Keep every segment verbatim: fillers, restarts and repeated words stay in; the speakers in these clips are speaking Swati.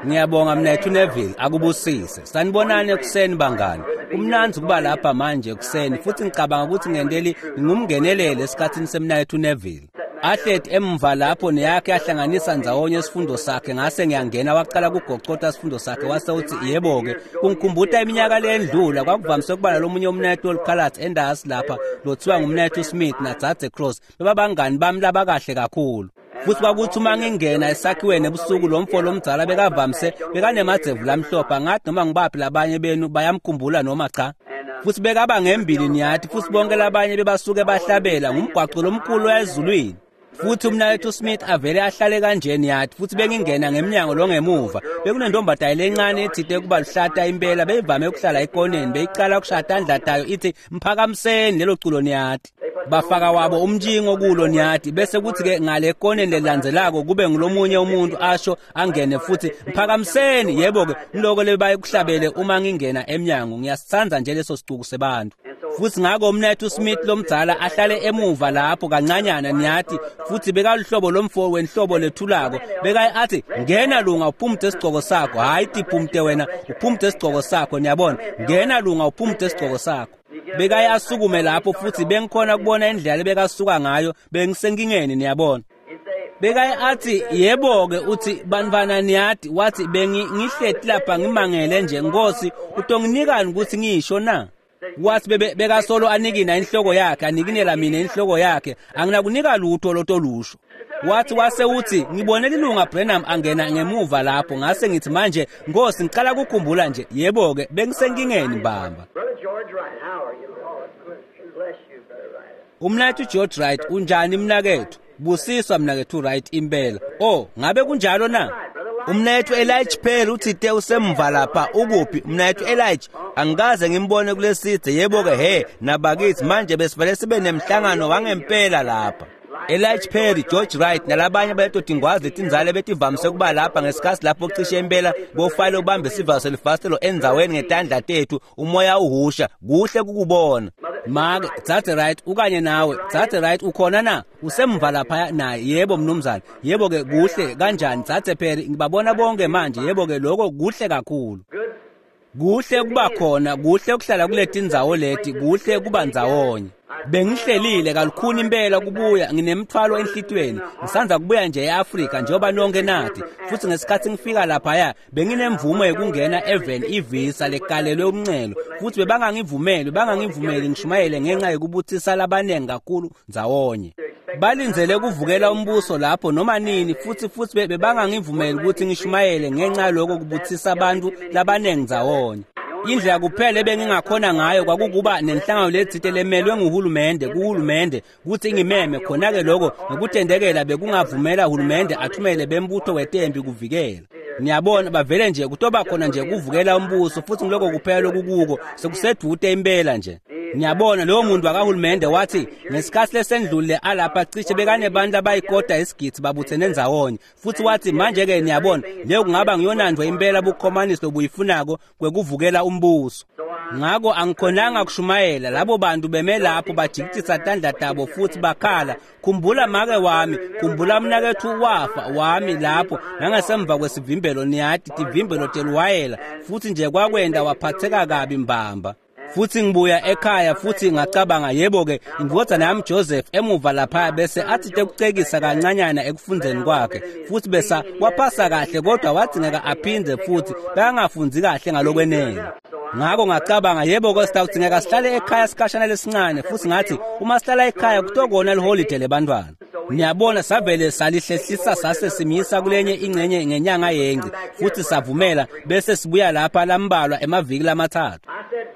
Ngiyabonga mnethu Neville, akubusise. Sanibonani ekuseni bangani. Kumnandzi kuba lapha manje ekuseni futhi ngicabanga ukuthi ngendeli ngumngenelele esikhatsini semnethu Neville. Ahleti emva lapho neyakhe yahlanganisa ndzawonye isifundo sakhe, ngase ngiyangena waqala kugocota isifundo sakhe wase uthi yebo-ke. Kungikhumbuta iminyaka leyendlula kwakuvamise ukuba nalomunye umnethu olukhalathi endasi lapha lothiwa ngumnethu Smith nadzadze Cross, bebabangani bami labakahle kakhulu. Futhi kwakuthi uma ngingena esakhiweni ebusuku lo mfo lomdzala bekavamise bekanemadzevu lamhlophe, ngathi noma ngibaphi labanye benu bayamkhumbula noma cha. Futhi bekaba ngembili niyathi, futhi bonke labanye bebasuke bahlabela ngumgwaqo lomkhulu wezulwini. Futhi umnakethu Smith avele ahlale kanje niyathi, futhi bengingena ngemnyango longemuva bekunentombazane lencane ethite kuba luhlata impela, beyivame ukuhlala ekoneni, beyiqala ukushaya tandla tayo ithi mphakamiseni lelo culo niyathi. Bafaka wabo umntshingo kulo niyathi, bese kuthi-ke ngale ekoneni lelandzelako kube ngulomunye umuntu asho angene futhi mphakamiseni. Yebo-ke ngiloko lebayikuhlabele uma ngingena emnyango, ngiyasithanda nje leso sicuku sebantu. Futhi ngako umnethu Smith lomdzala ahlale emuva lapho kancanyana niyathi, futhi bekaluhlobo lomfo wenhlobo lethulako, bekaye athi ngena lunga uphumute isigcoko sakho. Hayi tiphumute wena, uphumute isigcoko sakho, niyabona, ngena lunga uphumute isigcoko sakho. Bekaye asukume lapho futhi bengikhona kubona indlela lebekasuka ngayo, bengisenkingeni niyabona. Bekaye athi yebo-ke, uthi bantwana niyathi, wathi bengihleti lapha ngimangele nje, Nkosi utonginikani ukuthi ngisho na? Wathi bebe bekasolo anikina inhloko yakhe, anikinela mina inhloko yakhe, anginakunika lutho lotolusho. Wathi wase uthi ngibone lilunga Branham angena ngemuva lapho, ngase ngithi manje Nkosi ngicala kukhumbula nje. Yebo-ke bengisenkingeni mbamba. Brother George Wright, how are you? Bless you, Brother Wright. Umnakethu George Wright, unjani mnakethu? Busiswa mnakethu Wright impela. Oh, ngabe kunjalo na? Umnakethu Elijah Perry uthite usemva lapha, ukuphi umnakethu Elijah? Angikaze ngimbone kulesidze. Yebo-ke he nabakithi manje besivele sibe nemhlangano wangempela lapha. Elijah Perry, George Wright nalabanye baletodingwazi letinzalo betivamise kuba lapha ngesikhathi lapho cishe impela bofayile ubambe isivalo selifasitelo endzaweni ngetandla tethu, umoya uhusha, kuhle kukubona. Make, Dzadze Wright ukanye nawe, Dzadze Wright ukhona na? Usemva lapha naye? Yebo mnumzane. Yebo-ke kuhle kanjani Dzadze Perry, ngibabona bonke manje. Yebo-ke lokho kuhle kakhulu. Kuhle kuba khona, kuhle ukuhlala kuleti ndzawo leti, kuhle kuba ndzawonye. Bengihlelile kalukhuni impela kubuya, nginemthwalo enhlitiyweni. Ngisanza kubuya nje eAfrika njengoba nonke nathi. Futhi ngesikhathi ngifika laphaya benginemvumo yokungena eveni ivisa lekalelwe umncelo, futhi bebangangivumeli, bangangivumeli ngishumayele ngenxa yokubuthisa labanengi kakhulu ndzawonye. Balindzele kuvukela umbuso lapho noma nini, futhi futhi bebangangivumeli ukuthi ngishumayele ngenxa yaloko kubuthisa abantu labanengi ndzawonye. Indlela kuphela ebengingakhona ngayo kwakukuba nenhlangano letsite lemelwe nguhulumende kuhulumende ukuthi ingimeme khona-ke, lokho ngokutendekela bekungavumela uhulumende athumele bembutho wetempi kuvikela. Niyabona bavele nje kutoba khona nje kuvukela umbuso, futhi ngiloko kuphela lokukuko sekusedute impela nje. Niyabona lowo muntu wakahulumende wathi ngesikhathi lesendlule alapha cishe bekanebantu abayikota isigidi babuthene ndzawonye, futhi wathi manje-ke niyabona leyo kungaba ngiyonandvo impela bukhomanisi lobuyifunako kwekuvukela umbuso. Ngako angikhonanga kushumayela, labo bantu beme lapho bajikitisa tandla tabo futhi bakhala, khumbula make wami, khumbula mnakethu wafa wami lapho nangasemva kwesivimbelo niyathi, tivimbelo teluwayela, futhi nje kwakwenda waphatheka kabi mbamba. Futhi ngibuya ekhaya futhi ngacabanga yebo-ke indvodzana yami Joseph emuva lapha bese athi tekucekisa kancanyana ekufundzeni kwakhe, futhi besa waphasa kahle kodwa wadzingeka aphindze futhi bekangafundzi kahle ngalokwenele. Ngako ngacabanga yebo-ke sitawudzingeka sihlale ekhaya sikhashana lesincane, futhi ngathi uma sihlala ekhaya kutokona liholide lebantwana. Niyabona savele salihlehlisa sase simisa kulenye ingcenye ngenyanga yenci, futhi savumela bese sibuya lapha lambalwa emaviki lamathathu.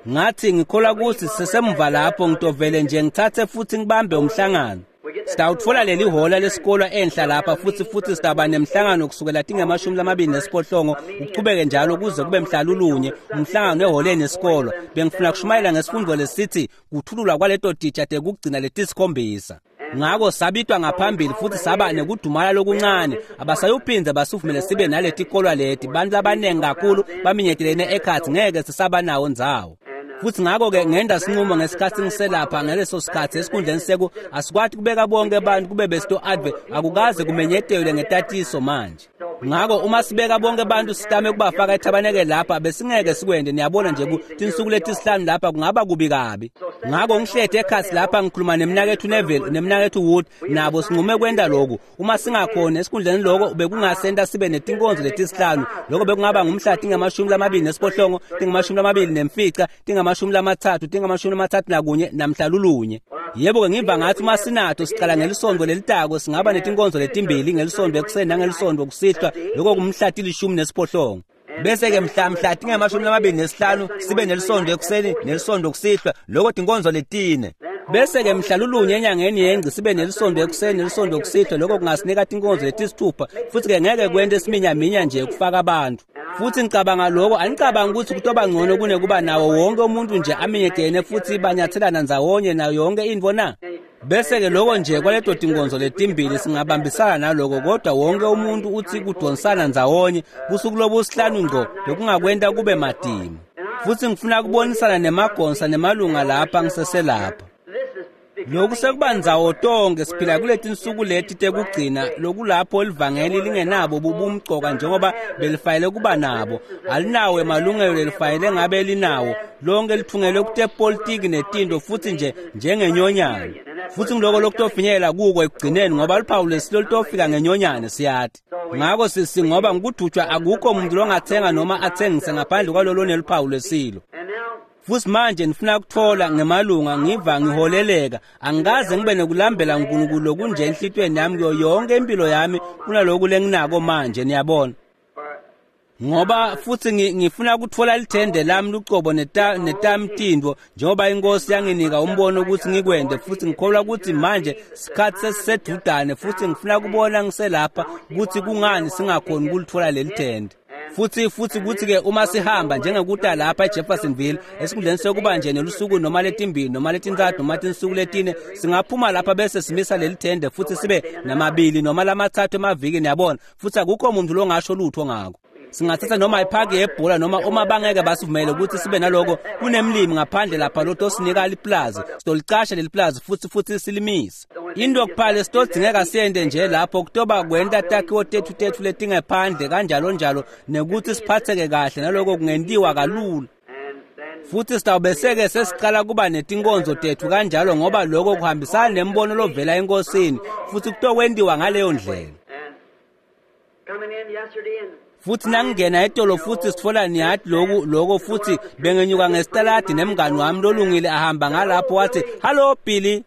Ngathi ngikholwa ukuthi sisemva lapho ngitovele nje ngithathe futhi ngibambe umhlangano. Sitawutfola leli hhola lesikolo enhla lapha futhi futhi sitaba nemhlangano kusukela tingemashumi lamabili nesiphohlongo uchubeke njalo kuze kube mhlalulunye umhlangano eholeni yesikolo. Bengifuna kushumayela ngesifundo lesithi kuthululwa kwaleto titsha tekugcina letisikhombisa. Ngako sabitwa ngaphambili futhi saba nekudumala lokuncane, abasayuphindze basivumele sibe naletikolwa leti, bantu labanengi kakhulu baminyetelene ekhathi ngeke sisaba nawo ndzawo. Futhi ngako-ke ngenda sinqumo ngesikhathi ngiselapha ngaleso sikhathi esikhundleni seku asikwati kubeka bonke abantu kube besito adve akukaze kumenyetelwe ngetatiso manje. Ngako uma sibeka bonke bantu sitame kubafaka ethabanekele lapha besingeke sikwende, niyabona nje tinsuku letisihlanu lapha kungaba kubi kabi. Ngako ngihlete ekhatsi lapha ngikhuluma nemnaketfu Neville nemnaketfu Wood, nabo sinqume kwenta lokhu. Uma singakhona esikhundleni lokho bekungasenta sibe netinkonzo letisihlanu, lokho bekungaba ngumhla tingamashumi lamabili nesiphohlongo, tingamashumi lamabili nemfica, tingamashumi lamatsatfu, tingamashumi lamatsatfu nakunye namhla lulunye. Yebo-ke ngiva ngathi uma sinato siqala ngelisonto lelitako singaba netinkonzo letimbili ngelisonto ekuseni nangelisonto kusihlwa, lokho kumhla tilishumi nesiphohlongo. Bese-ke mhla mhla tingamashumi lamabili nesihlanu sibe nelisonto ekuseni nelisonto kusihlwa, lokho tinkonzo letine. Bese-ke mhla lulunye enyangeni yengci sibe nelisonto ekuseni nelisonto kusihlwa, lokho kungasinika tinkonzo letisithupha, futhi-ke ngeke kwente isiminyaminya nje kufaka abantu. Futhi ngicabanga lokho, anicabanga ukuthi kutoba ngcono kunekuba nawo wonke umuntu nje aminyetene futhi banyathelana ndzawonye nayo yonke intfo na? Bese-ke lokho nje kwaleto tinkonzo letimbili singabambisana naloko, kodwa wonke umuntu uthi kudonsana ndzawonye busuku lobusihlanu ngco bekungakwenta kube matima. Futhi ngifuna kubonisana nemagonsa nemalunga lapha ngiseselapha. Lokhu sekuba ndzawo tonke siphila kuleti nsuku leti tekugcina lokulapho livangeli lingenabo bubumcoka njengoba belifayele kuba nabo, alinawo emalungelo lelifayele ngabe linawo, lonke lithungelwe kutepolitiki netinto futhi nje njengenyonyane. Futhi ngiloko lokutofinyelela kuko ekugcineni ngoba luphawu lesilo lutofika ngenyonyane siyati. Ngako sisi ngoba ngikudutshwa akukho muntu longathenga noma athengise ngaphandle kwalolo neluphawu lesilo. Futhi manje ngifuna ukuthola ngemalunga ngiva ngiholeleka, angikaze ngibe nokulambela uNkulunkulu lokunje enhlitiyweni yami kuyo yonke impilo yami kunaloku lenginako manje, niyabona. Ngoba futhi ngifuna ukuthola lithende lami lucobo netami tintfo njengoba inkosi yanginika umbono ukuthi ngikwende, futhi ngikholwa ukuthi manje sikhathi sesisedudane, futhi ngifuna kubona ngiselapha ukuthi kungani singakhoni ukulithola leli thende. Futhi futhi kuthi-ke uma sihamba njengekuta lapha eJeffersonville esikhundleni sekuba nje nelusuku noma letimbili noma letintsatfu noma tinsuku letine, singaphuma lapha bese simisa leli thende futhi sibe namabili noma lamatsatfu emaviki, niyabona, futhi akukho muntu longasho lutho ngako. Singathatha noma iphaki yebhola noma uma bangeke basivumele ukuthi sibe naloko, kunemlimi ngaphandle lapha lotosinika liplazi, sitolicasha leli plazi futhi futhi silimise. Into kuphela sitodzingeka siyente nje lapho kutoba kwenta takhiwo tethu tethu letingephandle kanjalo njalo nekuthi siphatheke kahle naloko kungentiwa kalula. Futhi sitawubese-ke sesiqala kuba netinkonzo tethu kanjalo ngoba lokho kuhambisana nembono lovela enkosini futhi kutokwentiwa ngaleyo ndlela. Futhi nangingena etolo futhi sitfola niyati loku lokho futhi bengenyuka ngesitaladi nemngani wami lolungile ahamba ngalapho wathi, "Hello Billy."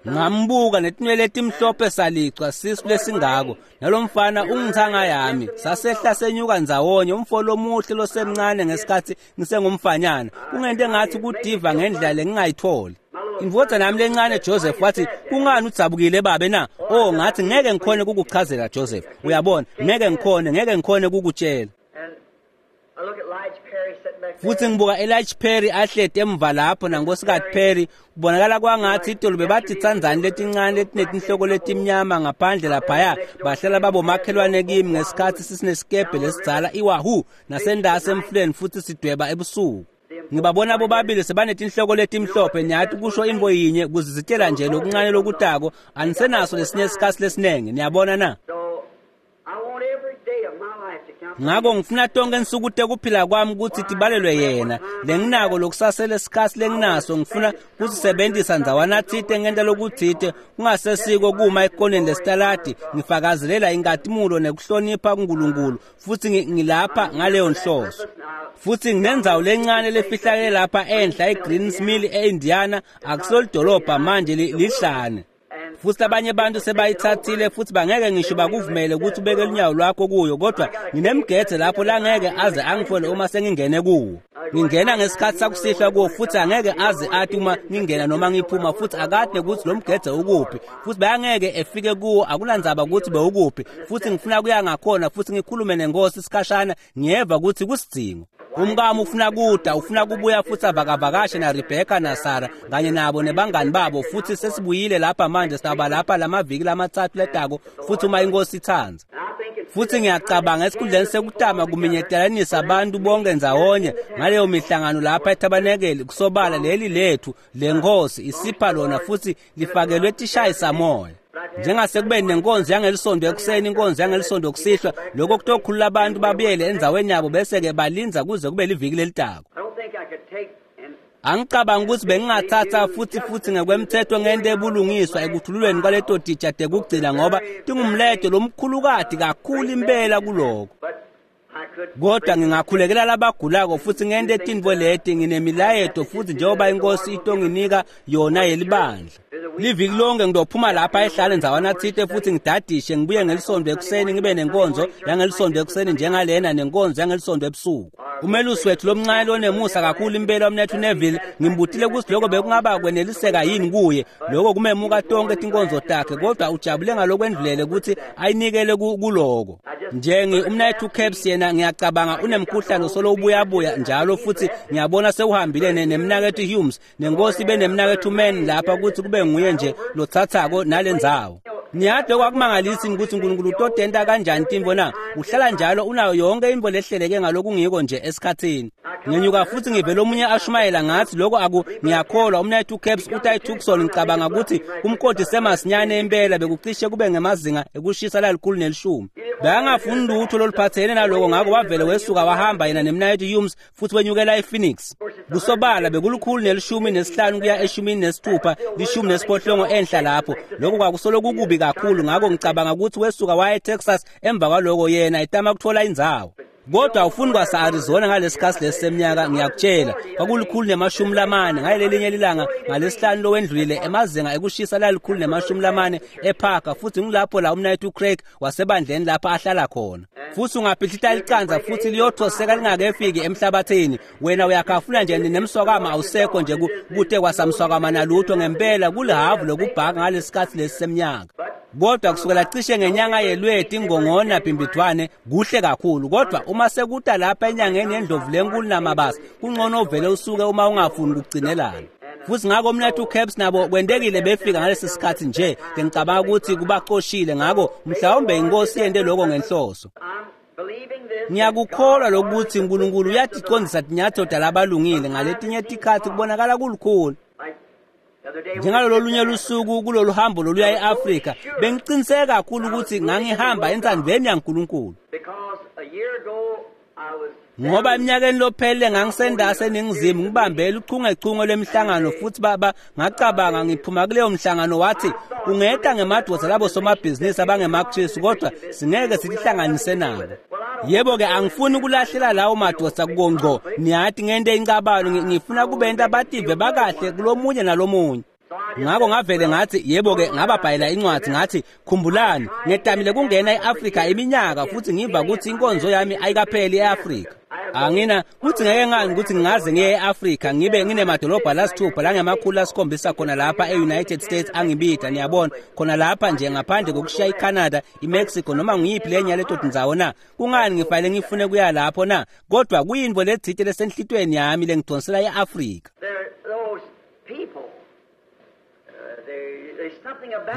Ngambuka netinwele letimhlophe salicwa sisu lesingako nalomfana ungithanga yami sasehla senyuka ndzawonye, umfo lomuhle losemncane ngesikhathi ngisengumfanyana, kungente ngathi kudiva ngendlela lengingayitholi. Indvodzana yami lencane Joseph wathi, "Kungani udzabukile babe na?" Oh, ngathi ngeke ngikhone kukuchazela Joseph, uyabona, ngeke ngikhone ngeke ngikhone kukutshela. Futhi ngibuka Elijah Perry ahleti emva lapho nankosikazi Perry, kubonakala kwangathi itolo bebathi tsandzani letincane letinetinhloko letimnyama ngaphandle laphaya, bahlala babomakhelwane kimi ngesikhathi sisinesikebhe lesidzala iWahoo nasendasi emfuleni futhi sidweba ebusuku. Ngibabona bobabili sebanetinhloko letimhlophe, niyati kusho intfo yinye kuzizitshela nje lokuncane lokutako, anisenaso lesinye isikhathi lesiningi, niyabona na? Ngako ngifuna tonke insuku tekuphila kwami ukuthi tibalelwe yena, lenginako lokusasele sikhathi lenginaso ngifuna kusisebenzisa ndzawana tsite ngenta lokutsite kungasesiko kuma ekoneni lesitaladi ngifakazelela inkatimulo nekuhlonipha kuNkulunkulu, futhi ngilapha ngaleyo nhloso. Futhi nginendzawo lencane lefihlakele lapha enhla eGreens Mill eIndiana, akusolidolobha manje lihlane. Futhi abanye abantu sebayithathile futhi bangeke ngisho bakuvumele ukuthi ubeke lunyawo lwakho kuyo, kodwa nginemgede lapho langeke aze angithole uma sengingene kuwo. Ngingena ngesikhathi sakusihlwa kuwo futhi angeke aze athi uma ngingena noma ngiphuma, futhi akade ukuthi lo mgede ukuphi, futhi bayangeke efike kuwo, akunandzaba ukuthi bewukuphi. Futhi ngifuna kuya ngakhona futhi ngikhulume nenkosi isikhashana, ngiyeva ukuthi kusidingo. Umkami ufuna kuda, ufuna kubuya futhi avakavakashe na Rebecca na Sarah kanye nabo nebangani babo, futhi sesibuyile lapha manje, sitawuba lapha lamaviki lamatsatfu letako futhi uma inkosi itsandza. Futhi ngiyacabanga esikhundleni sekutama kuminyetelanisa abantu bonke ndzawonye ngaleyo mihlangano lapha ethabanekeli kusobala leli lethu lenkosi isipha lona futhi lifakelwe tishayisamoya. Njengasekubeni nenkonzo yangelisonto ekuseni, inkonzo yangelisonto kusihlwa, lokho kutokhulula abantu babuyele endzaweni yabo bese-ke balinza kuze kube liviki lelitako. Angicabanga ukuthi bengingathatha futhi futhi ngekwemthetho ngento ebulungiswa ekuthululweni kwaleto titsha tekugcina ngoba tingumledo lomkhulukati kakhulu impela kuloko. Kodwa ngingakhulekela labagulako futhi ngente etintfo leti nginemilayeto futhi njengoba inkosi itonginika yona yelibandla. Liviki lonke ngidophuma lapha ehlale ndzawana tsite futhi ngidadishe ngibuye ngelisonto ekuseni ngibe nenkonzo yangelisonto ekuseni njengalena nenkonzo yangelisonto ebusuku. Umelusi wethu lomncane lonemusa kakhulu impela umnethu Neville ngimbutile ukuthi lokho bekungaba kweneliseka yini kuye lokho kumemuka tonke tinkonzo takhe kodwa ujabule ngalokwendlulele ukuthi ayinikele kuloko. Njengi umnethu Caps yena ngiyacabanga unemkhuhlane solo ubuyabuya njalo futhi ngiyabona sewuhambile nemnakethu Humes nenkosi benemnakethu Man lapha ukuthi kube nguye nje lothathako nalendzawo. Niyade kwakumangalisi ukuthi uNkulunkulu utodenta kanjani tintfo na uhlala njalo unayo yonke intfo lehleleke ngalokungiko nje esikhathini. Ngenyuka futhi ngivele omunye ashumayela ngathi lokho aku ngiyakholwa umnethu Caps uthi Tucson ngicabanga ukuthi umkodi semasinyane impela bekucishe kube ngemazinga ekushisa lalikhulu nelishumi. Bangafuni lutho loluphathene naloko ngakho wavele wesuka wahamba yena nemnayethu Humes futhi wenyukela ePhoenix. Kusobala bekulukhulu nelishumi nesihlanu kuya eshumini nesithupha lishumi nesiphohlongo enhla lapho. Lokho kwakusolo kukubi kakhulu ngakho ngicabanga ukuthi wesuka waya eTexas emva kwaloko yena etama kuthola indzawo. Kodwa ufuni kwasa Arizona ngalesikhathi leseminyaka ngiyakutshela kwakulikhulu nemashumi lamane ngalelinye ilanga ngalesihlanu lowendlulile emazinga ekushisa lalikhulu nemashumi lamane eParker futhi ngilapho la umnayethu Craig wasebandleni lapha ahlala khona. Futhi ungaphihlita licanza futhi liyothoseka lingakefiki emhlabathini wena uyakhafula nje nemswakama awusekho nje kute kwasamswakama nalutho ngempela kulihavu lokubhaka ngalesikhathi leseminyaka. Kodwa kusukela cishe ngenyanga yelweti ingongona bhimbidwane kuhle kakhulu kodwa uma sekuta lapha enyangeni yendlovu lenkulu namabasa kungcono uvele usuke uma ungafuni ukugcinelana. Futhi ngakho umnethu Caps nabo kwentekile befika ngalesi sikhathi nje ngicabanga ukuthi kubacoshile ngakho mhlawumbe inkosi yente lokho ngenhloso. Ngiyakukholwa lokuthi uNkulunkulu uyaticondzisa tinyatselo labalungile ngaletinye tikhathi kubonakala kulukhulu. Njengalolo lunye lusuku kulolu hambo loluya eAfrika bengiqiniseka kakhulu ukuthi ngangihamba entsandvweni yaNkulunkulu. Ngoba eminyakeni lophelele ngangisendase eNingizimu ngibambele uchungechunge lwemihlangano futhi baba ngacabanga ngiphuma kuleyo mhlangano wathi ungeta ngemadoda labo somabhizinisi abangemaKristu kodwa singeke sitihlanganise nabo. Yebo ke angifuni ukulahlela lawo madoda kongco niyathi ngente incabano ngifuna kubenta abative bakahle kulomunye nalomunye. Ngakho ngavele ngathi yebo ke ngababhalela incwadi ngathi khumbulani ngetamile kungena eAfrika iminyaka futhi ngiva ukuthi inkonzo yami ayikapheli eAfrika. Angina kuthi ngeke ngani ukuthi ngingaze ngiye eAfrika ngibe nginemadolobha lasithupha langemakhulu asikhombisa khona lapha eUnited States angibida niyabona khona lapha nje ngaphandle kokushiya iCanada iMexico noma ngiyiphi lenye yaleto tindzawo na kungani ngifanele ngifune kuya lapho na kodwa kuyintfo letsite lesenhlitweni yami lengidonsela eAfrika.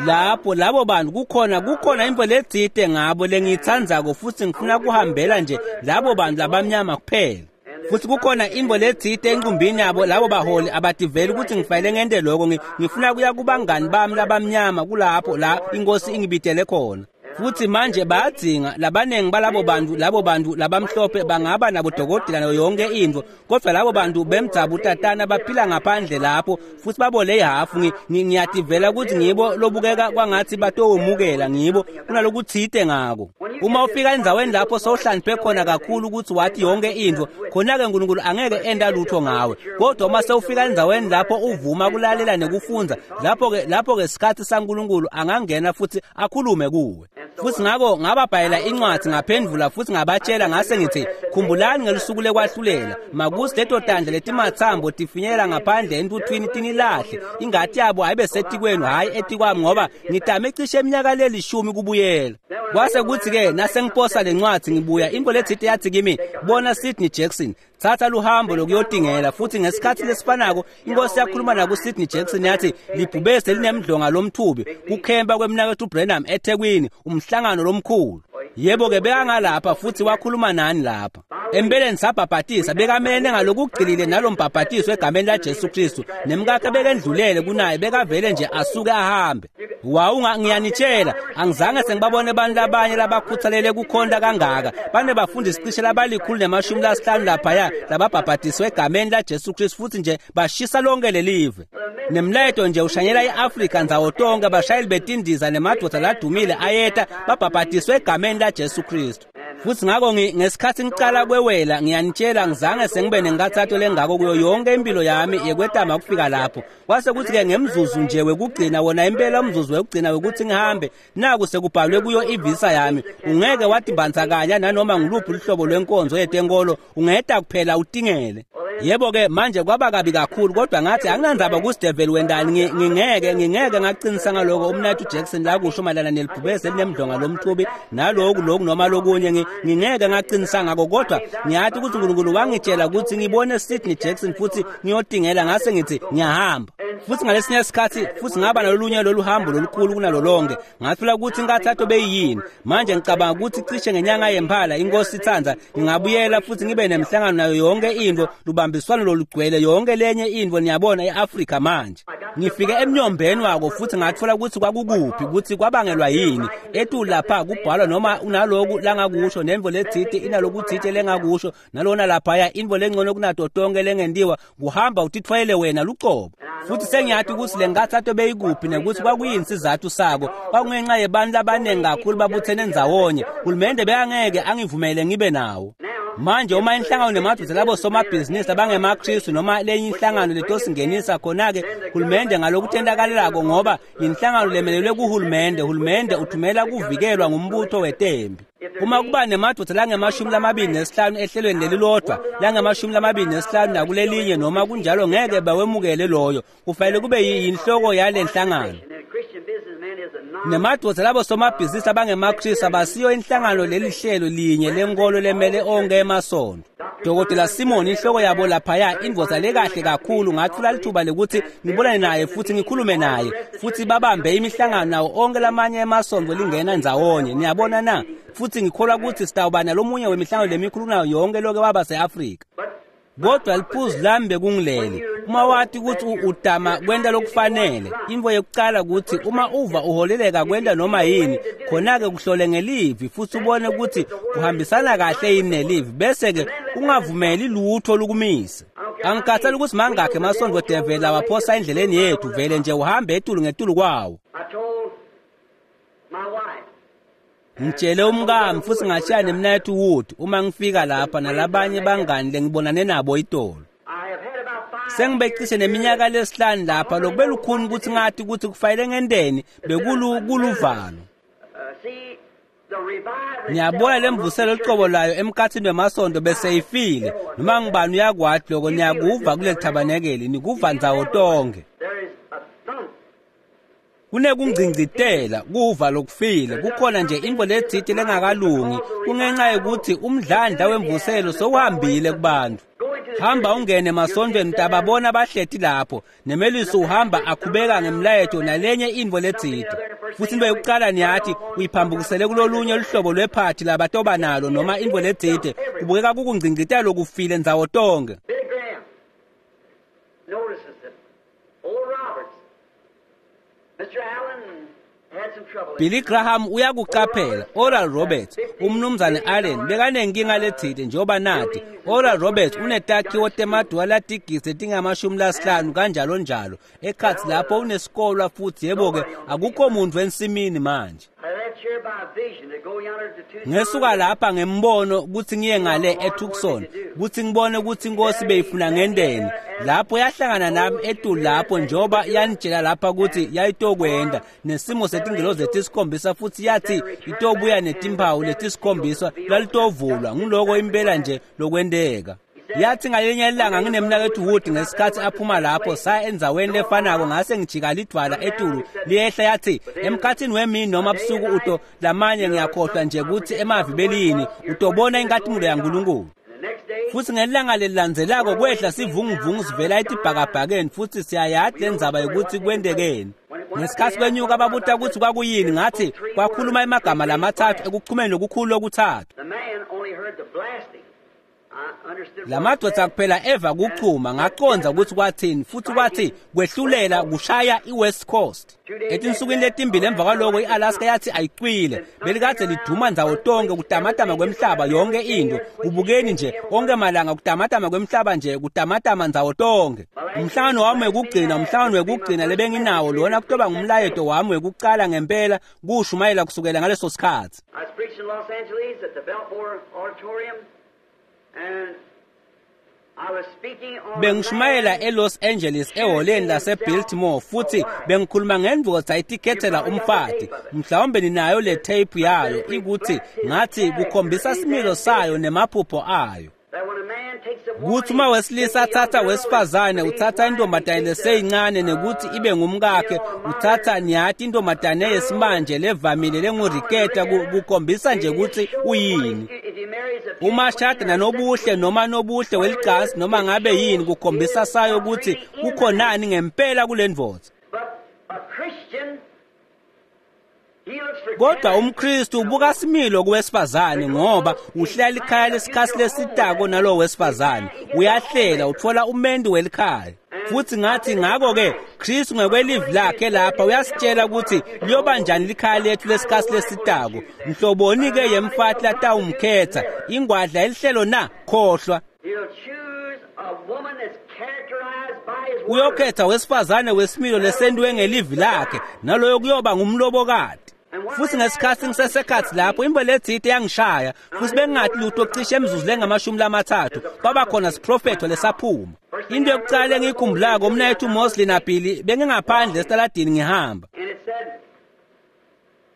Lapho labo bantu kukhona kukhona into letsite ngabo lengiyitsandzako futhi ngifuna kuhambela nje labo bantu labamnyama kuphela. Futhi kukhona into letsite enqumbini yabo labo baholi abativeli ukuthi ngifanele ngente lokho ngifuna kuya kubangani bami labamnyama kulapho la inkosi ingibidele khona. Futhi manje bayadzinga labanengi balabo bantu labo bantu labamhlophe bangaba nabodokotela nayo yonke intfo kodwa labo bantu bemdzabu tatana baphila ngaphandle lapho futhi babole ihafu ngiyativela ukuthi ngibo lobukeka kwangathi batowemukela ngibo kunalokutsite ngako. Uma ufika endzaweni lapho sowuhlaniphe khona kakhulu ukuthi wathi yonke intfo khona-ke uNkulunkulu angeke enta lutho ngawe kodwa uma sewufika endzaweni lapho uvuma kulalela nekufundza lapho-ke lapho-ke sikhathi saNkulunkulu angangena futhi akhulume kuwe. Futhi ngakho ngababhalela incwadi ngaphendvula futhi ngabatshela ngase ngithi khumbulani ngelusuku lekwahlulela makuthi leto tandla letimatsambo tifinyela ngaphandle entuthwini tinilahle ingati yabo ayibe setikwenu hhayi etikwami ngoba ngitame cishe eminyaka lelishumi kubuyela. Kwase kuthi-ke nasengiposa le ncwadi ngibuya into letsite yathi kimi bona Sidney Jackson thatha luhambo lokuyotingela futhi ngesikhathi lesifanako inkosi yakhuluma nakuSidney Jackson yathi libhubesi linemdlonga lomthubi kukhempa kwemnakethu Branham eThekwini umhlangano lomkhulu. Yebo-ke bekangalapha futhi wakhuluma nani lapha. Empeleni sabhabhatisa bekamene ngalokugcilile nalombhabhatiso egameni laJesu Kristu. Nemkakhe bekendlulele kunaye bekavele nje asuke ahambe. Wawunga ngiyanitshela angizange sengibabone abantu labanye labakhuthalele kukhonta kangaka. Bane bafundisi cishe labalikhulu nemashumi lasihlanu laphaya lababhabhatiswe egameni laJesu Kristu futhi nje bashisa lonke lelive. Nemlayeto nje ushanyela iAfrika ndzawo tonke abashayeli betindiza nemadoda ladumile ayeta babhabhatiswe egameni laJesu Kristu. Futhi ngako ngesikhathi ngicala kwewela ngiyanitshela ngizange sengibe nenkathato lengako kuyo yonke impilo yami yekwetama ukufika lapho. Kwase kuthi-ke ngemzuzu nje wekugcina wona impela umzuzu wekugcina wekuthi ngihambe naku sekubhalwe kuyo ivisa yami ungeke watimbandzakanya nanoma ngiluphi luhlobo lwenkonzo yetenkolo ungeta kuphela utingele. Yebo-ke manje kwaba kabi kakhulu kodwa ngathi anginandzaba ukuthi devil wendani ngingeke ngingeke ngaqinisa ngaloko umnathu Jackson la kusho mayelana nelibhubesi elinemdlonga lomthubi naloku loku noma lokunye ngingeke ngaqinisa ngako kodwa ngiyathi ukuthi uNkulunkulu wangitshela ukuthi ngibone Sidney Jackson futhi ngiyotingela ngase ngithi ngiyahamba. Futhi ngalesinye isikhathi futhi ngaba nalolunye lolu hambo lolukhulu kunalo lonke ngathola ukuthi inkathatho beyiyini. Manje ngicabanga ukuthi cishe ngenyanga yemphala inkosi ithanda ngingabuyela futhi ngibe nemhlangano nayo yonke into lubambiswano lolugcwele yonke lenye into niyabona eAfrika manje. Ngifike emnyombeni wako futhi ngathola ukuthi kwakukuphi ukuthi kwabangelwa yini. Etu lapha kubhalwa noma unaloku langakusho nemvo letsite inalokutsite lengakusho nalona laphaya invo lengcono kunato tonke lengentiwa kuhamba utithwele wena lucobo. Futhi sengiyathi ukuthi le nkathatho beyikuphi nekuthi kwakuyini isizathu sako kwakungenxa yebantu labaningi kakhulu babuthene ndzawonye. Hulumende bekangeke angivumele ngibe nawo. Manje uma inhlangano nemadoda labo somabhizinisi abangemaKristu noma lenye inhlangano letosingenisa khona-ke hulumende ngalokutentakalelako ngoba yinhlangano lemelelwe kuhulumende. Hulumende uthumela kuvikelwa ngumbutho wetembi. Uma kuba nemadoda langemashumi lamabili nesihlanu ehlelweni lelilodwa langemashumi lamabili nesihlanu nakulelinye noma kunjalo ngeke bawemukele loyo. Kufanele kube yinhloko yale nhlangano. Nemadoda labo somabhizinisi abangemaKristu abasiyo inhlangano lelihlelo linye lenkolo lemele onke emasonto. Dokotela Simon inhloko yabo laphaya indvodza lekahle kakhulu ngathola lithuba lekuthi ngibonane naye futhi ngikhulume naye futhi babambe imihlangano nawo onke lamanye emasonto lingena ndzawonye niyabona na. Futhi ngikholwa ukuthi sitawuba nalomunye wemihlangano lemikhulu nayo yonke loke waba se-Afrika. Kodwa liphuzu lami bekungilele uma wathi ukuthi udama kwenta lokufanele intfo yokucala ukuthi uma uva uholeleka kwenta noma yini khona-ke kuhlole ngelivi futhi ubone ukuthi kuhambisana kahle yini nelivi bese-ke ungavumeli lutho lukumise. Angikhathali ukuthi mangakhi emasondo devela awaphosa endleleni yethu vele nje uhambe etulu ngetulu kwawo. Ngitshele umkami futhi ngashiya nemnayethu Wood uma ngifika lapha nalabanye bangani lengibonane nabo itolo. Sengibecishe neminyaka lesihlanu lapha lokube lukhuni ukuthi ngathi ukuthi kufanele ngenteni bekulu kuluvalo. Ngiyabona lemvuselo lucobo layo emkhathini wemasondo bese ifile noma ngibani uyakwati lokho niyakuva kule thabanekeli nikuva ndzawo tonke. Kunekungcingcitela kuva lokufile kukhona nje intfo letsite lengakalungi kungenxa yokuthi umdlandla wemvuselo sowuhambile kubantu. Hamba ungene emasontweni utababona bahleti lapho nemelisi uhamba akhubeka ngemlayeto nalenye intfo letsite. Futhi into yokucala niyathi uyiphambukisele kulolunye luhlobo lwephathi labatoba nalo noma intfo letsite kubukeka kukungcingcitela lokufile ndzawo tonke. Billy Graham uyakuqaphela Oral Roberts umnumzane Allen bekanenkinga letsite njengoba nathi Oral Roberts unetakhiwo temaduwa latigisi letingamashumi lasihlanu kanjalo njalo ekhatsi lapho unesikolwa futhi yebo-ke akukho muntu ensimini manje. Ngesuka lapha ngembono ukuthi ngiye ngale eTucson ukuthi ngibone ukuthi inkosi beyifuna ngenteni lapho yahlangana nami etulu lapho njengoba yanitshela lapha ukuthi yayitokwenda nesimo setingilozi letisikhombisa futhi yathi itobuya netimphawu letisikhombisa lalitovulwa ngiloko impela nje lokwenteka. Yathi ngalinye ilanga nginemnakethu Wood ngesikhathi aphuma lapho saya endzaweni lefanako ngase ngijika lidwala etulu liyehla yathi emkhathini wemini noma busuku uto lamanye ngiyakhohlwa nje ukuthi emavi belini utobona inkatimulo yaNkulunkulu. Futhi ngelanga lelilandzelako kwehla sivunguvungu sivela etibhakabhakeni futhi siyayathi lendzaba yokuthi kwentekeni. Ngesikhathi kwenyuka babuta ukuthi kwakuyini, ngathi kwakhuluma emagama lamathathu ekuchumeni lokukhulu lokuthathu. The man only heard the blasting. I understood what Lamadoda kuphela eva kuchuma, ngaqonza ukuthi kwathini, futhi kwathi kwehlulela kushaya iWest Coast. Etinsukwini letimbili emva kwaloko iAlaska yathi ayicwile, belikade liduma ndzawo tonke kutamatama kwemhlaba yonke into. Kubukeni nje onke malanga kutamatama kwemhlaba nje kutamatama ndzawo tonke. Umhlangano wami wekugcina, umhlangano wekugcina lebenginawo lona kutoba ngumlayeto wami wekucala ngempela kushumayela kusukela ngaleso sikhathi. I was preaching in Los Angeles at the Biltmore Auditorium, and I was speaking on Bengishumayela a man eLos Angeles eholeni laseBiltmore futhi bengikhuluma ngendvodza itikhethela umfati. Mhlawumbe ninayo le tape yayo ikuthi ngathi kukhombisa similo sayo nemaphupho ayo. that when a man takes a woman, Kuthi uma wesilisa athatha wesifazane uthatha intombazane leseyincane nekuthi ibe ngumkakhe, uthatha niyathi intombazane yesimanje levamile lenguriketa kukhombisa nje ukuthi uyini. if he marries a Uma shada nanobuhle noma nobuhle weligasi noma ngabe yini kukhombisa sayo ukuthi kukhonani ngempela kule ndvodza. But a Christian, he looks for Kodwa umKristu ubuka similo kuwesifazane ngoba uhlela ikhaya lesikhathi lesitako nalowo wesifazane. Uyahlela uthola umendi welikhaya. Futhi ngathi ngakho-ke Kristu ngekwelivi lakhe lapha uyasitshela ukuthi liyoba njani likhaya lethu lesikhathi lesitako. Mhloboni-ke yemfati latawumkhetha ingwadla elihlelo na khohlwa. He'll choose a woman that's characterized by his word. Uyokhetha wesifazane wesimilo lesentiwe ngelivi lakhe naloyo kuyoba ngumlobokati. Futhi ngesikhathi ngisesekhathi lapho imbo lethite yangishaya futhi bengingathi lutho cishe emzuzu lengamashumi lamathathu kwaba khona siprofetho lesaphuma. Into yokucala engiyikhumbulako umnayethu Mosley naBilly bengingaphandle esitaladini ngihamba. And it said,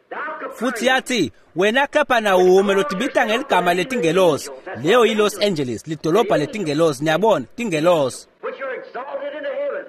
Thou Futhi Capernaum, yathi wena Capernaum lotibita ngeligama letingelosi, leyo yiLos Angeles, lidolobha letingelosi, niyabona, tingelosi which are exalted into heaven,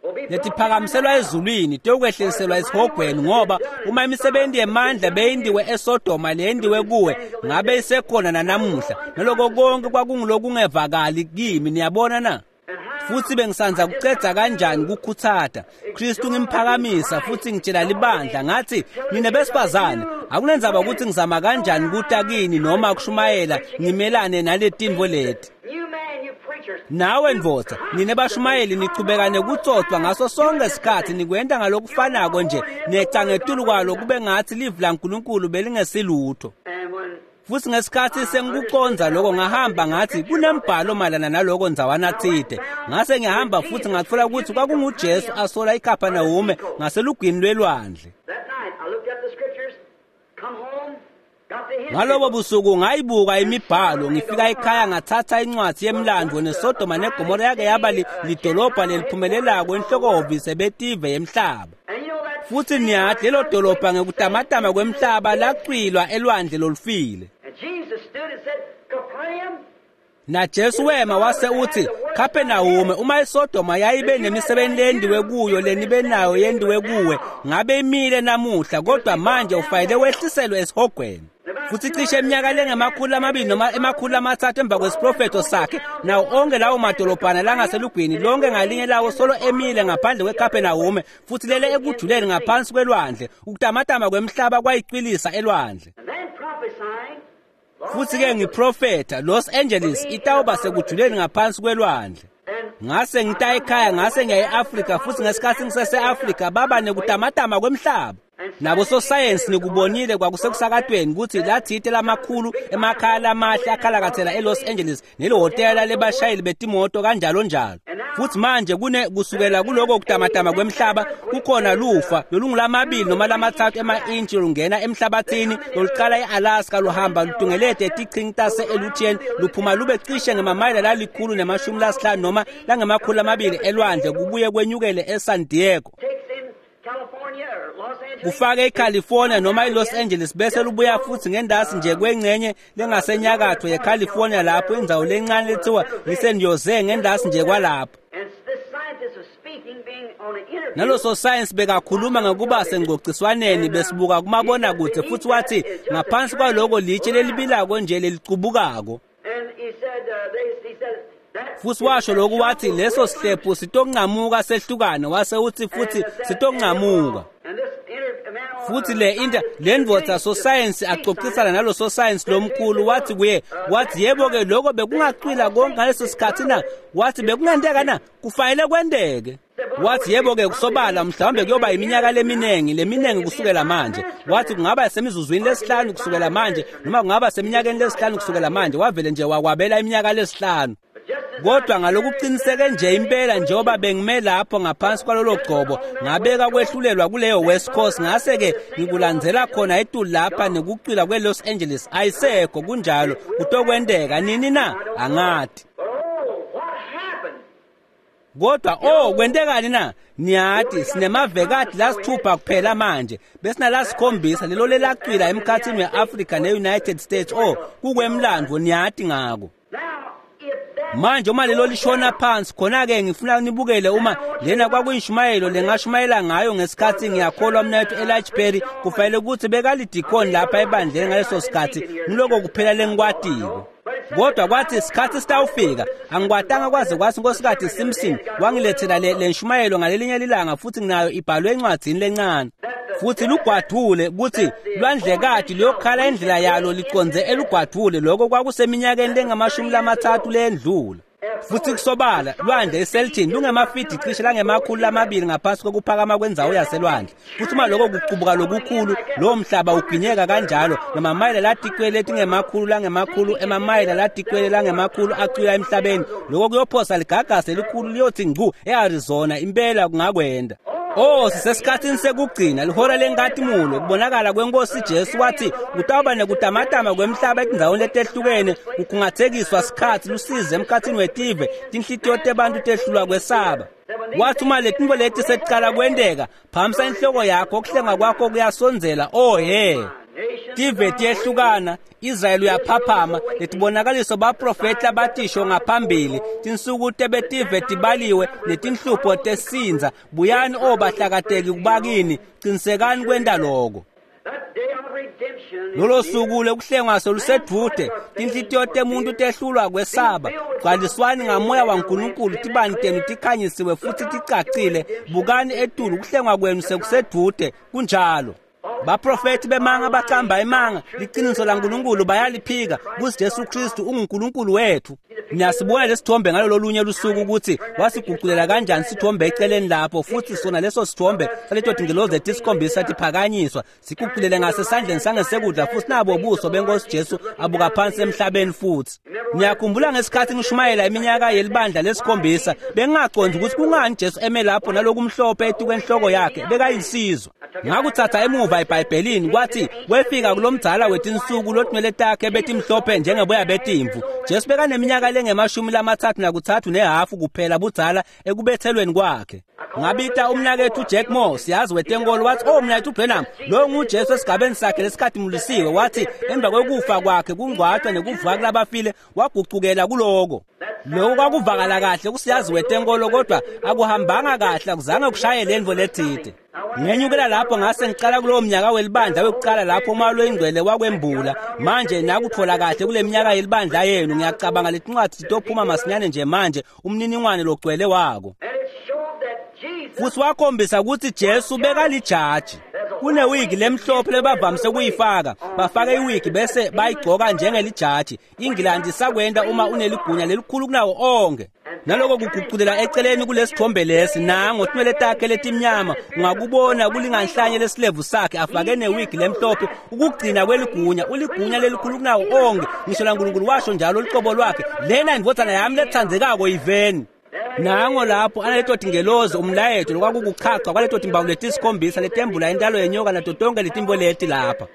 will be brought letiphakamiselwa down. ezulwini tiyokwehliselwa esihogweni ngoba uma imisebenzi yemandla beyindiwe eSodoma leyendiwe kuwe ngabe isekhona nanamuhla naloko konke kwakungilokungevakali kimi niyabona na. And how Futhi bengisanza kucedza kanjani kukhutsata Kristu ngimphakamisa futhi ngitshela libandla ngathi nine besifazane akunendzaba ukuthi ngizama kanjani kuta kini noma kushumayela ngimelane naletinto leti. You man, you preachers, Nawe ndvodza nine bashumayeli nichubeka nekutsotswa ngaso sonke isikhathi nikwenta ngalokufanako nje neca ngetulu kwalo kube ngathi livi laNkulunkulu belingesilutho. and when Futhi ngesikhathi sengikuconza lokho ngahamba ngathi kunembhalo mayelana naloko ndzawana tsite. Ngase ngihamba futhi ngathola ukuthi kwakunguJesu asola iKapernaum ngaselugwini lwelwandle. that night I looked up the scriptures, come home, got the history. Ngalobo busuku ngayibuka imibhalo ngifika ekhaya ngathatha incwadi yemlando neSodoma neGomora yake yaba li- lidolobha leliphumelelako enhlokohhovisi betive yemhlaba. And you know that Futhi niyathi lelo dolobha ngekutamatama kwemhlaba lacwilwa elwandle lolufile. And Jesus stood and said, Capernaum, NaJesu wema wase uthi Capernaum uma iSodoma yayibe nemisebenzi lendiwe kuyo lenibe nayo yendiwe kuwe ngabe imile namuhla kodwa manje ufanele wehliselwe esihogweni. Futhi cishe eminyaka lengemakhulu amabili noma emakhulu amathathu emva kwesiprofetho sakhe nawo onke lawo madolobhana langaselugwini lonke ngalinye lawo solo emile ngaphandle kweCapernaum futhi lele ekujuleni ngaphansi kwelwandle ukutamatama kwemhlaba kwayicwilisa elwandle. and then prophesying, Los Futhi ke Angeles, ngiprofetha Los Angeles itawuba sekujuleni ngaphansi kwelwandle. and Ngase ngita ekhaya ngase ngiya e-Afrika futhi ngesikhathi ngisese-Afrika baba nekutamatama kwemhlaba. Nabo sosayensi nikubonile kwakusekusakatweni ukuthi lathite lamakhulu emakhaya lamahle akhalakathela eLos Angeles nelihhotela lebashayeli betimoto kanjalo njalo. Futhi manje kune kusukela kuloko kutamatama kwemhlaba kukhona lufa lolungulamabili noma lamathathu ema-intshi lungena emhlabathini loluqala e-Alaska luhamba lutungelete etichingi tase-Aleutian luphuma lube cishe ngemamayela lalikhulu nemashumi lasihlanu noma langemakhulu amabili elwandle kubuye kwenyukele eSan Diego. takes in California or Los Angeles. Kufake eCalifornia noma eLos Angeles bese lubuya futhi ngendasi nje kwengcenye lengasenyakatho yeCalifornia lapho indzawo lencane lethiwa yiSan Jose ngendasi nje kwalapho. And this scientist was speaking, being on an interview. Naloso science bekakhuluma ngekuba sengcociswaneni besibuka kumabonakude futhi wathi ngaphansi kwaloko litshe lelibilako nje lelicubukako. And he said, uh, they, he said, that Futhi washo lokhu wathi leso sihlephu sitonqamuka sehlukane, wase uthi futhi sitonqamuka. Futhi le inter le ndvodza sosayensi axoxisana nalo sosayensi lomkhulu, wathi kuye, wathi yebo-ke lokho bekungacwila konke ngaleso sikhathi na? Wathi bekungenteka na? Kufanele kwenteke. Wathi yebo-ke kusobala mhlawumbe kuyoba iminyaka leminingi leminingi kusukela manje. Wathi kungaba semizuzwini lesihlanu kusukela manje, noma kungaba seminyakeni lesihlanu kusukela manje. Wavele nje wakwabela iminyaka lesihlanu. Kodwa ngalokuqiniseke nje impela njengoba bengime lapho ngaphansi kwalolo gcobo, ngabeka kwehlulelwa kuleyo West Coast, ngase-ke ngikulandzela khona etulu lapha nekucwila kwe-Los Angeles. Ayisekho kunjalo, kutokwenteka nini na? Angati. Kodwa oh kwentekani na? Niyati sinemavekati lasithupha kuphela manje, besinalasikhombisa lelo lelacwila emkhathini we-Africa ne-United States. Oh kukwemlandvo, niyati ngako. Manje uma lelo lishona phansi khona-ke ngifuna nibukele uma lena kwakuyishumayelo lengashumayela ngayo ngesikhathi ngiyakholwa mnethu Elijah Perry kufanele ukuthi bekalidikoni lapha ebandleni ngaleso sikhathi, ngiloko kuphela lengikwatiko. Kodwa kwathi isikhathi sitawufika, angikwatanga kwaze kwathi Nkosikazi Simpson wangilethela le lenshumayelo ngalelinye lilanga, futhi nginayo ibhalwe encwadzini lencane. Futhi lugwadule kuthi lwandlekati luyokhala indlela yalo liconze elugwadule. Lokho kwakuseminyakeni lengamashumi lamathathu lendlula. Futhi kusobala lwandle iSelton lungemafidi cishe langemakhulu lamabili ngaphansi kokuphakama kwendzawo yaselwandle. Futhi uma lokho kucubuka lokukhulu, lowo mhlaba uginyeka kanjalo namamayela latikwele letingemakhulu langemakhulu emamayela latikwele langemakhulu acwila emhlabeni. Lokho kuyophosa ligagasi elikhulu liyothi ngcu e-Arizona. Impela kungakwenda. Oh sisesikhathini sekugcina, lihora lenkatimulo, kubonakala kwenkosi Jesu. Wathi kutawuba nekutamatama kwemhlaba etindzaweni letehlukene, kukhungathekiswa sikhatsi, lusizi emkhathini wetive, tinhlitiyo tebantu tehlulwa kwesaba. Wathi uma letintfo leti sekucala kwenteka, phamisa inhloko yakho, kuhlenga kwakho kuyasondzela. Oh he, tive tiyehlukana, Israyeli uyaphaphama, letibonakaliso baprofeti labatisho ngaphambili, tinsuku tebetive tibaliwe netinhlupho tesindza. Buyani o bahlakateki kubakini, qinisekani kwenta loko. Lolo suku lokuhlengwa solusedvute, tinhlitiyo temuntu tehlulwa kwesaba. Gcwaliswani ngamoya waNkulunkulu, tibani tenu tikhanyisiwe futhi ticacile. Bukani etulu, kuhlengwa kwenu sekusedvute. Kunjalo. Baprofeti bemanga bacamba imanga, liqiniso laNkulunkulu bayaliphika kuthi Jesu Kristu unguNkulunkulu wethu. Niyasibona lesithombe ngalolo lunye lusuku ukuthi wasiguqulela kanjani sithombe eceleni lapho, futhi sona leso sithombe saleto tingelozi letisikhombisa tiphakanyiswa siguqulele ngasesandleni sangesekudla, futhi nabo buso benkosi Jesu abuka phansi emhlabeni. Futhi niyakhumbula ngesikhathi ngishumayela iminyaka yelibandla lesikhombisa, bengingaqondi ukuthi kungani Jesu eme lapho nalokumhlophe etukwenhloko yakhe, bekayinsizwa. Ngakuthatha emuva eBhayibhelini, kwathi wefika kulomdzala wetinsuku lotinwele takhe betimhlophe njengeboya betimvu. Jesu bekaneminyaka lengemashumi lamathathu nakuthathu nehafu kuphela budzala ekubethelweni kwakhe. Ngabita umnakethu Jack Moore, siyazi wetenkolo, wathi oh mnakethu Branham, lo nguJesu esigabeni sakhe lesikhatimulisiwe. Wathi emva kwekufa kwakhe kungcwatshwa nekuvuka kulabafile wagucukela kuloko. Lokho kwakuvakala kahle kusiyazi wetenkolo, kodwa akuhambanga kahle, akuzange kushaye lendvo lethide. Ngenyukela lapho ngase ngicala kulowo mnyaka welibandla wekucala lapho umoya loyingcwele wakwembula. Manje nakuthola kahle kule minyaka yelibandla yenu, ngiyacabanga letincwadi titophuma masinyane nje manje umniningwane logcwele wako. Futhi wakhombisa ukuthi Jesu bekalijaji. Kunewigi lemhlophe lebavamise kuyifaka, bafake iwigi bese bayigcoka njengelijaji. Ingilandi sakwenda uma uneligunya lelikhulu kunawo onke. Naloko kuguqulela eceleni kulesithombe lesi, nango tinwele takhe letimnyama ungakubona kulinganhlanye lesilevu sakhe, afake newigi lemhlophe, ukugcina kweligunya, uligunya lelikhulu kunawo onke. Ngisho laNkulunkulu washo njalo lucobo lwakhe, lena indvodzana yami lethandzekako yiveni. Nango lapho analeto tingelozi umlayeto lokwakukuchacha kwaleto timbawu letisikhombisa letembula intalo yenyoka nato tonke letimbo leti lapha.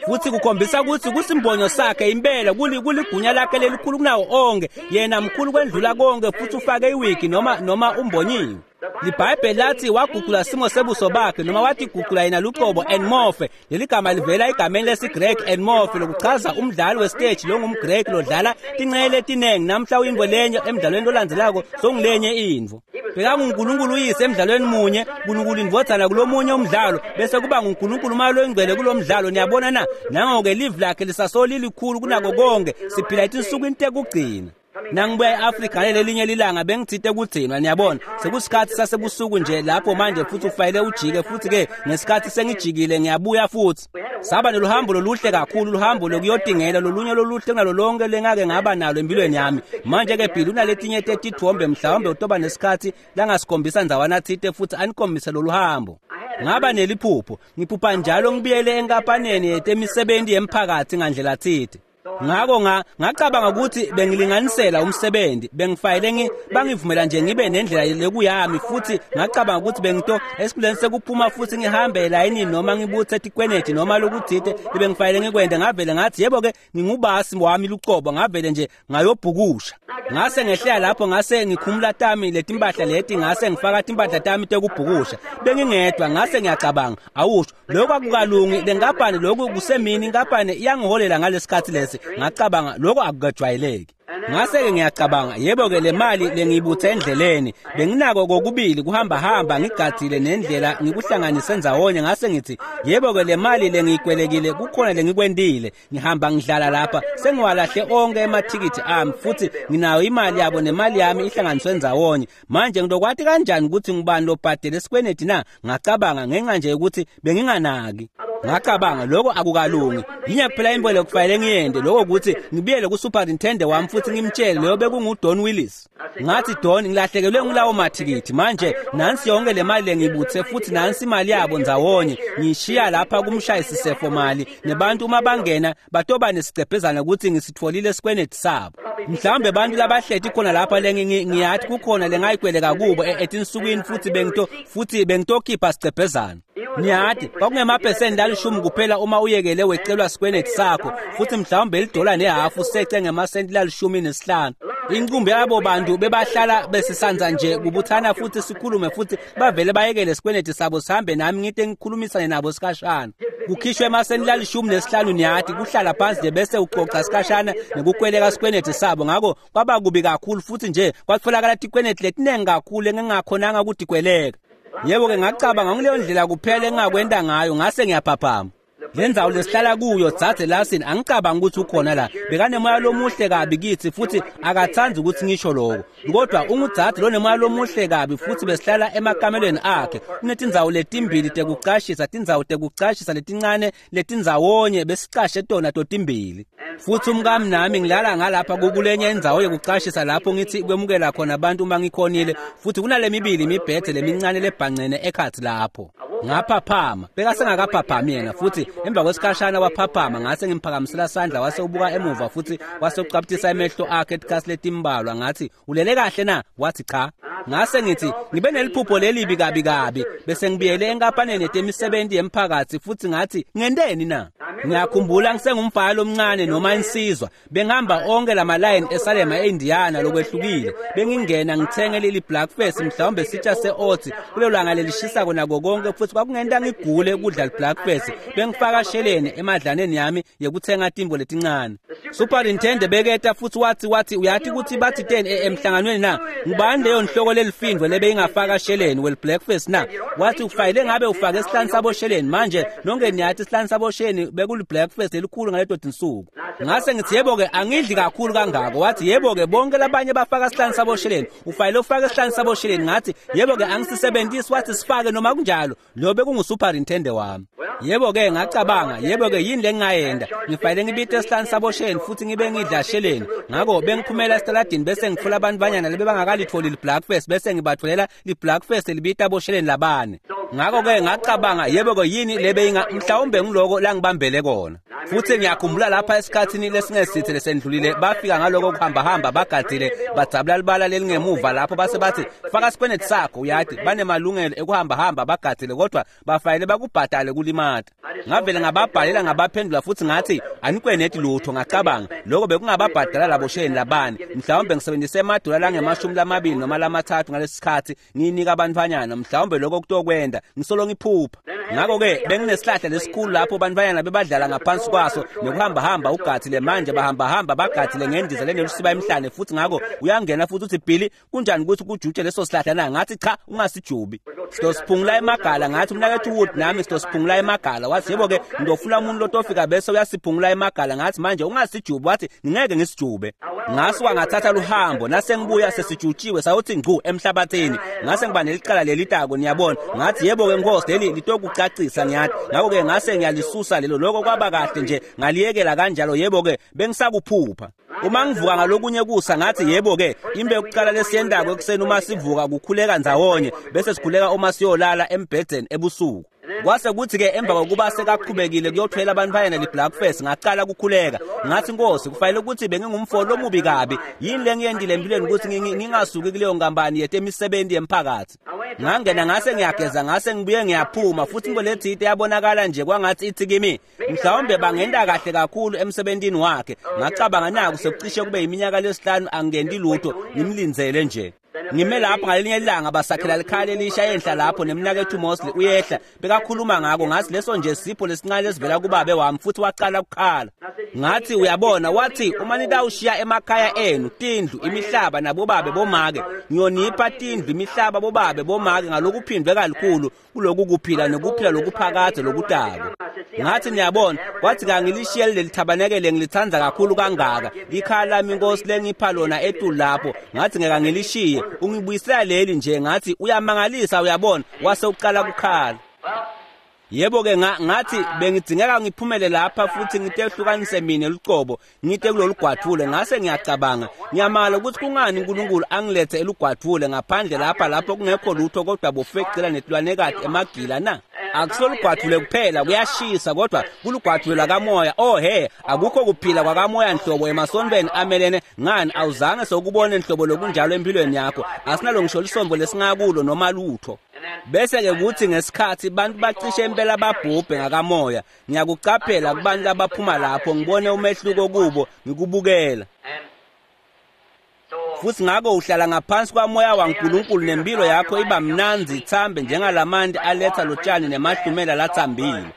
Futhi kukhombisa ukuthi kusimbonyo sakhe impela, kuligunya lakhe lelikhulu kunawo onke, yena mkhulu kwendlula konke, futhi ufake iwigi noma noma umbonyiwe. LiBhayibheli lathi waguqula simo sebuso bakhe, noma wathi guqula yena lucobo enmorphe. Leli gama livela egameni lesiGreki enmorphe, lokuchaza umdlali wesiteji longumGreki lodlala tincenye letinengi. Namhla uyintfo lenye, emdlalweni lolandzelako songulenye intfo. BekanguNkulunkulu uyise emdlalweni munye, Nkulunkulu indvodzana kulomunye umdlalo, bese kuba nguNkulunkulu umoya loyingcwele kulomdlalo. Niyabona na? Nango-ke livi lakhe lisasolo lilikhulu kunako konke. Siphila etinsukwini tekugcina. Nangibuya e-Afrika ngalelinye lilanga bengitsite kugcinwa, niyabona. Sekusikhatsi sasebusuku nje lapho manje futhi ufanele ujike futhi ke ngesikhatsi sengijikile ngiyabuya futhi. Saba neluhambo loluhle kakhulu, luhambo lokuyotingela lolunye loluhle kunalo lonke lengake ngaba nalo empilweni yami. Manje ke Bill unaletinye tetitfombe mhlawumbe utoba nesikhatsi langasikhombisa ndzawana tsite futhi anikhombise lolu hambo. Ngaba neliphupho, ngiphupha njalo ngibuyele enkampaneni yetemisebenti yemphakathi ngandlela tsite. Ngako nga ngacabanga ukuthi bengilinganisela umsebenzi, bengifayile ngi bangivumela nje ngibe nendlela lekuyami futhi ngacabanga ukuthi bengito esikhuleni sekuphuma futhi ngihambe elayinini noma ngibuthe tikweneti noma lokuthite lebengifayile ngikwende. Ngavele ngathi yebo ke ngingubasi wami lucobo, ngavele nje ngayobhukusha. Ngase ngehlela lapho ngase ngikhumula tami letimpahla leti, ngase ngifaka timpahla tami tekubhukusha. Bengingedwa, ngase ngiyacabanga, awusho lokho akukalungi, lenkampani lokhu kusemini, inkampani iyangiholela ngalesikhatsi lesi. Ngacabanga lokho akukajwayeleki. Ngase-ke ngiyacabanga, yebo-ke le mali lengiyibuthe endleleni benginako kokubili kuhamba hamba ngigadzile nendlela ngikuhlanganise ndzawonye. Ngase ngithi yebo-ke le mali lengiyikwelekile kukhona lengikwentile, ngihamba ngidlala lapha sengiwalahle onke emathikithi ami futhi nginayo imali yabo nemali yami ihlanganiswe ndzawonye. Manje ngilokwati kanjani ukuthi ngubani lobhadele esikweneti na? Ngacabanga ngenxa nje ukuthi benginganaki. Ngacabanga lokho akukalungi, yinye kuphela into lekufanele ngiyende lokho ukuthi ngibuyele ku-superintendent wami futhi ngimtshele leyo bekunguDon Willis. Ngathi Don, ngilahlekelwe ngulawo mathikithi manje, nansi yonke le mali lengibuthe futhi nansi imali yabo ndzawonye, ngishiya lapha kumshayisisefo mali nebantu uma bangena batoba nesigcebhezana ukuthi ngisitfolile esikweneti sabo. Mhlawumbe abantu labahleti khona lapha lengiyathi kukhona lengayikweleka kubo etinsukwini futhi bengito futhi bengitokhipha sigcebhezana. Niyathi kwakungemaphesenti lalishumi kuphela uma uyekele wecelwa sikweneti sakho futhi mhlawumbe lidola nehafu sece ngemasenti lalishumi nesihlanu. Inqumbi yabo bantu bebahlala besisanza nje kubuthana futhi sikhulume futhi bavele bayekele sikweneti sabo sihambe nami ngite ngikhulumisane nabo sikhashana. Kukhishwe emasenti lalishumi nesihlanu, niyathi kuhlala phansi nje bese uxoxa sikhashana nekukweleka sikweneti sabo. Ngako kwaba kubi kakhulu futhi nje kwatholakala tikweneti letinengi kakhulu engingakhonanga ukutikweleka. Yebo-ke ngacabanga ngileyo ndlela kuphela engingakwenta ngayo, ngase ngiyaphaphama. Le ndzawo lesihlala kuyo dzadze Larson angicabanga ukuthi ukhona la, bekanemoya lomuhle kabi kithi futhi akathandi ukuthi ngisho lokho, kodwa ungudzadze lonemoya lomuhle kabi futhi besihlala emakamelweni akhe. Kunetindzawo letimbili tekucashisa, tindzawo tekucashisa letincane letindzawonye besicashe tona totimbili. Futhi umkami nami ngilala ngalapha kukulenye indzawo yokucashisa lapho ngithi kwemukela khona abantu uma ngikhonile, futhi kunale mibili imibhede lemincane lebhancene ekhatsi lapho. Ngaphaphama, bekasengakaphaphami yena futhi emva kwesikhashana waphaphama. Ngase ngimphakamisela sandla wase ubuka emuva futhi wase ucaputisa emehlo akhe etikhatsi letimbalwa. Ngathi ulele kahle na? Wathi cha. Ngase ngithi ngibe neliphupho lelibi kabi kabi, bese ngibuyele enkampaneni yetemisebenti yemphakathi futhi ngathi ngenteni na? Ngiyakhumbula ngisengumfana lomncane noma insizwa, bengihamba onke lamalayini eSalema eIndiana lokwehlukile, bengingena ngithenge leli blackface mhlawumbe sitsha se-oats kulelo langa lelishisako nako konke, futhi kwakungenta ngigule ukudla li-blackface. Bengifaka sheleni emadlaneni yami yekuthenga timbo letincane. Superintendent beketa futhi wathi wathi uyathi ukuthi bathi teni emhlanganweni na? Ngubani leyo nhloko lelifindvo lebeyingafaka sheleni wel-blackface na? Wathi ufayile ngabe ufake isihlanu sabo sheleni. Manje nonke niyathi isihlanu sabo sheleni bekuli-blackface elikhulu ngaleto tinsuku. Ngase ngithi yebo-ke angidli kakhulu kangako. Wathi yebo-ke bonke labanye bafaka isihlanu sabo sheleni, ufayile ufake isihlanu sabo sheleni. Ngathi yebo-ke angisisebenzisi. Wathi sifake noma kunjalo. Lo bekungusuperintendent wami. Yebo-ke ngacabanga, yebo-ke yini lengingayenda? Ngifayile ngibite isihlanu sabo sheleni futhi ngibe ngidla sheleni. Ngako bengiphumela esitaladini bese ngitfola abantu banyana lebebangakalitfoli li-blackface, bese ngibatfolela li-blackface libita bosheleni labane. Ngako-ke ngacabanga, yebo-ke yini lebeyinga mhlawumbe ngiloko langibambele kona. Futhi ngiyakhumbula lapha esikhathini lesingesithe lesendlulile bafika ngaloko kuhambahamba bagadzile badzabula libala lelingemuva lapho base bathi faka sikweneti sakho. Uyathi banemalungelo ekuhambahamba bagadzile kodwa bafayile bakubhadale kulimata. Ngavele ngababhalela ngabaphendula futhi ngathi anikweneti lutho. Ngacabanga lokho bekungababhadala labo sheleni labane, mhlawumbe ngisebenzise emadola langemashumi lamabili noma lamathathu ngalesi sikhathi ngiyinika abantfanyana, mhlawumbe lokho kutokwenda ngisolo ngiphupha. Ngako-ke benginesihlahla lesikhulu lapho bantfanyana bebadlala ngaphansi ngaphansi kwaso nekuhambahamba ugatsile manje bahambahamba bagatsile ngendiza lenelusiba emhlane futhi ngako uyangena futhi uthi Billy kunjani ukuthi kujutshe leso sihlahla na ngathi cha ungasijubi sitosiphungula emagala ngathi umnakethu Wood nami sitosiphungula emagala wathi yebo ke ngidofuna umuntu lotofika bese uyasiphungula emagala ngathi manje ungasijubi wathi ngingeke ngisijube ngasuka ngathatha luhambo nase ngibuya sesijutshiwe sawuthi ngcu emhlabathini ngase ngiba nelicala lelitako niyabona ngathi yebo ke Nkosi leli litokucacisa ngiyathi ngakho ke ngase ngiyalisusa lelo lokho kwaba kahle nje ngaliyekela kanjalo yebo ke bengisakuphupha uma ngivuka ngalokunye kusa ngathi yebo ke imbe yokuqala lesiyendako ekuseni uma sivuka kukhuleka ndzawonye bese sikhuleka uma siyolala embhedeni ebusuku kwase kuthi ke emva kokuba sekaqhubekile kuyothwela abantu bayena li-blackfest ngaqala ukukhuleka ngathi Nkosi kufanele ukuthi bengingumfo lomubi kabi yini lengiyendile empilweni ukuthi ngingasuki kuleyo nkampani yetemisebenzi yemphakathi ngangena ngase ngiyageza ngase ngibuye ngiyaphuma futhi into lethite yabonakala nje kwangathi ithi kimi mhlawumbe bangenda kahle kakhulu emsebentini wakhe ngacabanga naku sekucishe kube iminyaka lesihlanu angendi lutho ngimlindzele nje ngime lapho ngalinye ilanga basakhela likhaya elisha enhla lapho nemnakethu Mosley uyehla bekakhuluma ngako ngathi leso nje sipho lesincane lesivela kubabe wami futhi waqala ukukhala ngathi uyabona wathi uma nitawushiya emakhaya enu tindlu imihlaba nabobabe bomake ngiyonipha tindlu imihlaba bobabe bomake ngalokuphindwe kakhulu kuloku kuphila nokuphila lokuphakade lokutako ngathi niyabona kwathi kangilishiye leli thabanekele ngilithanda kakhulu kangaka likhaya lami Inkosi lengipha lona etulu lapho ngathi ngeke ngilishiye ungibuyisela leli nje ngathi uyamangalisa uyabona wase uqala ukukhala yebo ke ngathi bengidingeka ngiphumele lapha futhi ngitehlukanise mina lucobo ngite kulolugwathule ngase ngiyacabanga ngiyamala ukuthi kungani uNkulunkulu angilethe elugwathule ngaphandle lapha lapho kungekho lutho kodwa bofecela netilwanekati emagila na akusolugwathule kuphela kuyashisa kodwa kulugwathule lakamoya oh he akukho kuphila kwakamoya nhlobo emasontweni amelene ngani awuzange sokubone nhlobo lokunjalo empilweni yakho asinalo ngisho lisombo lesingakulo noma lutho bese ke kuthi ngesikhathi bantu bacishe impela babhubhe ngakamoya ngiyakucaphela kubantu abaphuma lapho ngibone umehluko kubo ngikubukela futhi ngako uhlala ngaphansi kwamoya waNkulunkulu nempilo yakho iba mnanzi ithambe njengalamanti aletha lotshani nemahlumela lathambile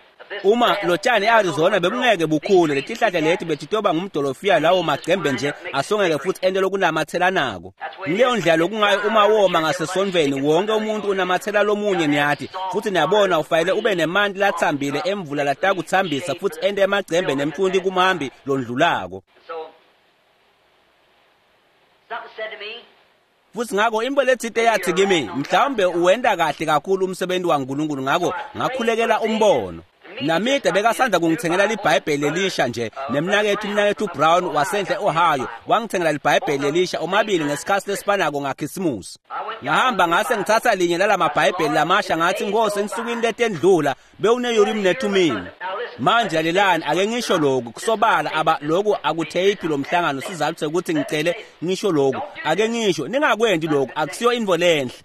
uma lotshani eArizona bekungeke bukhule letihlahla leti betitoba ngumdolofiya lawo magcembe nje asongeke futhi ento lokunamathelanako ngileyo ndlela lokungayo uma woma ngasesontweni wonke umuntu unamathela lomunye niyathi futhi niyabona ufanele ube nemanti lathambile emvula latakuthambisa futhi ente emagcembe nemthunti kumhambi londlulako futhi ngako into lethite yathi kimi mhlawumbe uwenda kahle kakhulu umsebenzi waNkulunkulu ngako ngakhulekela umbono Namide bekasanda kungithengela iBhayibheli elisha nje nemnakethu umnakethu Brown wasenhle Ohio wangithengela iBhayibheli elisha omabili ngesikhathi lesifanako ngaKhisimusi ngahamba ngase ngithatha linye lalamabhayibheli lamasha ngathi Nkosi ensukwini letendlula bewune-Urim neThumim manje lalelani ake ngisho lokhu kusobala aba lokhu akutheyiphi lo mhlangano sizathu sekuthi ngicele ngisho lokhu ake ngisho ningakwendi lokhu akusiyo into lenhle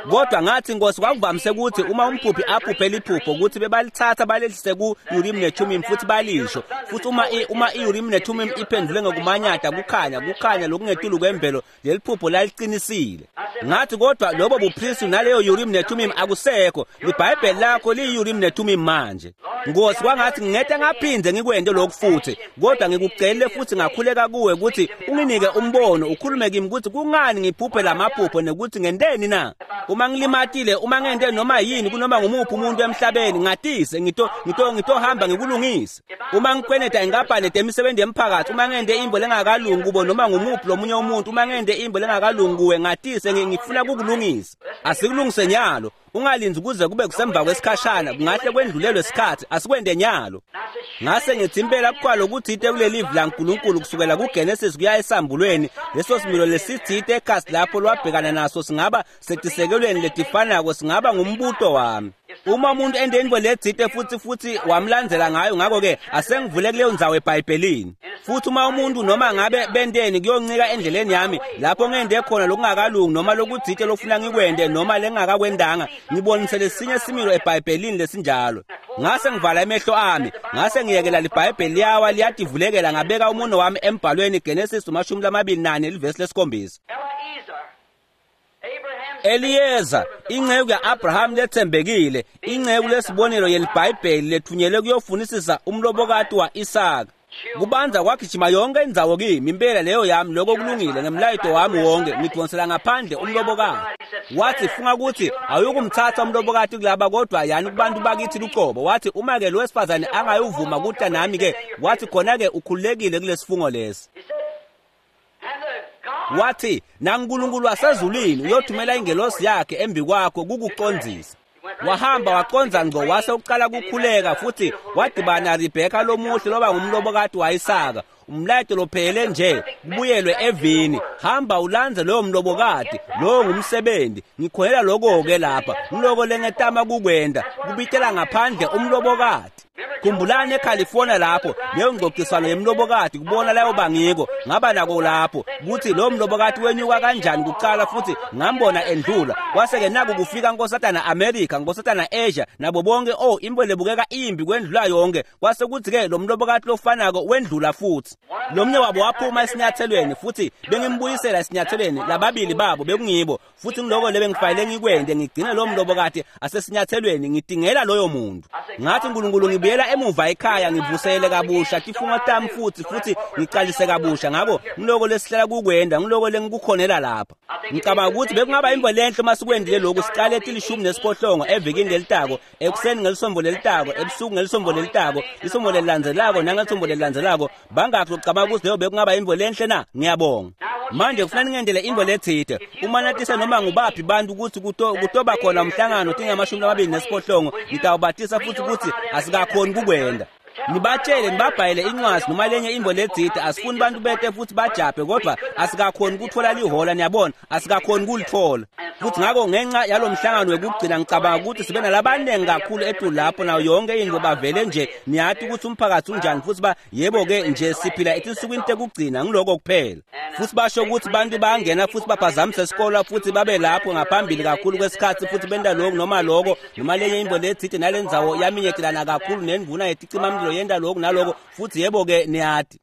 kodwa ngathi Nkosi kwakuvamise ukuthi uma umphuphi aphuphe liphupho ukuthi bebalithatha balelise ku-Urim neThumim futhi balisho futhi uma uma i-Urim neThumim iphendule ngokumanyata kukhanya kukhanya lokungetulu kwemvelo leli phupho laliqinisile ngathi kodwa lobo bupristi naleyo Urim neThumim akusekho iBhayibheli lakho liyi-Urim neThumim manje Nkosi kwangathi ngingete ngaphinde ngikwente lokhu futhi kodwa ngikucelile futhi ngakhuleka kuwe ukuthi unginike umbono ukhulume kimi ukuthi kungani ngiphuphe lamaphupho nekuthi ngenteni na uma ngilimatile uma ngente noma yini kunoma ngumuphi umuntu emhlabeni ngatise ngito ngito ngitohamba ngikulungise uma ngikweneta inkampani emisebenzi yemphakathi uma ngente imbo lengakalungi kubo noma ngumuphi lomunye umuntu uma ngente imbo lengakalungi kuwe ngatise ngifuna kukulungisa asikulungise nyalo ungalinzi kuze kube kusemva kwesikhashana kungahle kwendlulelwe isikhathi asikwende nyalo ngase ngithi impela kuqala ukuthi ite kuleli livi laNkulunkulu kusukela kuGenesis kuya esambulweni leso similo lesithite ekhasi lapho lwabhekana naso singaba setisekelweni letifanako singaba ngumbuto wami uma umuntu endeni lethite futhi futhi wamlandzela ngayo ngakho ke asengivule kuleyo ndzawo eBhayibhelini futhi uma umuntu noma ngabe benteni kuyoncika endleleni yami lapho ngende khona lokungakalungi noma lokuthite lokufuna ngikwende noma lengakakwendanga ngibonise lesinye similo eBhayibhelini lesinjalo ngase ngivala emehlo ami ngase ngiyekela liBhayibheli liyawa liyativulekela ngabeka umuno wami embhalweni Genesis amashumi lamabili nane livesi lesikhombisa Eliezer, Abraham's Eliyeza inceku ya-Abraham letsembekile, inceku lesibonelo yeliBhayibheli lethunyelwe kuyofunisisa umlobokati wa-Isaka. Kubanza kwagijima yonke indzawo kimi, impela leyo yami, lokho kulungile ngemlayito wami wonke, ngidonsela ngaphandle umlobokati. Wathi funga ukuthi awuyikumthatha umlobokati kulaba kodwa yani kubantu bakithi luqobo. Wathi uma ke lo wesifazane angayuvuma kuta nami ke, wathi khona ke ukhululekile kulesifungo lesi. Wathi naNkulunkulu wasezulwini uyothumela ingelosi yakhe embi kwakho kukucondzisa. Wahamba waqondza ngco wase uqala kukhuleka futhi wadibana Rebeka lomuhle loba ngumlobokati wa-Isaka. Umlayeto lophelele nje kubuyelwe evini, hamba ulandze loyo mlobokati, lowo ngumsebenzi. Ngikholela lokho-ke lapha, ngiloko lengetama kukwenda, kubitela ngaphandle umlobokati. Khumbulani eCalifornia lapho leyo ngxoxiswano yemlobokati kubona layo bangiko ngaba nako lapho kuthi lo mlobokati wenyuka kanjani kuqala futhi ngambona endlula kwase-ke naku kufika nkosatana America, nkosatana Asia nabo bonke. Oh, impilo lebukeka imbi kwendlula yonke. Kwase kuthi-ke lo mlobokati lofanako wendlula futhi. Lomnye wabo waphuma esinyathelweni futhi bengimbuyisela esinyathelweni, lababili babo bekungibo futhi ngiloko le bengifanele ngikwende, ngigcine lo mlobokati asesinyathelweni, ngidingela loyo muntu. Ngathi Nkulunkulu ngibuyela emuva ekhaya ngivusele kabusha tifungo tami futhi futhi ngiqalise kabusha. Ngakho ngiloko lesihlela kukwenda, ngiloko lengikukhonela lapha. Ngicabanga ukuthi bekungaba imvo lenhle uma sikwendile lokhu, siqale tilishumi nesiphohlongo evikini lelitako, ekuseni ngelisombo lelitako, ebusuku ngelisombo lelitako, lisombo lelilandzelako nangelisombo lelilandzelako. Bangakhi lokucabanga ukuthi leyo bekungaba imvo lenhle na? Ngiyabonga. Manje kufanele ngendele imvo letsite uma natise noma ngubaphi bantu ukuthi kutoba khona umhlangano tingamashumi lamabili nesiphohlongo, ngitawubatisa futhi ukuthi asikakhoni kukwenda. Nibatshele nibabhayele incwadi noma lenye imvo letsite, asifuni bantu bete futhi bajabhe, kodwa asikakhoni kuthola lihola, niyabona, asikakhoni kulithola. Futhi ngakho ngenxa yalo mhlangano wekugcina ngicabanga ukuthi sibe nalabaningi kakhulu etulu lapho nayo yonke into bavele nje, niyati ukuthi umphakathi unjani futhi ba yebo-ke nje siphila etinsukwini tekugcina, ngiloko kuphela. Futhi basho ukuthi bantu bayangena futhi baphazamise isikolo futhi babe lapho ngaphambili kakhulu kwesikhathi futhi benta lokhu noma loko noma lenye imvo letsite nalendzawo yaminyetelana kakhulu nendvuna yeticimamlilo yenta lokhu naloko futhi yebo-ke niyati.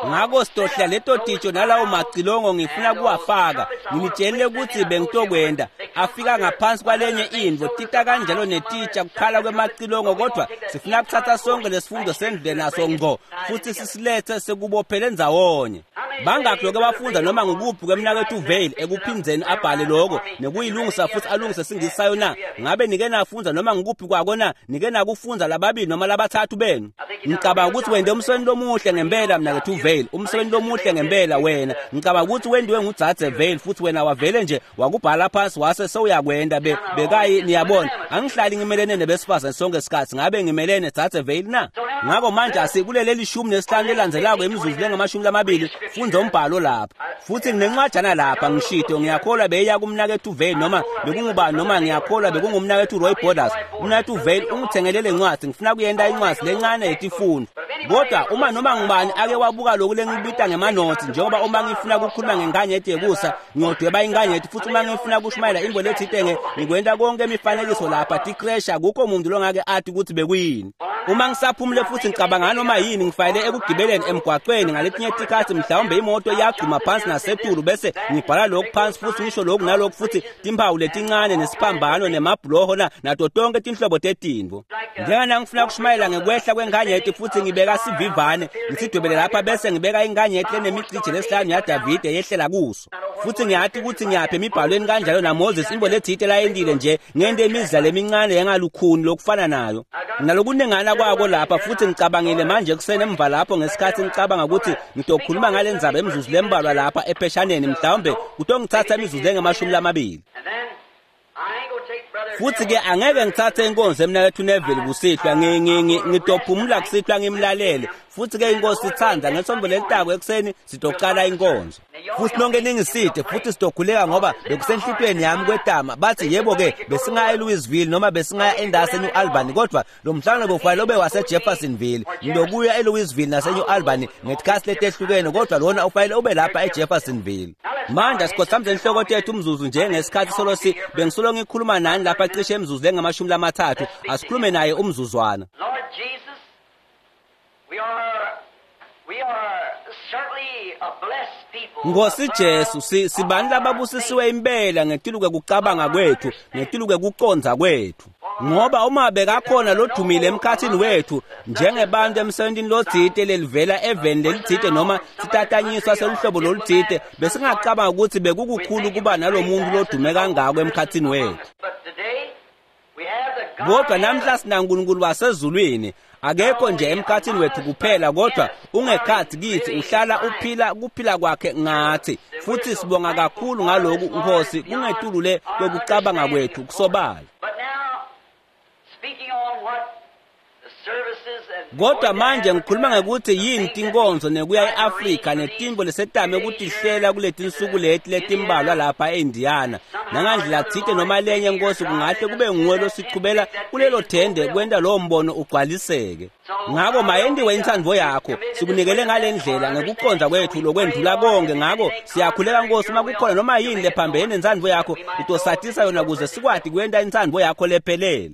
Ngakho sitohla leto titsho nalawo macilongo ngifuna kuwafaka, nginitshelile ukuthi bengitokwenda. Afika ngaphansi kwalenye indvo tita kanjalo netitsha kukhala kwemacilongo, kodwa sifuna kuthatha sonke lesifundo sendlule naso ngco futhi sisilethe sekubophele ndzawonye. Bangakhi lokho abafunda noma ngukuphi kwemnakethu Vale ekuphindzeni abhale lokho nekuyilungisa futhi alungise singisi na? Ngabe nike nafundza noma ngukuphi kwako na? Nike nakufundza lababili noma labathathu benu? Ngicabanga ukuthi wende umsebenzi lomuhle ngempela mnakethu Vale, umsebenzi lomuhle ngempela wena. Ngicabanga ukuthi wendiwe ngudzadze Vale futhi wena wavele nje wakubhala phansi wase sewuyakwenda be bekayi niyabona. Angihlali ngimelene nebesifazane sonke isikhathi, ngabe ngimelene dzadze Vale na? Ngakho manje asikulele lishumi nesihlanu lelandzelako imizuzu lengamashumi lamabili fundza umbhalo lapha. Futhi nginencwajana lapha ngishito, ngiyakholwa beyiya kumnakethu Vale noma bekungubani noma ngiyakholwa bekungumnakethu Roy Borders. Umnakethu Vale ungithengele le ncwadi, ngifuna kuyenta incwadi lencane yetifundo. Kodwa uma noma ngubani ake wabuka lokhu lengibita ngemanothi, njengoba uma ngifuna ukukhuluma ngenkanyeti yekusa ngiyodweba inkanyeti, futhi uma ngifuna ukushumayela imvo letsite ngikwenta konke imifanekiso lapha tikresha, akukho muntu longake athi ukuthi bekuyini. Uma ngisaphumule futhi ngicabanga noma yini ngifayele ekugibeleni emgwaqweni ngaletinye tikhathi mhlawumbe imoto iyagxuma phansi nasetulu bese ngibhala lokhu phansi futhi ngisho lokhu nalokhu futhi timphawu letincane nesiphambano nemabhuloho na nato tonke tinhlobo tetintfo. Njengana ngifuna ukushumayela ngekwehla kwenkanyeti futhi ngibeka sivivane ngisidwebele lapha bese ngibeka inkanyeti lenemigcije lesihlanu yaDavide yehlela kuso. Futhi ngiyati ukuthi ngiyaphi emibhalweni kanjalo naMoses imbo letsite layentile nje ngente imidlalo emincane engalukhuni lokufana nayo. Nalokunengana kwako lapha futhi ngicabangile manje kuseni emva lapho ngesikhathi ngicabanga ukuthi ngitokhuluma ngale ndzaba imizuzu lembalwa lapha epheshaneni, mhlawumbe kutongithatha imizuzu engamashumi lamabili. Futhi-ke angeke ngithathe inkonzo emnakethu Neville kusihlwa, ngitophumula kusihlwa ngimlalele. Futhi-ke inkosi ithanda ngesonto lelitako ekuseni sitoqala inkonzo. Futhi nonke ningiside futhi sitokhuleka ngoba bekusenhlitweni yami kwetama. Bathi yebo-ke besingaya eLouisville noma besingaya endasi eNew Albany, kodwa lo mhlangano bekufanele ube waseJeffersonville. Ngilokuya eLouisville naseNew Albany ngetikhathi letehlukene, kodwa lona ufanele ube lapha eJeffersonville. Manje asikhothamise inhloko tethu umzuzu nje ngesikhathi solo si bengisolo ngikhuluma nani lapha cishe imizuzu lengamashumi lamathathu. Asikhulume naye umzuzwana. Lord Jesus, we are we are Nkosi Jesu, sibantu lababusisiwe impela ngetiluke kucabanga kwethu, ngetiluke kucondza kwethu. Ngoba uma bekakhona lodumile emkhathini wethu njengebantu emsebentini lotsite lelivela eveni lelitsite noma sitatanyiswa seluhlobo lolutsite, besingacabanga ukuthi bekukukhulu kuba nalomuntu lodume kangako emkhathini wethu. Kodwa namhla sinaNkulunkulu wasezulwini, akekho nje emkhathini wethu kuphela, kodwa ungekhathi kithi, uhlala uphila kuphila kwakhe ngathi. Futhi sibonga kakhulu ngaloku Nkosi, kungetulu kwekucabanga kwethu kusobala. Kodwa manje ngikhuluma ngekuthi yini tinkonzo nekuya e-Afrika netimbo lesetame ukutihlela kuletinsuku leti letimbalwa lapha e-Indiana. Nangandlela tsite noma lenye Nkosi kungahle kube nguwe losichubela kulelo thende kwenta lowo mbono ugcwaliseke. Ngako mayendiwe intsandvo yakho, sikunikele ngale ndlela ngekucondza kwethu lokwendlula konke. Ngako siyakhuleka Nkosi, uma kukhona noma yini lephambene nentsandvo yakho, utosatisa yona kuze sikwati kwenta intsandvo yakho lephelele.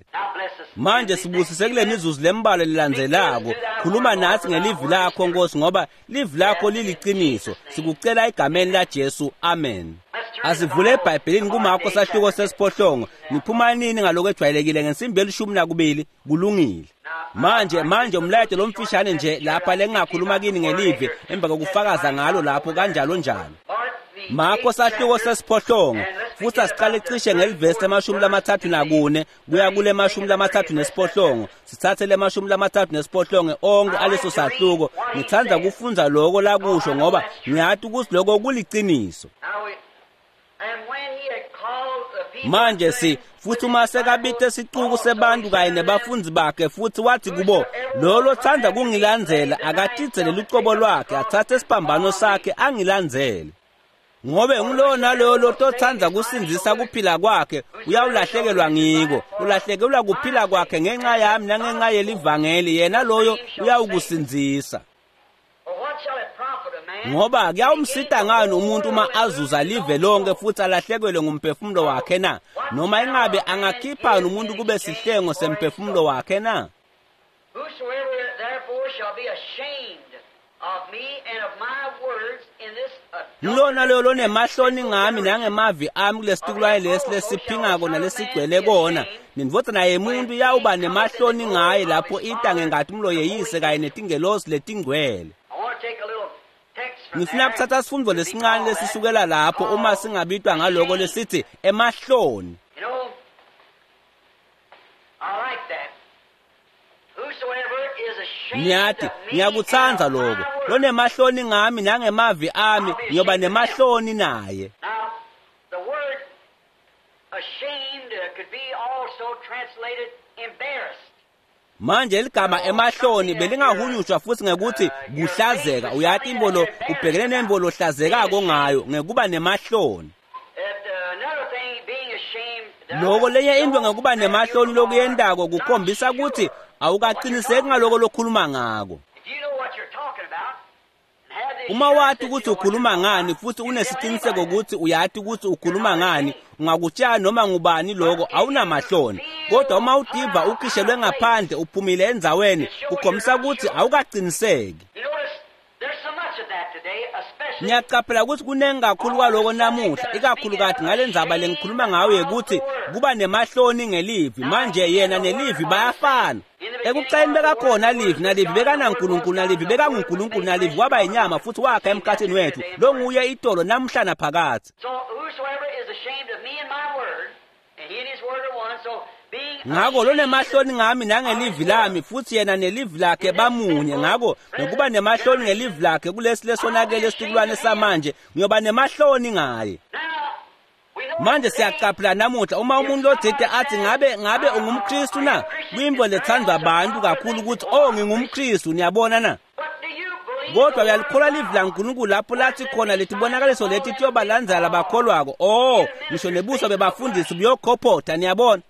Manje sibusise kule mizuzu lembalwa lelandzelako. Khuluma nathi ngelivi lakho Nkosi, ngoba livi lakho liliciniso. Sikucela egameni la Jesu, amen. Asivule eBhayibhelini kuMarko sahluko sesiphohlongo. Niphuma nini ngaloko ejwayelekile ngensimbi elishumi nakubili? Kulungile. Manje manje umlayeto lomfishane nje lapha lengakhuluma kini ngelivi emva kokufakaza ngalo lapho kanjalo njalo. Marko sahluko sesiphohlongo, futhi asiqale cishe ngelivesi lemashumi lamathathu nakune kuya kule mashumi lamathathu nesiphohlongo. Sithathe le mashumi lamathathu nesiphohlongo onke aleso sahluko. Ngithanda kufundza lokho lakusho ngoba ngiyati ukuthi lokho kuliciniso. Manje si futhi uma sekabite sicuku sebantu kanye nebafundi bakhe, futhi wathi kubo, lo lothanda kungilandzela akatidzele lucobo lwakhe, athathe isiphambano sakhe angilandzele. Ngobe ngulowo nalowo lototsandza kusindzisa kuphila kwakhe uyawulahlekelwa ngiko, ulahlekelwa kuphila kwakhe ngenxa yami nangenxa yelivangeli, yena loyo uyawukusindzisa. Ngoba kuyawumsita ngani umuntu uma azuza live lonke futhi alahlekelwe ngumphefumulo wakhe na? Noma ingabe angakhipha umuntu kube sihlengo semphefumulo wakhe na? Ngilona loyo lonemahloni ngami nangemavi ami kulesitukulwane lesi lesiphingako nalesigcwele kona, nendvodzana yemuntu iyawuba nemahloni ngaye lapho ita ngenkatimlo yeyise kanye netingelosi letingcwele. Ngifuna kuthatha sifundvo lesincane lesisukela lapho uma singabitwa ngaloko lesithi emahloni. Ngiyati, ngiyakutsandza lokho. Lonemahloni ngami nangemavi ami, ngiyoba nemahloni naye. Manje ligama emahloni belingahunyushwa futhi ngekuthi kuhlazeka. Uyati imbolo ubhekene nembolo hlazekako ngayo ngekuba nemahloni. Loko lenye into ngekuba nemahloni lokuyendako kukhombisa ukuthi awukaqiniseki ngaloko lokhuluma ngako. Uma wati ukuthi ukhuluma ngani futhi unesiqiniseko ukuthi uyati ukuthi ukhuluma ngani, ungakutshela noma ngubani lokho, awunamahloni. Kodwa uma udiva ukhishelwe ngaphandle uphumile endzaweni, kukhombisa ukuthi awukaqiniseki. Ngiyacaphela ukuthi kunengi kakhulu kwaloko namuhla, ikakhulukati ngale ndzaba lengikhuluma ngayo yekuthi kuba nemahloni ngelivi. Manje yena nelivi bayafana. Ekucaleni bekakhona livi, nalivi bekanaNkulunkulu, nalivi bekanguNkulunkulu, nalivi waba yinyama futhi wakha emkhathini wethu. Lo nguye itolo namhla naphakathi. Ngako lonemahloni ngami nangelivi lami, futhi yena nelivi lakhe bamunye. Ngako ngokuba nemahloni ngelivi lakhe kulesi lesonakele esitukulwane samanje, ngiyoba nemahloni ngaye. Manje siyacaphela namuhla uma umuntu lotsite athi ngabe ngabe ungumKristu na, kuyintfo lethandwa abantu kakhulu ukuthi oh ngingumKristu, niyabona na? Kodwa uyalikholwa livi laNkulunkulu lapho lathi khona letibonakaliso leti tiyobalandzela bakholwako. Oh, ngisho nebuso bebafundisi buyokhophotha, niyabona.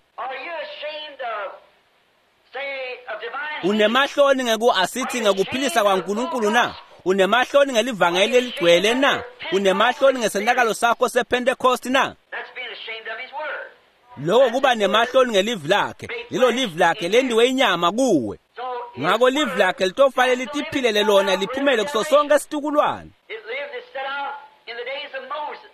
Unemahloni ngeku asithi ngekuphilisa kwaNkulunkulu na? Unemahloni ngelivangeli leligcwele na? Unemahloni ngesenakalo sakho sePentecost na? Lokho kuba nemahloni ngelivi lakhe. Lelo livi lakhe lendiwe inyama kuwe. Ngako livi lakhe litofanele litiphilele lona liphumele kuso sonke situkulwane. It lived, it set out in the days of Moses.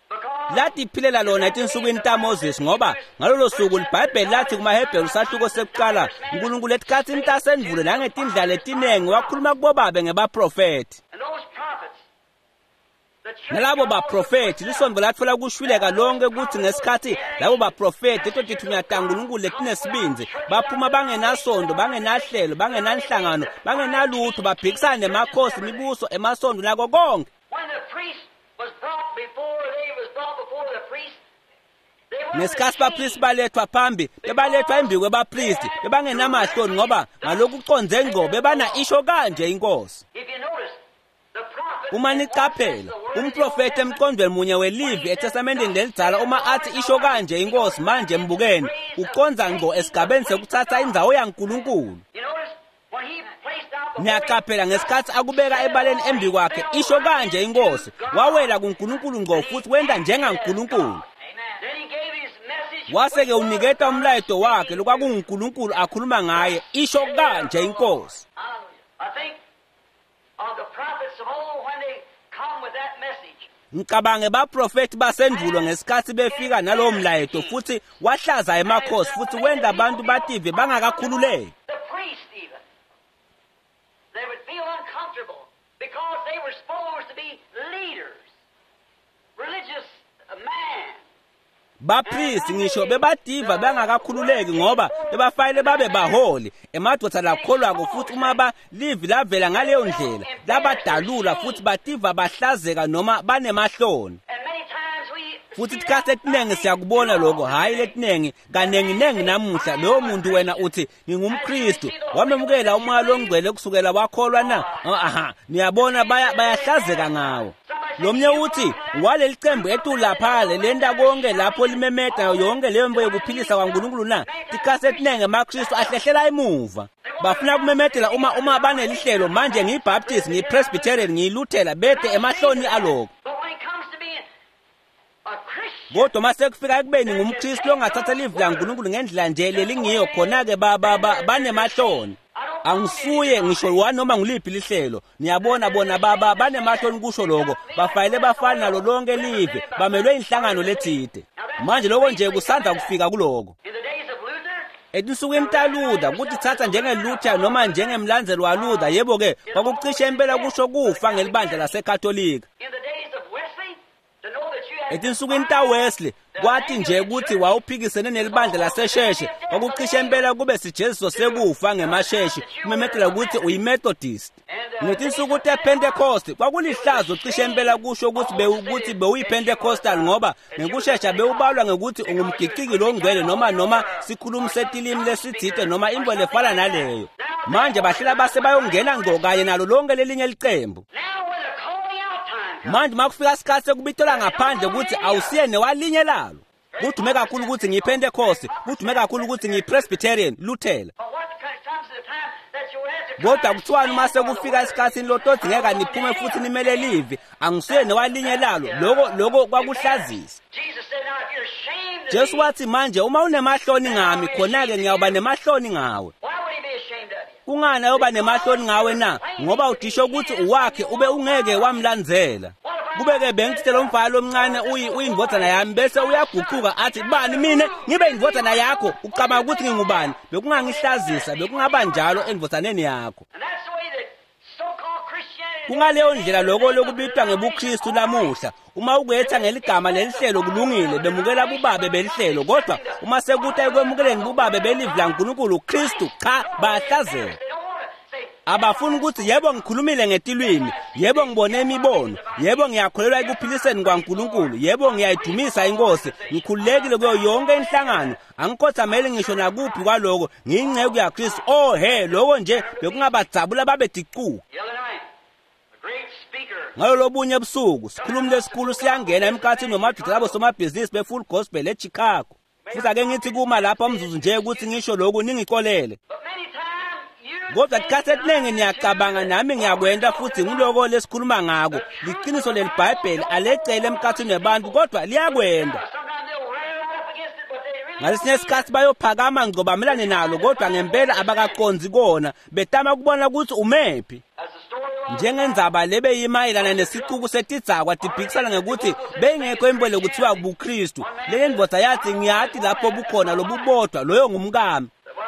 Because Latiphilela lona etinsukwini taMoses ngoba ngalolo suku liBhayibheli lathi kumaHebheru sahluko sekuqala uNkulunkulu etikhatsini tasendvulo nangetindlela letinengi wakhuluma kubobabe ngebaprofethi. and those prophets, the church Nalabo baprofethi lisonto latfola kushwileka lonke kutsi ngesikhatsi labo baprofethi leto tithunywa taNkulunkulu letinesibindzi baphuma bangenasondo bangenahlelo bangenanhlangano bangenalutho baphikisana nemakhosi imibuso emasondo nako konke. When the priest was brought before, they was brought before the priest. They were Ngesikhatsi bapristi balethwa phambi bebalethwa embi kwebapristi bebangenamahloni ngoba ngalokucondze ngco bebana isho kanje inkosi. If you notice, the prophet Uma niqaphela umprofethi emqondweni munye welivi eTestamenteni lelidzala uma athi isho kanje inkosi manje mbukeni ucondza ngco esigabeni sekutsatsa indzawo yaNkulunkulu. You notice when he placed out before Niyaqaphela ngesikhatsi akubeka ebaleni embi kwakhe isho kanje inkosi wawela kuNkulunkulu ngco futhi wenta njengaNkulunkulu. Then he gave his message. Wase-ke uniketa umlayeto wakhe lokwakunguNkulunkulu akhuluma ngaye isho kanje inkosi. I think of the prophets of old when they come with that message. Ngicabange baprofethi basendvulo ngesikhatsi befika nalowo mlayeto futhi wahlaza emakhosi futhi wenta abantu bative bangakakhululeki. The priests even. They would feel uncomfortable because they were supposed to be leaders, religious man. Bapristi ngisho bebativa bangakakhululeki ngoba bebafanele babe baholi emadvodza lakholwako futhi uma ba livi lavela ngaleyo ndlela labadalula futhi bativa bahlazeka noma banemahloni. And many times we Futhi tikhatsi letinengi siyakubona lokho hhayi letinengi kanenginengi namuhla loyo muntu wena uthi ngingumKristu wamemukela umoya longcwele kusukela wakholwa na aha niyabona baya bayahlazeka ngawo. Lomnye uthi waleli cembu etulu lapha lenta konke lapho limemeta yonke leyo nto yokuphilisa kwaNkulunkulu na tikhatsi letinengi emaKristu ahlehlela emuva bafuna kumemetela uma uma banelihlelo manje ngiyiBaptist ngiyiPresbyterian ngiyiLuthela bete emahloni aloko. But when it comes to being a Christian, Kodwa mase kufika ekubeni ngumKristu longathatha livi laNkulunkulu ngendlela nje lelingiyo khona-ke ba- ba- ba- banemahloni. Angisuye ngisho wanoma nguliphi lihlelo niyabona bona baba banemahloni kusho lokho bafanele bafane nalo lonke live bamelwe inhlangano letsite. Manje lokho nje kusandza kufika kuloko. in the days of Luther, Etinsukwini taLuther kutitsatsa njengeLuther noma njengemlandzeli waLuther yebo-ke kwakucishe impela kusho kufa ngelibandla laseKatolika. in the days of Wesley, to know that you had Etinsukwini taWesley kwathi nje ukuthi wawuphikisene nelibandla lasesheshe kwakucishe impela kube sijeziso sekufa ngemasheshi kumemetela ukuthi uyiMethodist. Ngetinsuku tePentecost kwakulihlazo cishe impela kusho ukuthi bewukuthi bewuyiPentecostal ngoba ngekushesha bewubalwa ngekuthi ungumgiciki longcwele noma noma sikhulumi setilimi lesitsite noma into lefana naleyo. Manje bahlela base bayongena ngco kanye nalo lonke lelinye licembu. Now when the calling out time comes, Manje makufika isikhathi sekubitola ngaphandle ukuthi awusiye newalinye lalo. Kudume kakhulu ukuthi ngiyiPentecost, kudume kakhulu ukuthi ngiyiPresbyterian, Luthela. but what comes to the time that you have to Kodwa kuthiwani uma sekufika esikhathini lotodingeka niphume futhi nimele livi, angisuye newalinye lalo. Lokho lokho kwakuhlazisa. Jesus said, now if you're ashamed of Jesu me, wathi manje uma unemahloni ngami khona-ke ngiyawuba nemahloni ngawe. why would he be ashamed of you? Kungani ayoba nemahloni ngawe na? Ngoba udisho ukuthi uwakhe ube ungeke wamlandzela. Kube-ke bengithite lo mfana lomncane uyi uyindvodzana yami bese uyaguquka athi bani mina ngibe indvodzana yakho ucabanga ukuthi ngingubani bekungangihlazisa bekungaba njalo endvodzaneni yakho. And that's the way that so-called Christianity Kungaleyo ndlela lokho lokubitwa ngebuKristu lamuhla uma ukuyetha ngeligama lelihlelo kulungile bemukela bubabe belihlelo kodwa uma sekuta ekwemukeleni bubabe belivi laNkulunkulu Kristu cha bayahlazeka. They don't want to say, Abafuni ukuthi yebo ngikhulumile ngetilwimi, yebo ngibone imibono, yebo ngiyakholelwa ekuphiliseni kwaNkulunkulu, yebo ngiyayidumisa inkosi, ngikhululekile kuyo yonke inhlangano, angikhothameli ngisho nakuphi kwaloko, ngiyinceku yaKristu. Oh he, lokho nje bekungabadzabula babe dicuku. The other night, a great speaker Ngalo lobunye ebusuku, sikhulumi lesikhulu siyangena emkhathini nomadoda labo somabhizinisi be-Full Gospel eChicago. Futhi ake ngithi kuma lapha umzuzu nje ukuthi ngisho lokhu ningicolele. But many times you Kodwa tikhathi etiningi niyacabanga nami ngiyakwenta futhi ngiloko lesikhuluma ngako. Liqiniso leliBhayibheli alecele emkhathini webantu kodwa liyakwenda. Sometimes they'll rear right up against it, but they Ngalesinye isikhathi bayophakama ngco bamelane nalo, kodwa ngempela abakaqondzi kona, betama kubona ukuthi umephi. Njengendzaba lebeyimayelana nesicuku setidzakwa tiphikisana ngekuthi beyingekho impilo kuthiwa buKristu. Le ndvodza yathi, ngiyati lapho bukhona lobubodwa, loyo ngumkami.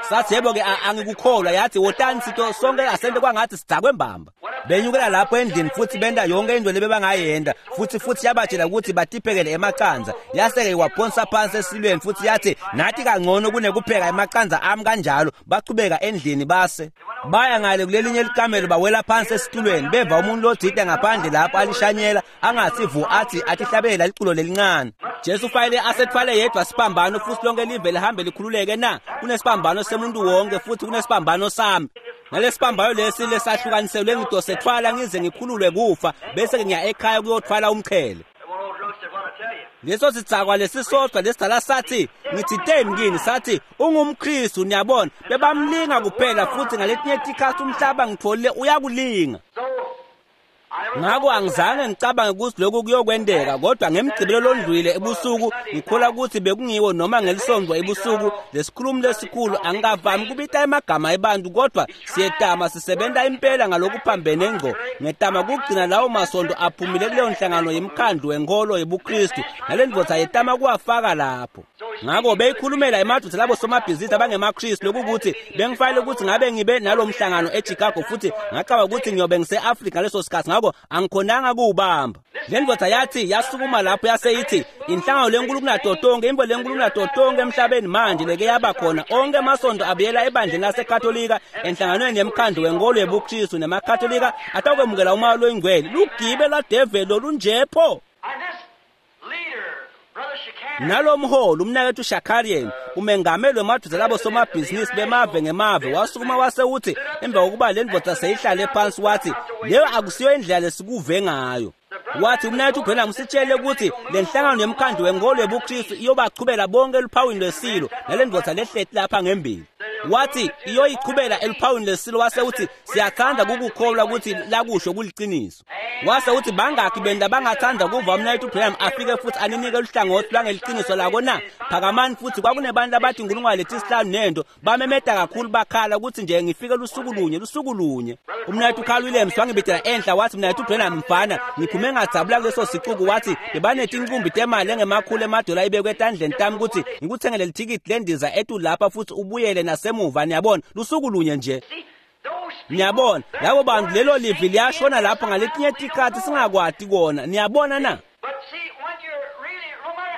Sathi yebo-ke angikukholwa. Yathi wotani sito sonke asente kwangathi sidzakwe mbamba. Benyukela lapho endlini futhi benta yonke into lebebangayenda, futhi futhi yabatshela ukuthi batiphekele emaqandza. Yase-ke waphonsa phansi esilweni futhi yathi nathi kangcono kunekupheka emaqandza ami kanjalo. Bachubeka endlini base baya ngale kulelinye likamelo, bawela phansi esitulweni, beva umuntu lothite ngaphandle lapho alishanyela angathi vu, athi atihlabela liculo lelincane. Jesu fanele asethwale yedwa siphambano futhi lonke live lihambe likhululeke na? Kunesibambano semuntu wonke futhi kunesibambano sami. Nalesibambano lesi lesahlukaniselwe ngidosethwala ngize ngikhululwe kufa, bese ngiya ekhaya kuyothwala umqhele. Leso sidzakwa lesisodwa lesidala sathi, ngithiteni kini, sathi ungumKristu. Niyabona, bebamlinga kuphela, futhi ngaletinye tikhathi umhlaba ngitholile uyakulinga. Ngakho angizange ngicabange ukuthi lokhu kuyokwenteka, kodwa ngemgcibelo londlwile ebusuku ngikholwa ukuthi bekungiwo noma ngelisonto ebusuku lesikhulumi lesikhulu. Angikavami kubita emagama ebantu, kodwa siyetama sisebenta impela ngalokuphambene ngco. Ngetama kugcina lawo masonto aphumile kuleyo nhlangano yemkhandlu wenkolo yebuKristu, nale ndvodza yetama kuwafaka lapho. Ngakho beyikhulumela emadoda labo somabhizinisi abangemaKristu, lokukuthi bengifanele ukuthi ngabe ngibe nalo mhlangano eChicago, futhi ngacabanga ukuthi ngiyobe ngise-Afrika ngaleso sikhathi, ngakho angikhonanga kuwubamba. Le ndvodza yathi yasukuma lapho yase ithi inhlangano lenkulu kunato tonke, imbo lenkulu kunato tonke emhlabeni manje leke yaba khona, onke amasonto abuyela ebandleni laseKatolika enhlanganweni yemkhandlu wenkolo yebuKristu nemaKatolika atakwemukela umoya loyingcwele. Lugibe lwadeveli lolunjepho. Nalomholi umnakethu Shakarian, umengameli wemadoda labo somabhizinisi bemave ngemave, wasukuma wase uthi emva kokuba le ndvodza seyihlale phansi, wathi leyo akusiyo indlela lesikuve ngayo. Wathi umnakethu Branham sitshele ukuthi le nhlangano yemkhandlu wenkolo yebuKristu iyobachubela bonke eluphawini lwesilo, nale ndvodza lehleti lapha ngembili. Wathi iyoyichubela eluphawini lesilo, wase uthi siyathanda kukukholwa ukuthi lakusho kuliciniso. Wase uthi bangakhi benda bangathanda kuva umnakethu Branham afike futhi aninike luhlangothi lwangeliciniso lako na? Phakamani. Futhi kwakunebantu abathi inkulungwane letisihlanu nento bamemeta kakhulu bakhala ukuthi nje ngifike lusuku lunye lusuku lunye. Umnakethu Carl Williams wangibidela enhla, wathi mnakethu Branham mfana, ngiphume ngadzabula kuleso sicuku. Wathi bebanetinkumbi temali engemakhulu emadola ibekwe etandleni tami ukuthi ngikuthengele lithikithi lendiza etu lapha futhi ubuyele nasemuva. Niyabona, lusuku lunye nje. Niyabona, labo bantu lelo livi liyashona lapho ngaletinye tikhathi singakwati kona. Niyabona na?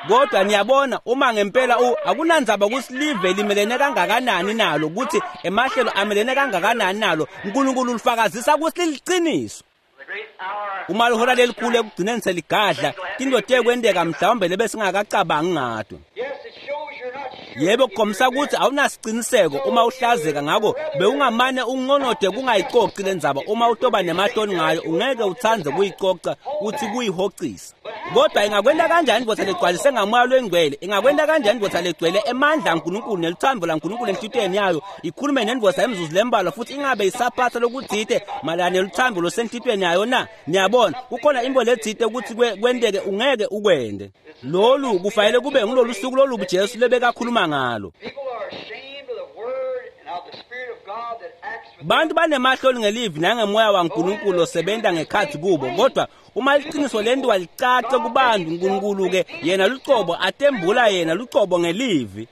Kodwa niyabona, uma ngempela u akunandzaba ukuthi live limelene kangakanani nalo, ukuthi emahlelo amelene kangakanani nalo, uNkulunkulu ulifakazisa ukuthi liliciniso. Uma lihora lelikhulu ekugcineni seligadla, tinto tekwenteka mhlawumbe lebesingakacabangi ngato. Yebo, kukhombisa ukuthi awunasiciniseko uma uhlazeka, ngakho bewungamane unqonode kungayicoci lendzaba. Uma utoba nematoni ngayo ungeke utsandze kuyicoca uthi kuyihocisa. Kodwa ingakwenta kanjani indvodza legcwalise ngamoya loyingcwele? Ingakwenta kanjani indvodza legcwele emandla aNkulunkulu neluthando laNkulunkulu enhlitiyweni yayo ikhulume nendvodza emzuzu lembalwa futhi ingabe isaphatha lokutsite mayelana neluthando losenhlitiyweni yayo na? Niyabona, kukhona into letsite ukuthi kwenteke ungeke ukwende. Lolu kufanele kube ngulolu suku lolubi Jesu lebekakhuluma ngalo. Bantu banemahloni ngelivi nangemoya waNkulunkulu osebenta ngekhathi kubo, kodwa uma liqiniso lentiwa licace kubantu, uNkulunkulu-ke yena lucobo atembula yena lucobo ngelivi.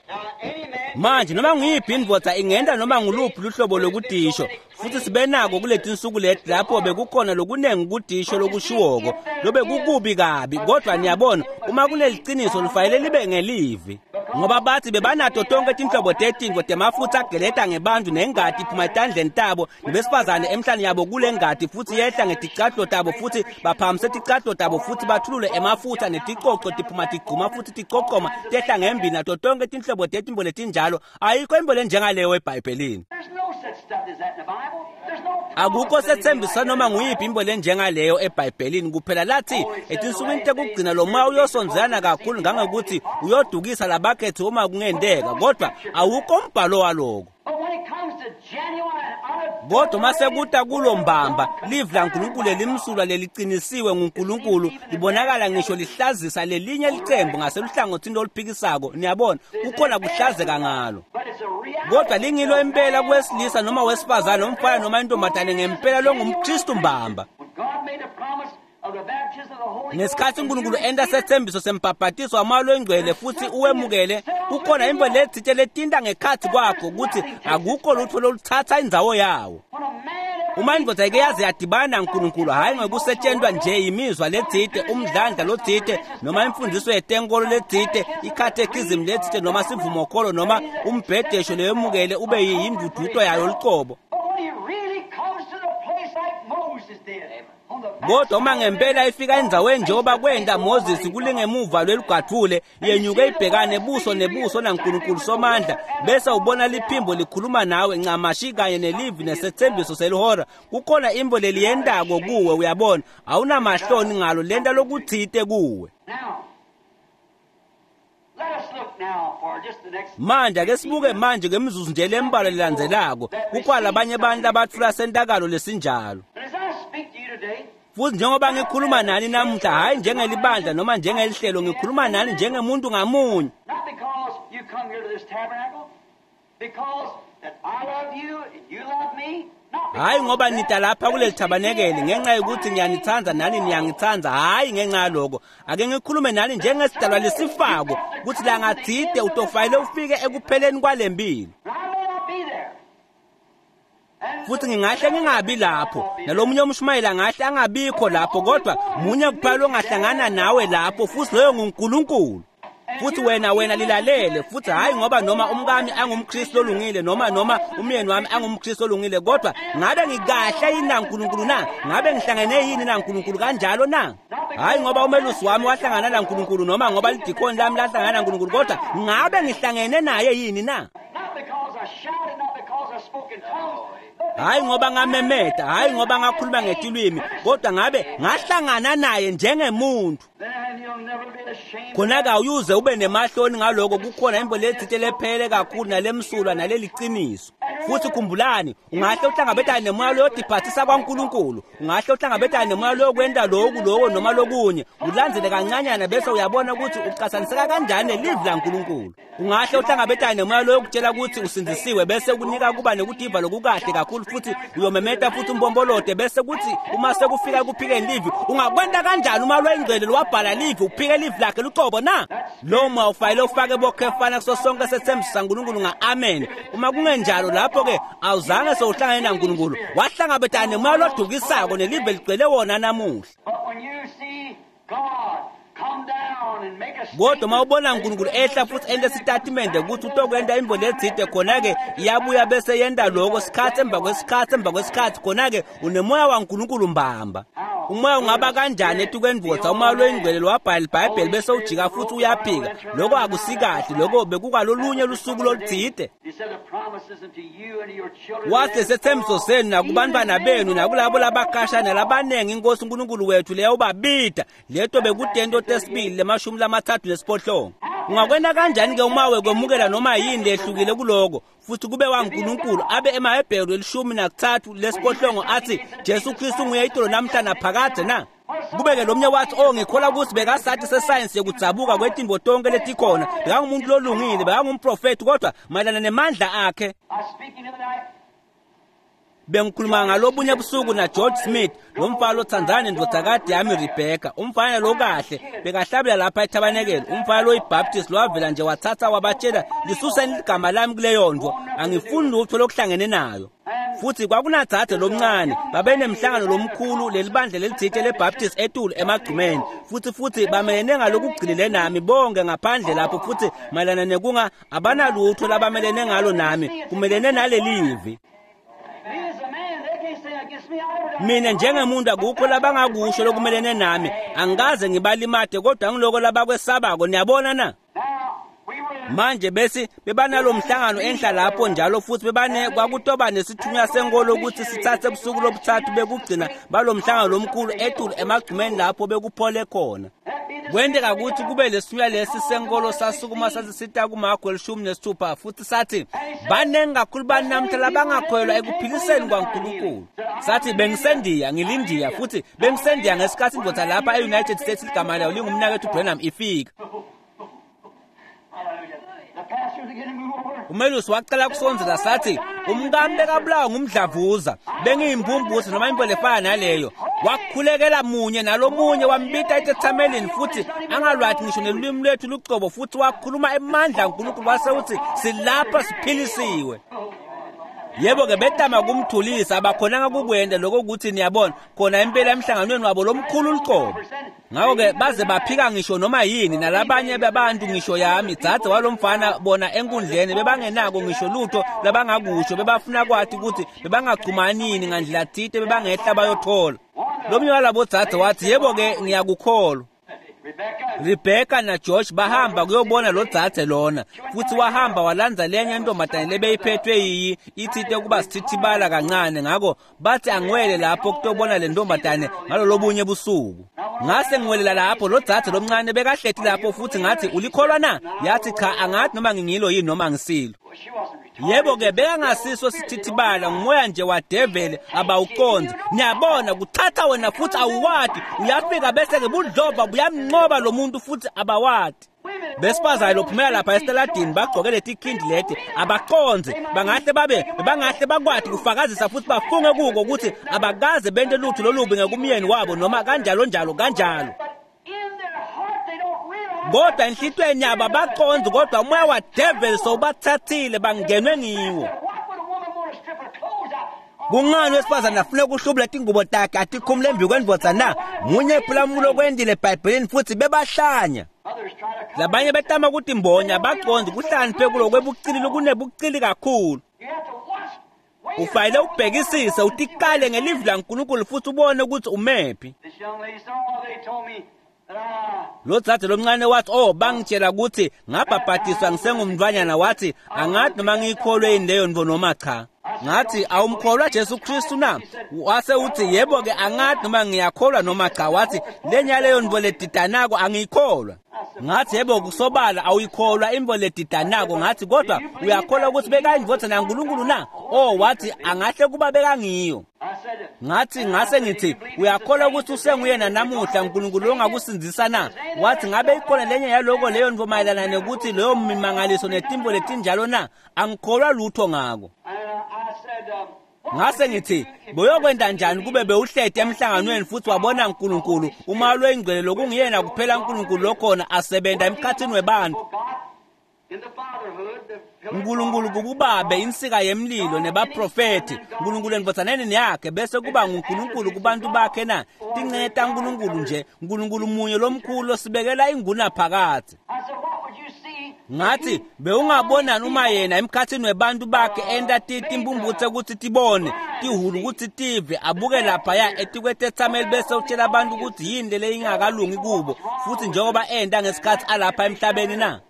Manje noma nguyiphi indvodza ingenta noma nguluphi luhlobo lokutisho, futhi sibe nako kuletinsuku leti lapho bekukhona lokunengi kudisho lokushiwoko lobe kukubi kabi, kodwa niyabona uma kuneliciniso lifanele libe ngelivi. Ngoba bathi bebanato tonke tinhlobo tetinto temafutha ageleta ngebantu nengati iphuma etandleni tabo, nebesifazane emhlane yabo kule ngati futhi yehla ngeticathulo tabo, futhi baphakamise ticathulo tabo futhi bathulule emafutha, neticoco tiphuma tigcuma futhi ticocoma tehla ngembili, nato tonke tinhlobo tetinto letinjalo. Ayikho into lenjengaleyo eBhayibhelini. Akukho sethembiso noma nguyiphi into lenjengaleyo eBhayibhelini. Kuphela lathi etinsukwini tekugcina lo moya uyosondelana kakhulu ngangokuthi uyodukisa labakhethi uma kungenteka, kodwa awukho umbhalo waloko. Kodwa mase kuta kulo mbamba livi laNkulunkulu limsulwa leliqinisiwe nguNkulunkulu libonakala ngisho lihlazisa lelinye licembu ngaseluhlangothini loluphikisako. Niyabona kukhona kuhlazeka ngalo, kodwa lingilo impela kwesilisa noma wesifazane, umfana noma intombazane, ngempela longumKristu mbamba. Ngesikhathi uNkulunkulu enta sethembiso sembhabhatiso wamoya longcwele futhi uwemukele, kukhona into letsite letinta ngekhathi kwakho ukuthi akukho lutho loluthatha indzawo yawo. Uma indvodza ike yaze yadibana naNkulunkulu, hhayi ngokusetshentwa nje imizwa letsite, umdlandla lotsite, noma imfundiso yetenkolo letsite, ikhathekhizimu letsite, noma sivumokholo, noma umbhedesho leyemukele ube yinduduto yayo lucobo. Kodwa uma ngempela ifika endzaweni njengoba kwenta Moses kulingemuva lwelugathule, yenyuke ibhekane buso nebuso naNkulunkulu Somandla, bese ubona liphimbo likhuluma nawe ncamashi kanye nelivi nesethembiso selihora, kukhona imbo leliyendako kuwe. Uyabona, awunamahloni ngalo lenta lokutsite kuwe. Manje ake sibuke manje ngemizuzu nje lembalwa lelandzelako, kukhona labanye abantu labatfula sentakalo lesinjalo. Futhi njengoba ngikhuluma nani namuhla, hhayi njengelibandla noma njengelihlelo, ngikhuluma nani njengemuntu ngamunye. Hhayi ngoba nita lapha kuleli thabanekeli ngenxa yokuthi ngiyanithanda nani niyangithanda, hhayi ngenxa yaloko. Ake ngikhulume nani njengesidalwa lesifako, ukuthi langathide utofayile ufike ekupheleni kwalempilo. Futhi ngingahle ngingabi lapho, nalomunye umshumayeli angahle angabikho lapho, kodwa munye kuphela ongahlangana nawe lapho, futhi loyo nguNkulunkulu. Futhi wena wena lilalele, futhi hhayi ngoba noma umkami angumKristu olungile noma noma umyeni wami angumKristu olungile, kodwa ngabe ngikahle yini naNkulunkulu na? Ngabe ngihlangene yini naNkulunkulu kanjalo na? Hhayi ngoba umelusi wami wahlangana naNkulunkulu noma ngoba lidikoni lami lahlangana naNkulunkulu, kodwa ngabe ngihlangene naye yini na? Hhayi ngoba ngamemeta, hhayi ngoba ngakhuluma ngetilwimi, kodwa ngabe ngahlangana naye njengemuntu. Khona-ke awuyuze ube nemahloni ngaloko, kukhona imbo letsite lephele kakhulu nalemsulwa naleliciniso. Futhi khumbulani, ungahle uhlangabetane nemoya loyodiphathisa kwaNkulunkulu, ungahle uhlangabetane nemoya loyokwenta loku loko noma lokunye, ulandzele kancanyana bese uyabona ukuthi uqathaniseka kanjani nelivi laNkulunkulu. Ungahle uhlangabetane nemoya loyokutshela ukuthi usindisiwe, bese kunika kuba nekudiva lokukahle kakhulu, futhi uyomemeta futhi umbombolote, bese kuthi uma sekufika ekuphikeni livi, ungakwenta kanjani uma lwengcwele lwabhala livi uphike livi lakhe lucobo na? Lo moya ufayile ufake bokhefana kuso sonke sethembiso saNkulunkulu nga-amen. Uma kungenjalo lapho-ke awuzange sewuhlangane naNkulunkulu, wahlangabetana nemoya lodukisako nelive ligcwele wona namuhla. Kodwa uma ubona uNkulunkulu ehla futhi ente sitatimende ukuthi utokwenta imbo letsite, khona-ke iyabuya bese yenta loko sikhathi emva kwesikhathi emva kwesikhathi, khona-ke unemoya waNkulunkulu mbamba. Umoya ungaba kanjani etukwendvodza uma lwengcwele lwabhala iBhayibheli bese ujika futhi uyaphika? Lokho akusikahle, lokho bekukwalolunye lusuku lolutsite. Wathi sethembiso senu nakubantwana benu nakulabo labakasha nalabanengi iNkosi uNkulunkulu wethu leyawubabida, leto bekutento tesibili lemashumi lamathathu nesiphohlongo. Ungakwena kanjani-ke uma wekwemukela noma yini lehlukile kuloko, futhi kube waNkulunkulu abe emaHebheru elishumi nakuthathu lesiphohlongo athi Jesu Kristu nguye itolo namhla naphakadze na? Kube-ke lo mnye wathi, oh ngikholwa ukuthi bekasathi sesayensi yokudzabuka kwetimbo tonke letikhona, bekangumuntu lolungile, bekangumprofethi, kodwa mayelana nemandla akhe. Bengikhuluma ngalobunye busuku na George Smith, lo mfana othandzana nendvodzakade yami Rebecca, umfana lokahle bekahlabela lapha ethabanekele, umfana loyiBaptist lowavela nje wathatha wabatshela, lisuseni ligama lami kuleyo nto, angifuni lutho lokuhlangene nayo. Futhi kwakunadzadze lomncane, babenemhlangano lomkhulu lelibandla lelitsite leBaptist etulu emagcumeni, futhi futhi bamelene ngalokugcilile nami bonke ngaphandle lapho, futhi mayelana nekunga abanalutho labamelene ngalo nami, kumelene nalelivi. Mina njengemuntu akukho labangakusho lokumelene nami, angikaze ngibalimate, kodwa ngiloko labakwesabako. Niyabona na? Manje bese bebanalo mhlangano enhla lapho njalo, futhi bebane kwakutoba nesithunywa senkolo ukuthi sithathe ebusuku lobuthathu bekugcina balo mhlangano lomkhulu etulu emagcumeni lapho bekuphole khona. Kwenteka ukuthi kube lesithunywa lesi senkolo sasukuma sasisita kuMakho elishumi nesithupha futhi sathi baningi kakhulu banamhla labangakholelwa ekuphiliseni kwaNkulunkulu. Sathi bengisendiya ngilindiya futhi bengisendiya ngesikhathi indoda lapha e-United States ligama layo lingumnakethu Branham ifika. Umelusi waqala kusondzela sathi umkami bekabulawa ngumdlavuza bengiyimpumputhe noma into lefana naleyo. Wakhulekela munye nalomunye wambita etethamelini futhi angalwathi ngisho nelulwimi lwethu lucobo futhi wakhuluma emandla kaNkulunkulu wase uthi silapha siphilisiwe. Yebo-ke betama kumthulisa abakhonanga kukwenda lokho ukuthi niyabona khona impela emhlanganweni wabo lomkhulu lucobo. Ngakho-ke baze baphika ngisho noma yini nalabanye babantu ngisho yami dzadze walomfana bona enkundleni bebangenako ngisho lutho labangakusho bebafuna kwathi ukuthi bebangagcumanini ngandlela thite bebangehla bayothola. Lomunye walabo dzadze wathi yebo-ke ngiyakukholwa. Rebecca na George bahamba kuyobona lo dzadze lona futhi wahamba walandza lenye intombazane lebeyiphethwe yiyi ithite kuba sithithibala kancane. Ngakho bathi angiwele lapho kutobona le ntombazane ngalolobunye busuku. Ngase ngiwelela lapho lo dzadze lomncane bekahleti lapho futhi ngathi ulikholwa na? Yathi cha angathi noma ngingilo yini noma ngisilo. Yebo-ke bekangasiso sithithibala ngumoya nje wadeveli abawuqonzi. Niyabona kuthatha wena futhi awuwati uyafika bese-ke budlova buyamnqoba lo muntu futhi abawati. Besifazane lophumela lapha esitaladini bagqoke leti khindi leti abaqonzi bangahle babe bangahle bakwati kufakazisa futhi bafunge kuko ukuthi abakaze bente lutho lolubi ngekumyeni wabo noma kanjalo njalo kanjalo. Kodwa enhlitweni yabo abaqonzi kodwa umoya wadeveli sowubathathile bangenwe ngiwo. Kungani wesifazane afune ukuhlubula tingubo takhe atikhumule embi kwendvodza na? Munye phulamulo kwendile eBhayibhelini futhi bebahlanya. Labanye betama ukuthi imbonya abaqonzi kuhlakaniphe kulo kwebucili lokunebucili kakhulu. Ufanele ubhekisise utikale ngelivi laNkulunkulu futhi ubone ukuthi umephi. Lo dzadze lomncane wathi oh bangitshela ukuthi ngabhabhadiswa ngisengumntwanyana wathi angathi noma ngiyikholwe yini leyo nto noma cha. Ngathi awumkholwa Jesu Kristu na? Wase uthi yebo-ke angathi noma ngiyakholwa noma cha. Wathi lenya leyo nto ledidanako angiyikholwa. Ngathi yebo kusobala awuyikholwa imvo ledidanako. Ngathi kodwa uyakholwa ukuthi bekayindvodza naNkulunkulu na? Oh wathi angahle kuba bekangiyo. Ngathi ngase ngithi uyakholwa ukuthi usenguyena namuhla uNkulunkulu ongakusindzisa na? Wathi ngabe ikhona lenye yaloko leyo nto mayelana nekuthi leyo mimangaliso netimvo letinjalo na? Angikholwa lutho ngako. Ngase ngithi boyokwenda njani kube bewuhlete emhlanganweni futhi wabona uNkulunkulu uma lwengcwele lokungiyena kuphela uNkulunkulu lokhona asebenza emkhathini webantu. uNkulunkulu kububabe insika yemlilo nebaprofeti uNkulunkulu endvodzaneni yakhe bese kuba nguNkulunkulu kubantu bakhe na? Tincenye taNkulunkulu nje uNkulunkulu munye lomkhulu osibekela inguna phakathi. Ngathi bewungabonani uma yena emkhathini webantu bakhe enta timpumputhe ukuthi tibone tihulu ukuthi tive abuke laphaya etikwetethameli bese utshela abantu ukuthi yini le ingakalungi kubo futhi njengoba enta ngesikhathi alapha emhlabeni na?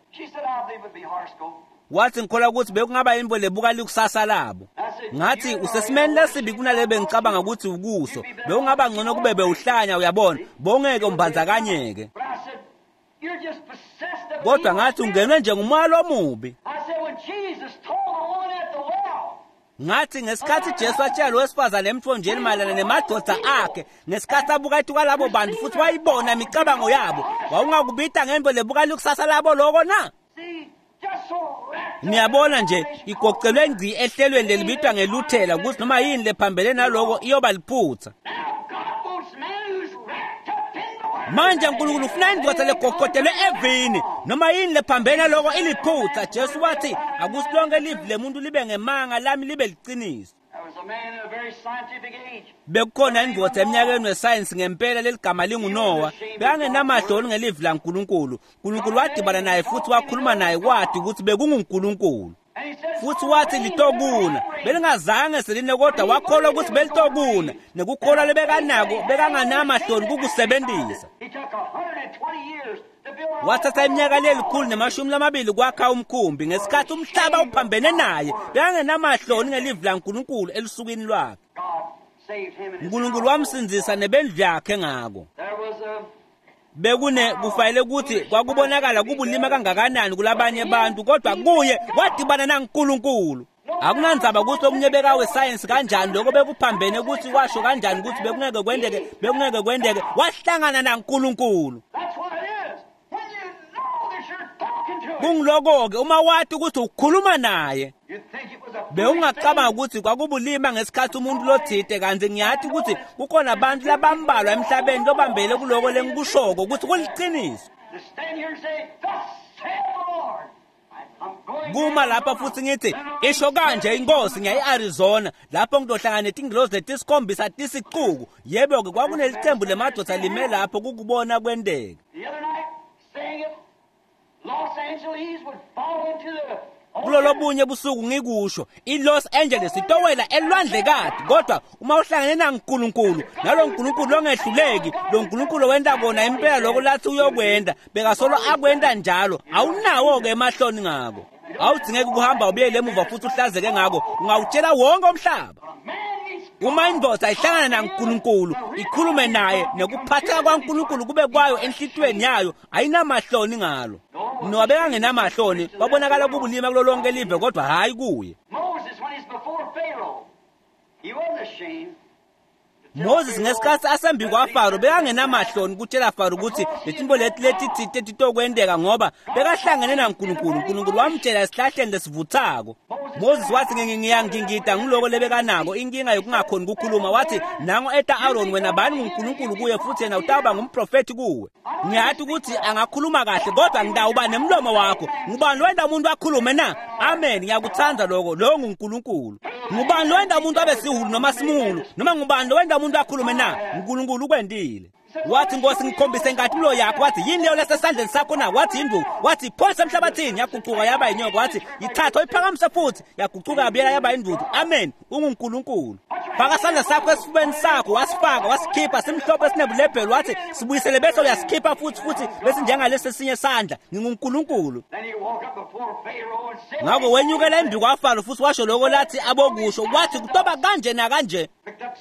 Wathi ngikholwa ukuthi bekungaba yimvo lebuka likusasa labo. Ngathi usesimeni lesibi kunale bengicabanga ukuthi ukuso bewungaba ngcono kube bewuhlanya uyabona bongeke umbandzakanyeke. Kodwa ngathi ungenwe nje ngumoya lomubi. Ngathi ngesikhathi Jesu atshela lo wesifazane emthonjeni mayelana nemadoda akhe ngesikhathi abuka ethuka labo bantu futhi wayibona imicabango yabo wawungakubita ngento lebuka likusasa labo loko na? Niyabona nje igocelwe ngci ehlelweni lelibitwa ngeluthela ukuthi noma yini lephambene naloko iyoba liphutha. Manje uNkulunkulu ufuna indvodza legoqotelwe evini noma yini lephambene naloko iliphutha. Jesu wathi akusilonke livi lemuntu libe ngemanga lami libe liqiniso. Bekukhona indvodza eminyakeni wesayensi ngempela leligama linguNowa bekangenamahloni ngelivi laNkulunkulu. uNkulunkulu wadibana naye futhi wakhuluma naye kwathi ukuthi bekunguNkulunkulu futhi wathi litokuna belingazange seline kodwa wakholwa ukuthi belitokuna nekukholwa lebekanako bekanganamahloni kukusebenzisa. Wathatha iminyaka lelikhulu nemashumi lamabili kwakha umkhumbi ngesikhathi umhlaba uphambene naye bekangenamahloni ngelivi laNkulunkulu elusukwini lwakhe. uNkulunkulu wamsindzisa nebendlu yakhe ngako. Bekune kufanele ukuthi kwakubonakala kubulima kangakanani kulabanye abantu, kodwa kuye wadibana naNkulunkulu. Akunandzaba ukuthi omunye bekawe science kanjani, lokho bekuphambene ukuthi washo kanjani ukuthi bekungeke kwendeke, bekungeke kwendeke, wahlangana naNkulunkulu. That's what it is. When you know that you're talking to him, Kungiloko-ke uma wathi ukuthi ukhuluma naye. you'd think it was a foolish Bewungacabanga thing. ukuthi kwakubulima ngesikhathi umuntu lothide, kanti ngiyathi ukuthi kukhona abantu labambalwa emhlabeni lobambele kuloko lengikushoko ukuthi kuliciniso. To stand here and say, "Thus saith the Lord." I'm going Kuma lapha futhi ngithi isho kanje inkosi, ngiya e-Arizona lapho ngizohlangana netingilozi letisikhombisa tisicuku. Yebo-ke, kwakunelicembu lemadoda lime lapho kukubona kwenteka. The other night, saying it, Los Angeles would fall into the Kulolo bunye busuku ngikusho, i-Los Angeles itowela elwandlekati, kodwa uma uhlangene naNkulunkulu, nalo Nkulunkulu longehluleki, lo Nkulunkulu wenta kona impela lokho lathi uyokwenda, bekasolo akwenta njalo, awunawo-ke emahloni ngako. Awudzingeki ukuhamba ubuyele emuva futhi uhlazeke ngako, ungawutshela wonke umhlaba. A man meets Uma indvodza ihlangana naNkulunkulu, ikhulume naye, nekuphatheka kwaNkulunkulu kube kwayo enhlitiyweni yayo, ayinamahloni ngalo. Nowa bekangenamahloni, kwabonakala kubulima kulo lonke live, kodwa hhayi kuye. Moses when he's before Pharaoh. He wasn't ashamed. Moses ngesikhathi asembi kwaFaro bekangenamahloni kutshela Faro ukuthi letinto leti letitsite titokwenteka, ngoba bekahlangene naNkulunkulu. uNkulunkulu wamtshela esihlahleni lesivuthako. Moses wathi ngiyangingida ngiloko lebekanako, inkinga yokungakhoni ukukhuluma. Wathi nango eta Aaron, wena bani nguNkulunkulu kuye, futhi yena utawuba ngumprofethi kuwe. Ngiyathi ukuthi angakhuluma kahle, kodwa ngitawuba nemlomo wakho. Ngubani wenda umuntu akhulume na? Amen, ngiyakuthanda lokho. Lo nguNkulunkulu. Ngubani lowenda umuntu abe sihulu noma simulu, noma ngubani lowenda umuntu akhulume na? uNkulunkulu ukwendile. Wathi Nkosi ngikhombise inkatimlo yakho. Wathi yini leyo lesesandleni sakho na? Wathi induku. Wathi phonse emhlabathini, yaguquka yaba inyoka. Wathi yithatha uyiphakamise futhi, yaguquka yabuyela yaba induku. Amen, unguNkulunkulu. Faka isandla sakho esifubeni sakho. Wasifaka, wasikhipha simhlophe sinebulephelo. Wathi sibuyisele bese uyasikhipha futhi, futhi bese njengalesi esinye sandla. NginguNkulunkulu. Then he walked up before Pharaoh and said, Ngakho wenyukela embi kwaFaro futhi washo lokho lathi abokusho. Wathi kutoba kanje nakanje.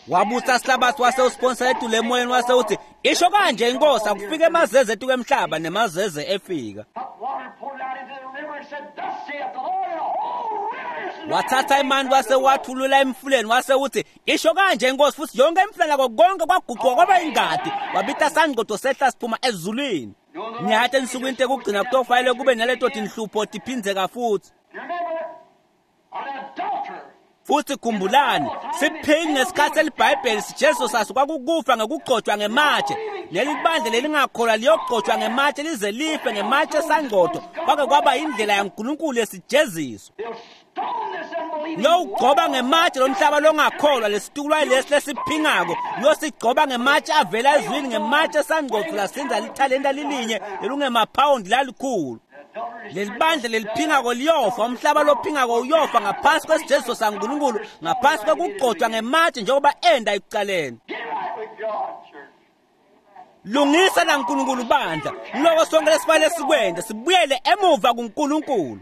Wabutsa sihlabathi wase usiphonsela etulu emoyeni, wase uthi isho kanje inkosi, akufike emazeze etuku emhlaba, nemazeze efika. Took water, poured it out into the river, and said, "Thus saith the Lord," and the whole river is Wathatha imani wase wathulula emfuleni, wase uthi isho kanje inkosi, futhi yonke imfula nako konke kwaguquka kwaba ingadi. Wabita sangqodo sehla siphuma ezulwini. Ngiyathi ensukwini tekugcina kutofanele kube naleto tinhlupho tiphindzeka futhi. Remember, an adulterer Futhi khumbulani, siphingi ngesikhathi eliBhayibheli sijesu saso kwakukufa ngekugcotshwa ngematshe. Leli bandla lelingakholwa liyogcotshwa ngematshe lize life ngematshe sangqodo. Kwake kwaba indlela yaNkulunkulu yesijeziso. They'll stone this unbelieving Liyowugcoba ngematshe lomhlaba longakholwa, lesitukulwane lesi lesiphingako uyosigcoba ngematshe avela ezwini, ngematshe sangqodo lasinza lithalenta lilinye lelungemaphawundi lalikhulu. Leli bandla leliphingako liyofa, umhlaba lophingako uyofa ngaphansi kwesijeziso saNkulunkulu, ngaphansi kwekugcotshwa ngematshe njengoba enda ekucaleni. Get right with God, church. Lungisa naNkulunkulu bandla. Ngiloko sonke lesifanele sikwente, sibuyele emuva kuNkulunkulu.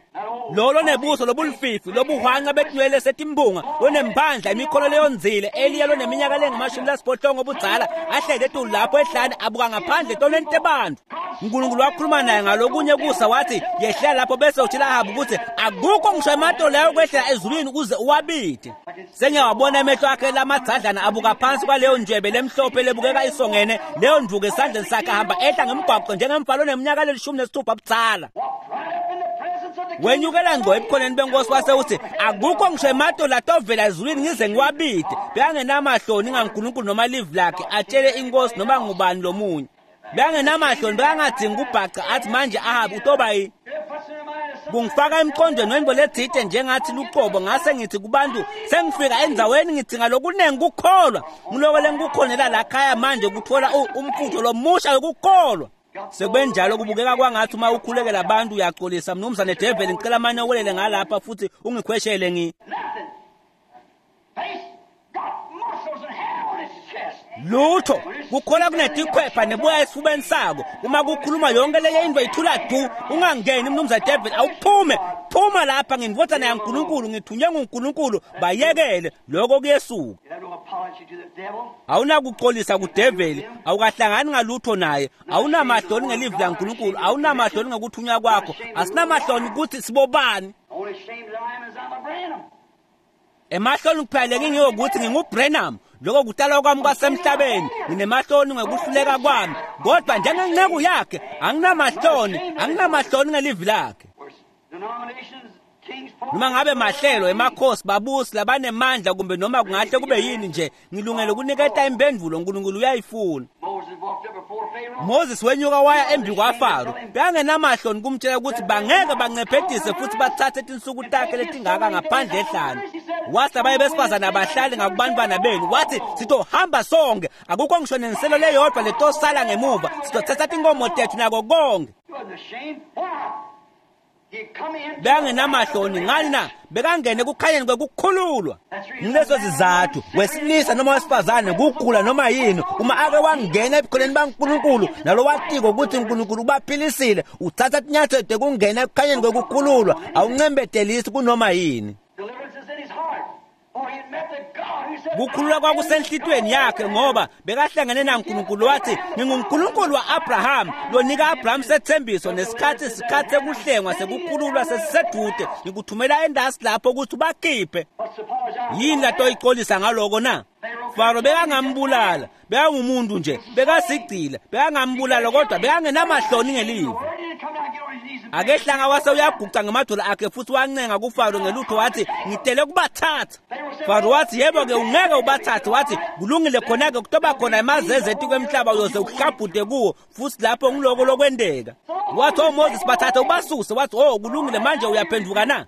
Lo lonebuso lobulififi, lobuhwanqa betinwele setimbunga, lonemphandla, imikhono leyonzile, Eliya loneminyaka lengamashumi lasiphohlongo obudzala, ahlele etulu lapho ehlane abuka ngaphandle etonweni tebantu. uNkulunkulu wakhuluma naye ngalokunye kusa, wathi yehlela lapho bese utshela Ahabu ukuthi akukho ngisho ematolo layo kwehlela ezulwini ukuze uwabide. Sengiyawabona emehlo akhe lamadzadlana abuka phansi kwaleyo njwebe lemhlophe lebukeka isongene, leyo nduku esandleni sakhe, ahamba ehla ngemgwaqo njengemfana oneminyaka lelishumi nesithupha budzala. Walked right up in the presence of the king. Wenyukela ngqo ebukhoneni benkosi, wase uthi akukho ngisho ematolo atovela ezulwini ngize ngiwabide. Bekangenamahloni ngaNkulunkulu noma livi lakhe atshele inkosi noma ngubani lomunye. Bekangenamahloni, bekangadingi ukubhaca athi manje Ahabi utoba yini. It puts in the mind of some Kungifaka emqondweni wento letsite njengathi luqobo, ngase ngithi kubantu sengifika endzaweni ngidinga lokunengi kukholwa. Ngiloko lengikukhonela lakhaya manje kuthola u- umfutho lomusha wokukholwa. Sekube njalo kubukeka kwangathi uma ukhulekela abantu uyaxolisa, mnumzane Devil, ngicela mane uwelele ngalapha futhi ungikhweshele ngi nothing. Face got muscles and hair on his chest. Lutho kukhona kunetikhwepha nebuya esifubeni sako. Uma kukhuluma yonke leye into ithula du. Ungangeni mnumzane Devil, awuphume, phuma lapha, ngindvodzana yaNkulunkulu, ngithunywe nguNkulunkulu. Bayekele lokho kuyesuka. You have no Awunakuxolisa kudeveli, awukahlangani ngalutho naye, awunamahloni ngelivi laNkulunkulu, awunamahloni ngokuthunywa kwakho, asinamahloni ukuthi sibobani. Emahloni kuphela ngingiyokuthi nginguBrenham, lokho kutalwa kwami kwasemhlabeni, nginemahloni ngokuhluleka kwami, kodwa njengenceku yakhe anginamahloni, anginamahloni ngelivi lakhe. Noma ngabe mahlelo emakhosi babusi labanemandla kumbe noma kungahle kube yini nje, ngilungele ukuniketa impendulo, uNkulunkulu uyayifuna. Moses wenyuka waya embi kwaFaro, bekangenamahloni kumtshela ukuthi bangeke bancephetise futhi bathathe tinsuku takhe letingaka ngaphandle ehlane. Wathi abaye besifazane abahlali ngakubantwana benu, wathi sitohamba sonke, akukho ngisho nenselo leyodwa letosala ngemuva, sitothatha tinkomo tethu nako konke. Bekangenamahloni ngani na? Bekangene kukhanyeni kwekukhululwa. Ngileso sizathu wesilisa noma wesifazane kugula noma yini, uma ake wangena ebukhoneni baNkulunkulu nalo watiko ukuthi uNkulunkulu ubaphilisile, uthatha tinyathelo tekungena ekukhanyeni kwekukhululwa, awuncembetelisi kunoma yini. Kukhululwa kwakusenhlitweni yakhe ngoba bekahlangene naNkulunkulu, wathi nginguNkulunkulu wa-Abraham lonika Abraham sethembiso, nesikhathi isikhathi sekuhlengwa sekukhululwa sesisedude, ngikuthumela endasi lapho ukuthi ubakhiphe. Yini latoyicolisa ngaloko na? Faro bekangambulala, bekangumuntu nje, bekasigcila, bekangambulala kodwa bekangenamahloni ngelivi. Akehlanga wase uyaguca ngemadolo akhe futhi wancenga kuFaro ngelutho, wathi ngitele kubathatha. Faro wathi yebo-ke ungeke ubathathe, wathi kulungile khona-ke kutoba khona emazeze etikwemhlaba uyoze uhlabhude kuwo, futhi lapho ngiloko lokwenteka. Wathi oh Moses bathathe ubasuse, wathi oh kulungile manje uyaphenduka na?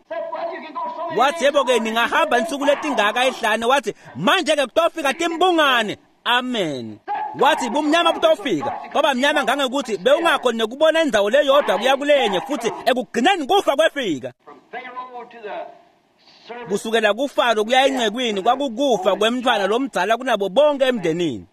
Wathi yebo-ke ningahamba insuku letingaka ehlane, wathi manje-ke kutofika timbungane. Amen. Wathi bumnyama butofika, kwaba mnyama ngangokuthi bewungakhoni nekubona indzawo leyodwa kuya kulenye, futhi ekugcineni kufa kwefika. Kusukela kuFaro kuya encekwini kwakukufa kwemntfwana lomdzala kunabo bonke emndenini.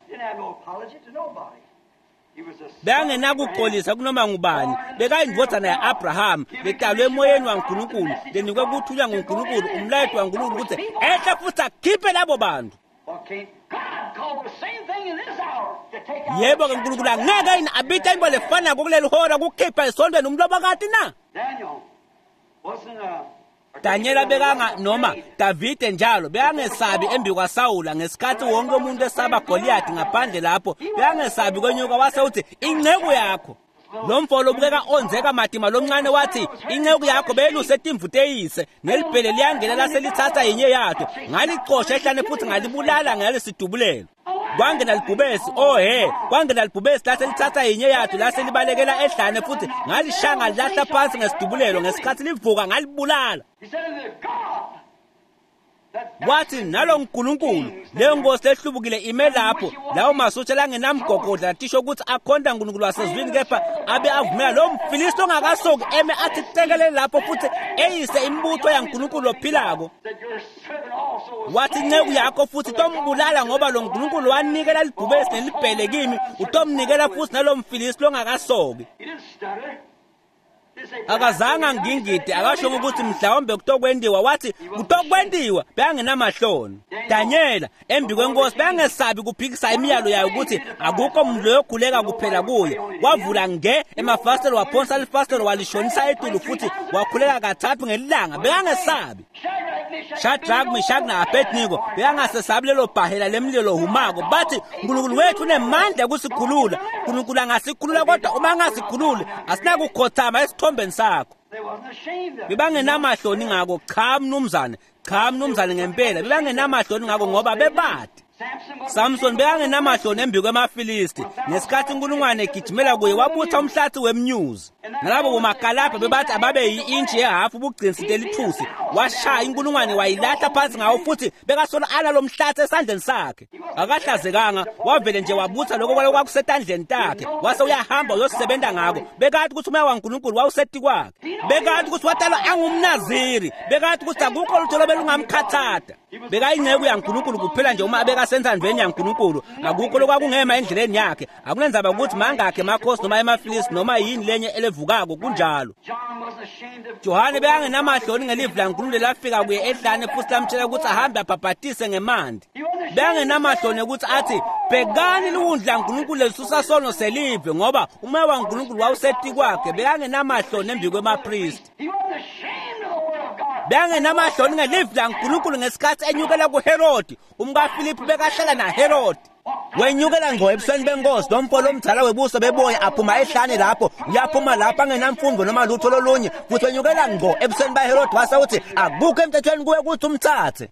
Bekangenakuxolisa kunoma ngubani, bekayindvodzana ya-Abraham letalwe emoyeni waNkulunkulu, lenikwe kuthunywa nguNkulunkulu, umlayeto waNkulunkulu ukuthi ehle futhi akhiphe labo bantu. Yebo-ke uNkulunkulu angeke yini abite into lefanako kuleli hora kukhipha esontweni umlobokati na? Danyela bekanga noma Davide njalo bekangesabi embi kwaSawula ngesikhathi wonke umuntu esaba Goliath ngaphandle lapho, bekangesabi kwenyuka wase uthi inceku yakho. Lo mfo lobukeka onzeka matima lomncane wathi inceku yakho beyeluse timvu teyise, nelibhele liyangena laselithatha yinye yato, ngalicosha ehlane futhi ngalibulala ngalesidubulelo. Kwangena libhubesi, oh he, kwangena libhubesi laselithatha yinye yato laselibalekela ehlane futhi ngalishaya ngalilahla phansi ngesidubulelo, ngesikhathi livuka ngalibulala. Wathi nalo nkulunkulu leyo nkosi lehlubukile ime lapho, lawo masotja langenamgogodla latisho ukuthi akhonta uNkulunkulu wasezulwini, kepha abe avumela lo mfilisti ongakasoki eme athi tekelele lapho futhi eyise imibutho yaNkulunkulu ophilako. Wathi inceku yakho futhi tombulala ngoba lo nkulunkulu wanikela libhubesi nelibhele kimi, utomnikela futhi nalo mfilisti longakasoki. Akazange angingide, akasho ukuthi mhlawumbe kutokwendiwa, wathi kutokwendiwa, bekangenamahloni. Danyela embi kwenkosi bekangesabi kuphikisa imiyalo yayo ukuthi akukho muntu loyokhuleka kuphela kuye. Wavula nge emafasitelo, waphonsa lifasitelo walishonisa etulu futhi wakhuleka kathathu ngelilanga, bekangesabi. Shadrach, Meshach na-Abednego bekangasesabi lelo bhahela lemlilo humako, bathi uNkulunkulu wethu unemandla ukusikhulula. uNkulunkulu angasikhulula kodwa uma angasikhululi asinakukhothama esithombeni sakho. Bebangenamahloni ngako, cha mnumzane, cha mnumzane ngempela, bebangenamahloni ngako ngoba bebade. Samson bekangenamahloni embi kwemaFilisti ngesikhathi inkulungwane egijimela kuye wabutha umhlathi wemnyuzi. Nalabo bomakalabha bebathi ababe yi-intshi yehafu ubugcinsi telithusi, washaya inkulungwane wayilahla phansi ngawo futhi bekasolo ala lo mhlathi esandleni sakhe. Akahlazekanga, wavele nje wabutha lokho kwalo kwakusetandleni takhe, wase uyahamba uyosebenza ngako. Bekathi ukuthi umoya waNkulunkulu wawuseti kwakhe, bekathi ukuthi watalwa angumnaziri, bekathi ukuthi akukho lutho lobelungamkhathata. Bekayinceku yaNkulunkulu kuphela nje uma abeka kwakusentsandvweni yaNkulunkulu, akukho lokwakungema endleleni yakhe. Akunendzaba ukuthi mangakhe emakhosi noma emafilisi noma yini lenye elevukako, kunjalo. Johane bekangenamahloni ngelivi laNkulunkulu lelafika kuye ehlane futhi lamtshela ukuthi ahambe abhabhatise ngemanti. Bekangenamahloni ukuthi athi bhekani liwundlu laNkulunkulu lelisusa sono selive, ngoba umoya waNkulunkulu wawusetikwakhe. Bekangenamahloni embi kwemapristi. Bekangenamahloni ngelivi laNkulunkulu ngesikhathi enyukela kuHerodi. UmkaFilipi bekahlala naHerodi. Wenyukela ngqo ebusweni benkosi, lo mfo lomdala webuso beboya aphuma ehlane lapho, uyaphuma lapho angenamfundo noma lutho lolunye, futhi wenyukela ngqo ebusweni baHerodi wase uthi akukho emthethweni kuwe ukuthi umthathe.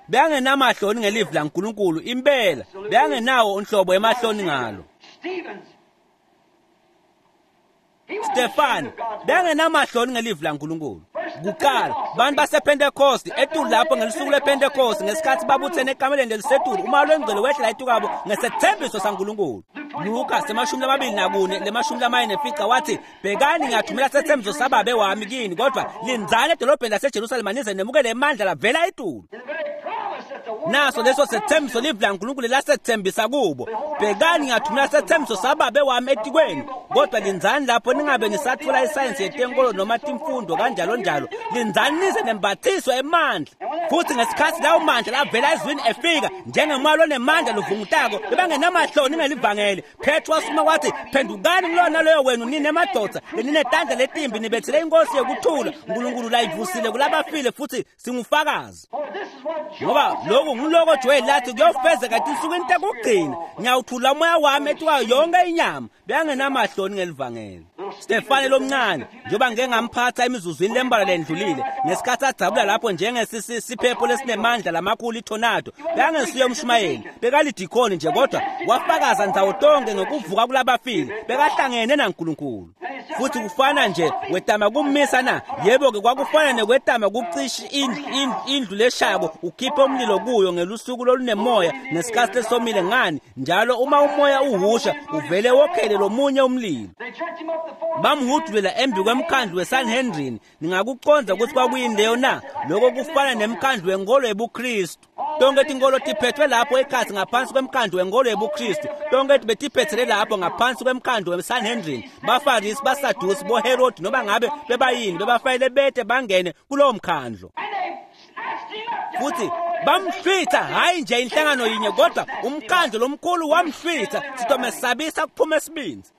Bekangenamahloni ngelivi laNkulunkulu impela, bekangenawo unhlobo emahloni ngalo. Stefan bekangenamahloni ngelivi laNkulunkulu. Kuqala bantu basePentecost etulu lapho ngelisuku lePentecost ngesikhathi babuthene ekameleni lelisetulu, umoya longcwele wehlela etukwabo ngesethembiso saNkulunkulu. Luka semashumi lamabili nakune lemashumi lamane nemfica wathi bhekani ngiyathumela sethembiso sababe wami kini, kodwa lindzani edolobheni laseJerusalema nize nemukele emandla lavela etulu. Naso leso sethembiso livi laNkulunkulu lasethembisa kubo, bhekani ngiyathumela sethembiso sababe wami etikweni, kodwa lindzani lapho ningabe nisathola isayensi yetenkolo noma timfundo kanjalo njalo, lindzani nize nembathiswe emandla. Futhi ngesikhathi lawo mandla lavela ezwini efika njengemoya lonemandla lovungutako, bebangenamahloni ngelivangeli. Petro wasuma wathi phendukani kulona leyo wenu ninemadoda leninetandla letimbi nibethele inkosi yokuthula uNkulunkulu layivusile kulabafile, futhi singufakazi. Ngoba lokhu nguloko Joel lathi kuyofezeka etinsukwini tekugcina, ngiyawuthula umoya wami etikwayo yonke inyama. Bekangenamahloni ngelivangeli. Stefane lomncane njengoba ngike ngamphatha emizuzwini lembalwa lendlulile ngesikhathi adzabula lapho njengesisiphepho lesinemandla lamakhulu itornado, bekangesuye umshumayeli, bekalidikhoni nje, kodwa wafakaza ndzawo tonke ngokuvuka kulabafile, bekahlangene naNkulunkulu. Futhi kufana nje wetama kummisa na? Yebo-ke kwakufana nekwetama kucisha indlu, indlu leshako ukhiphe umlilo kuyo ngelusuku lolunemoya ngesikhathi lesomile. Ngani njalo uma umoya uhusha uvele wokhele lomunye umlilo. Bamhudulela embi kwemkhandlu weSanhedrin. Ningakuconza ukuthi kwakuyini leyo na? Lokho kufana nemkhandlu wenkolo yebuKristu. Tonke tinkolo tiphethwe lapho ekhatsi ngaphansi kwemkhandlu wenkolo yebuKristu. Tonke betiphethele lapho ngaphansi kwemkhandlu weSanhedrin. Bafarisi, baSadusi, boHerodi noma ngabe bebayini bebafanele bete bangene kulowo mkhandlu. Futhi bamhlwitha, hayi nje inhlangano yinye kodwa umkhandlu lomkhulu wamhlwitha, sitomesabisa kuphuma esibinzi.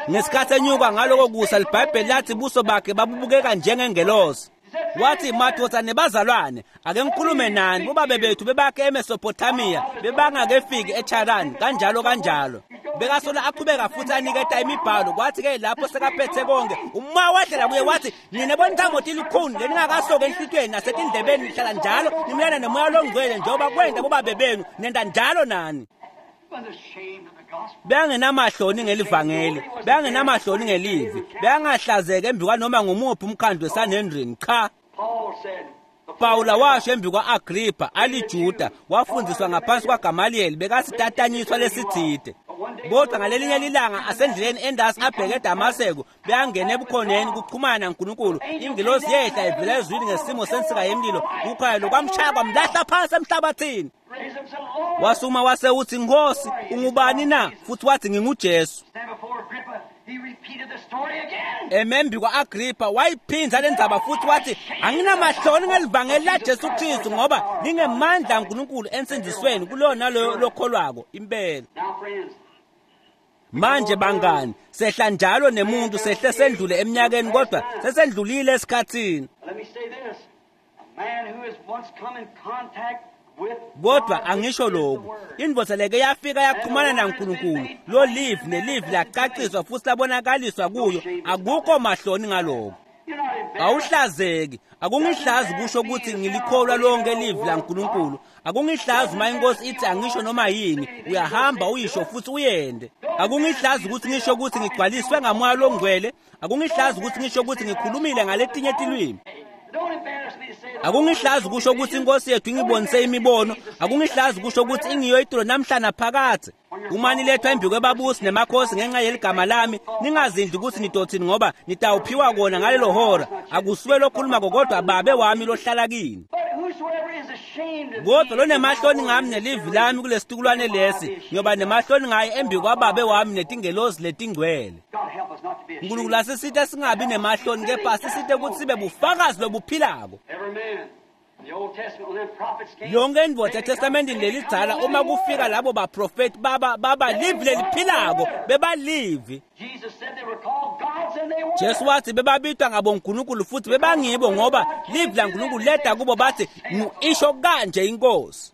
Ngesikhathi enyuka ngaloko kusa, liBhayibheli lathi buso bakhe babubukeka njengengelosi. Wathi madoda nebazalwane, ake ngikhulume nani, bobabe bethu bebakhe eMesopotamia, bebangakefiki eCharan, kanjalo kanjalo. Bekasola aqhubeka futhi aniketa imibhalo. Kwathi-ke lapho sekaphethe konke, umoya wehlela kuye wathi nine bonithambo tilukhuni leningakasoki enhlitiyweni nasetindlebeni, nihlala njalo nimelana nemoya longcwele njengoba kwenta bobabe benu, nenta njalo nani. Bekangenamahloni ngelivangeli, bekangenamahloni ngelivi, bekangahlazeki embi kwanoma ngumuphi umkhandlu weSanhedrin. Cha. Pawula washo embi kwa-Agripha aliJuda, wafundiswa ngaphansi kwaGamaliyeli, bekasitatanyiswa lesitsite. Kodwa ngalelinye lilanga asendleleni endasi abheke eDamaseko, bekangena ebukhoneni kuxhumana naNkulunkulu. Ingilosi yehla ivela ezulwini ngesimo sensika yemlilo, kukhanya lokwamshaya kwamlahla phansi emhlabathini. Wasuma wase uthi Nkosi, ungubani na? Futhi wathi nginguJesu. Emembi kwa-Agripha wayiphinza le ndzaba futhi wathi anginamahloni ngelivangeli laJesu Kristu, ngoba lingemandla aNkulunkulu ensindisweni kuloyo naloyo lokholwako impela. Manje bangani, sehla njalo nemuntu, sehle sendlule eminyakeni, kodwa sesendlulile esikhathini. Kodwa angisho lokhu, indvodza leke yafika yaxhumana naNkulunkulu, lo livi nelivi lacaciswa futhi labonakaliswa kuyo, akukho mahloni ngaloko. Awuhlazeki. Akungihlazi kusho ukuthi ngilikholwa lonke livi laNkulunkulu. Akungihlazi uma inkosi ithi angisho noma yini, uyahamba uyisho futhi uyende. Akungihlazi ukuthi ngisho ukuthi ngigcwaliswe ngamoya longcwele. Akungihlazi ukuthi ngisho ukuthi ngikhulumile ngaletinye tilwimi. Akungihlazi kusho ukuthi inkosi yethu ingibonise imibono. Akungihlazi kusho ukuthi ingiyo itulo namhla naphakathe. Uma nilethwa embi kwebabusi nemakhosi ngenxa yeligama lami, ningazindli ukuthi nidothini, ngoba nitawuphiwa kona ngalelo hora. Akusuwe lokhulumako kodwa babe wami lohlala kini. Kodwa lonemahloni ngami nelivi lami kulesitukulwane lesi, ngiyoba nemahloni ngaye embi kwababe wami netingelozi letingcwele. Nkulunkulu asisite singabi nemahloni, kepha asisite ukuthi sibe bufakazi lobuphilako. Yonke indvodza eTestamentini lelidzala, uma kufika labo baprofeti baba baba livi leliphilako, bebalivi. Jesu wathi bebabitwa ngabonkulunkulu futhi bebangibo, ngoba livi laNkulunkulu leda kubo bathi isho kanje inkosi.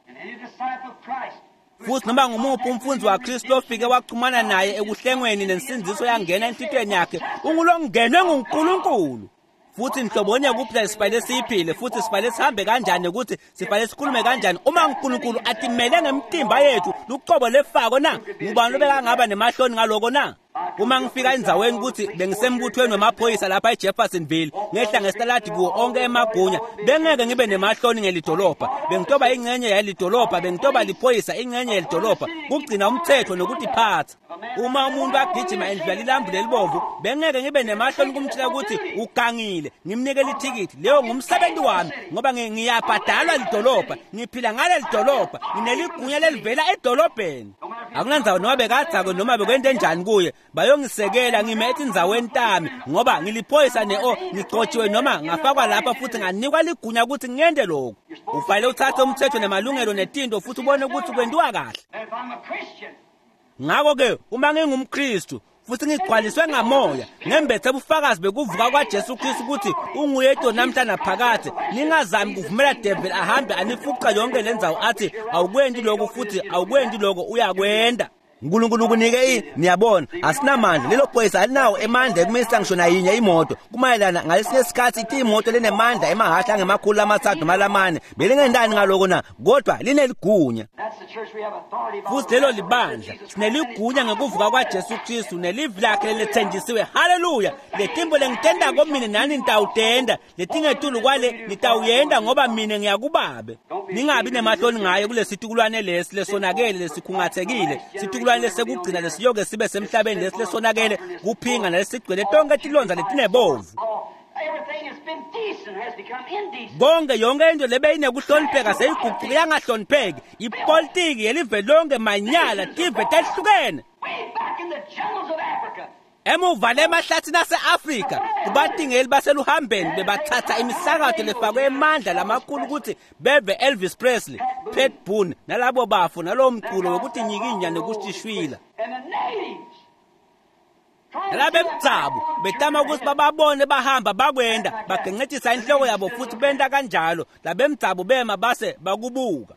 Futhi noma ngumuphi umfundzi waKristu lofike waxhumana naye ekuhlengweni nensindiso yangena enhlitiyweni yakhe, ungulongenwe nguNkulunkulu. Futhi nhlobonye kuphela sifanele siyiphile, futhi sifanele sihambe kanjani, ukuthi sifanele sikhulume kanjani uma uNkulunkulu atimele ngemtimba yethu lucobo lefako na? Ngubani lobekangaba nemahloni ngaloko na? Uma ngifika endzaweni ukuthi bengisembuthweni wemaphoyisa lapha eJeffersonville, ngehla ngesitaladi kuwo onke emagunya, bengeke ngibe nemahloni ngelidolobha. Bengitoba ingcenye yalidolobha, bengitoba liphoyisa ingcenye yelidolobha, kugcina umthetho nokutiphatha. Uma umuntu agijima endlula lilambu lelibovu, bengeke ngibe nemahloni kumtshela ukuthi ugangile, ngimnike lithikithi. Leyo ngumsebenzi wami, ngoba ngiyabhadalwa lidolobha, ngiphila ngaleli dolobha, ngineligunya lelivela edolobheni. Akunandzawo noma bekadzakwe noma bekwente njani kuye, bayongisekela ngime etindzaweni tami, ngoba ngiliphoyisa ne-o ngigcotshiwe noma ngafakwa lapha futhi nganikwa ligunya ukuthi ngente lokhu. Ufanele uthathe umthetho nemalungelo netinto futhi ubone ukuthi kwentiwa kahle. Ngakho-ke uma ngingumKristu futhi ngigcwaliswe ngamoya, ngembethe ubufakazi bekuvuka kwaJesu Kristu ukuthi unguye namhla naphakade, ningazami kuvumela devil ahambe anifuqa yonke le ndzawo athi awukwendi lokhu futhi awukwendi lokho, uyakwenda. uNkulunkulu kunike i niyabona asinamandla, lelo phoyisa alinawo emandla ekumisa ngisho nayinye imoto. Kumayelana ngalesinye isikhathi ithi imoto lenemandla emahhashi angemakhulu amathathu noma lamane, belingendani ngaloko na? Kodwa lineligunya. Futhi lelo libandla sineligunya ngekuvuka kwaJesu Kristu nelivi lakhe lelethenjisiwe. Haleluya! Letimbo lengitendako mina nani nitawutenda, letingetulu kwale nitawuyenda, ngoba mina ngiyakubabe. Ningabi nemahloni ngaye kulesitukulwane lesi lesonakele lesikhungathekile, situkulwane lesekugcina lesiyoke sibe semhlabeni lesi lesonakele kuphinga nalesigcwele tonke tilonza letinebovu. Konke yonke into lebeyinekuhlonipheka seyiguquke yangahlonipheki. Ipolitiki yelive lonke manyala, tive tehlukene. Emuva lemahlathini ase-Afrika, kubatingeli baseluhambeni bebathatha imisakato lefakwe emandla lamakhulu ukuthi beve Elvis Presley, Pat Boone nalabo bafo nalowo mculo wekuthi nyikinya nekushishwila. Labemdzabu betama ukuthi bababone bahamba bakwenda, bagencetisa inhloko yabo futhi benta kanjalo. Labemdzabu bema base bakubuka.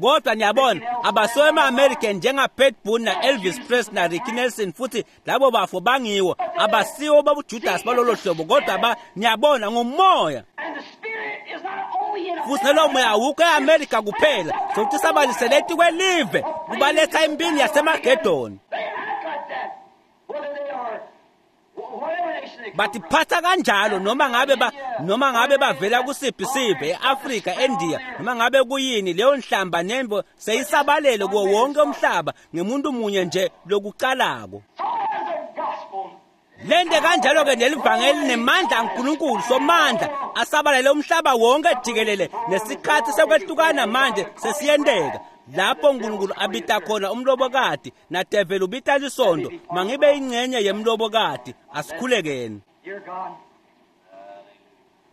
Kodwa niyabona abasiwo ema-American njenga-Pat Boone na-Elvis Presley na-Ricky Nelson, futhi labo bafo bangiwo, abasiwo babuJudas balolo hlobo, kodwa ba niyabona ngumoya. Futhi nalowo moya awukho e-Amerika kuphela, sokuthi sabalisele etikwelive kubaletha impini yaseMagedoni. Batiphatha kanjalo noma ngabe ba noma ngabe bavela kusiphi sive, e-Afrika, eNdiya, noma ngabe kuyini, leyo nhlamba nembo seyisabalele kuwo wonke umhlaba ngemuntu munye nje lokucalako. Lente kanjalo-ke nelivangeli nemandla aNkulunkulu somandla asabalele umhlaba wonke jikelele, nesikhathi sekwehlukana manje sesiyenteka. Lapho uNkulunkulu abita khona umlobokati nadeveli ubita lisondo, mangibe ingcenye yemlobokati. Asikhulekeni.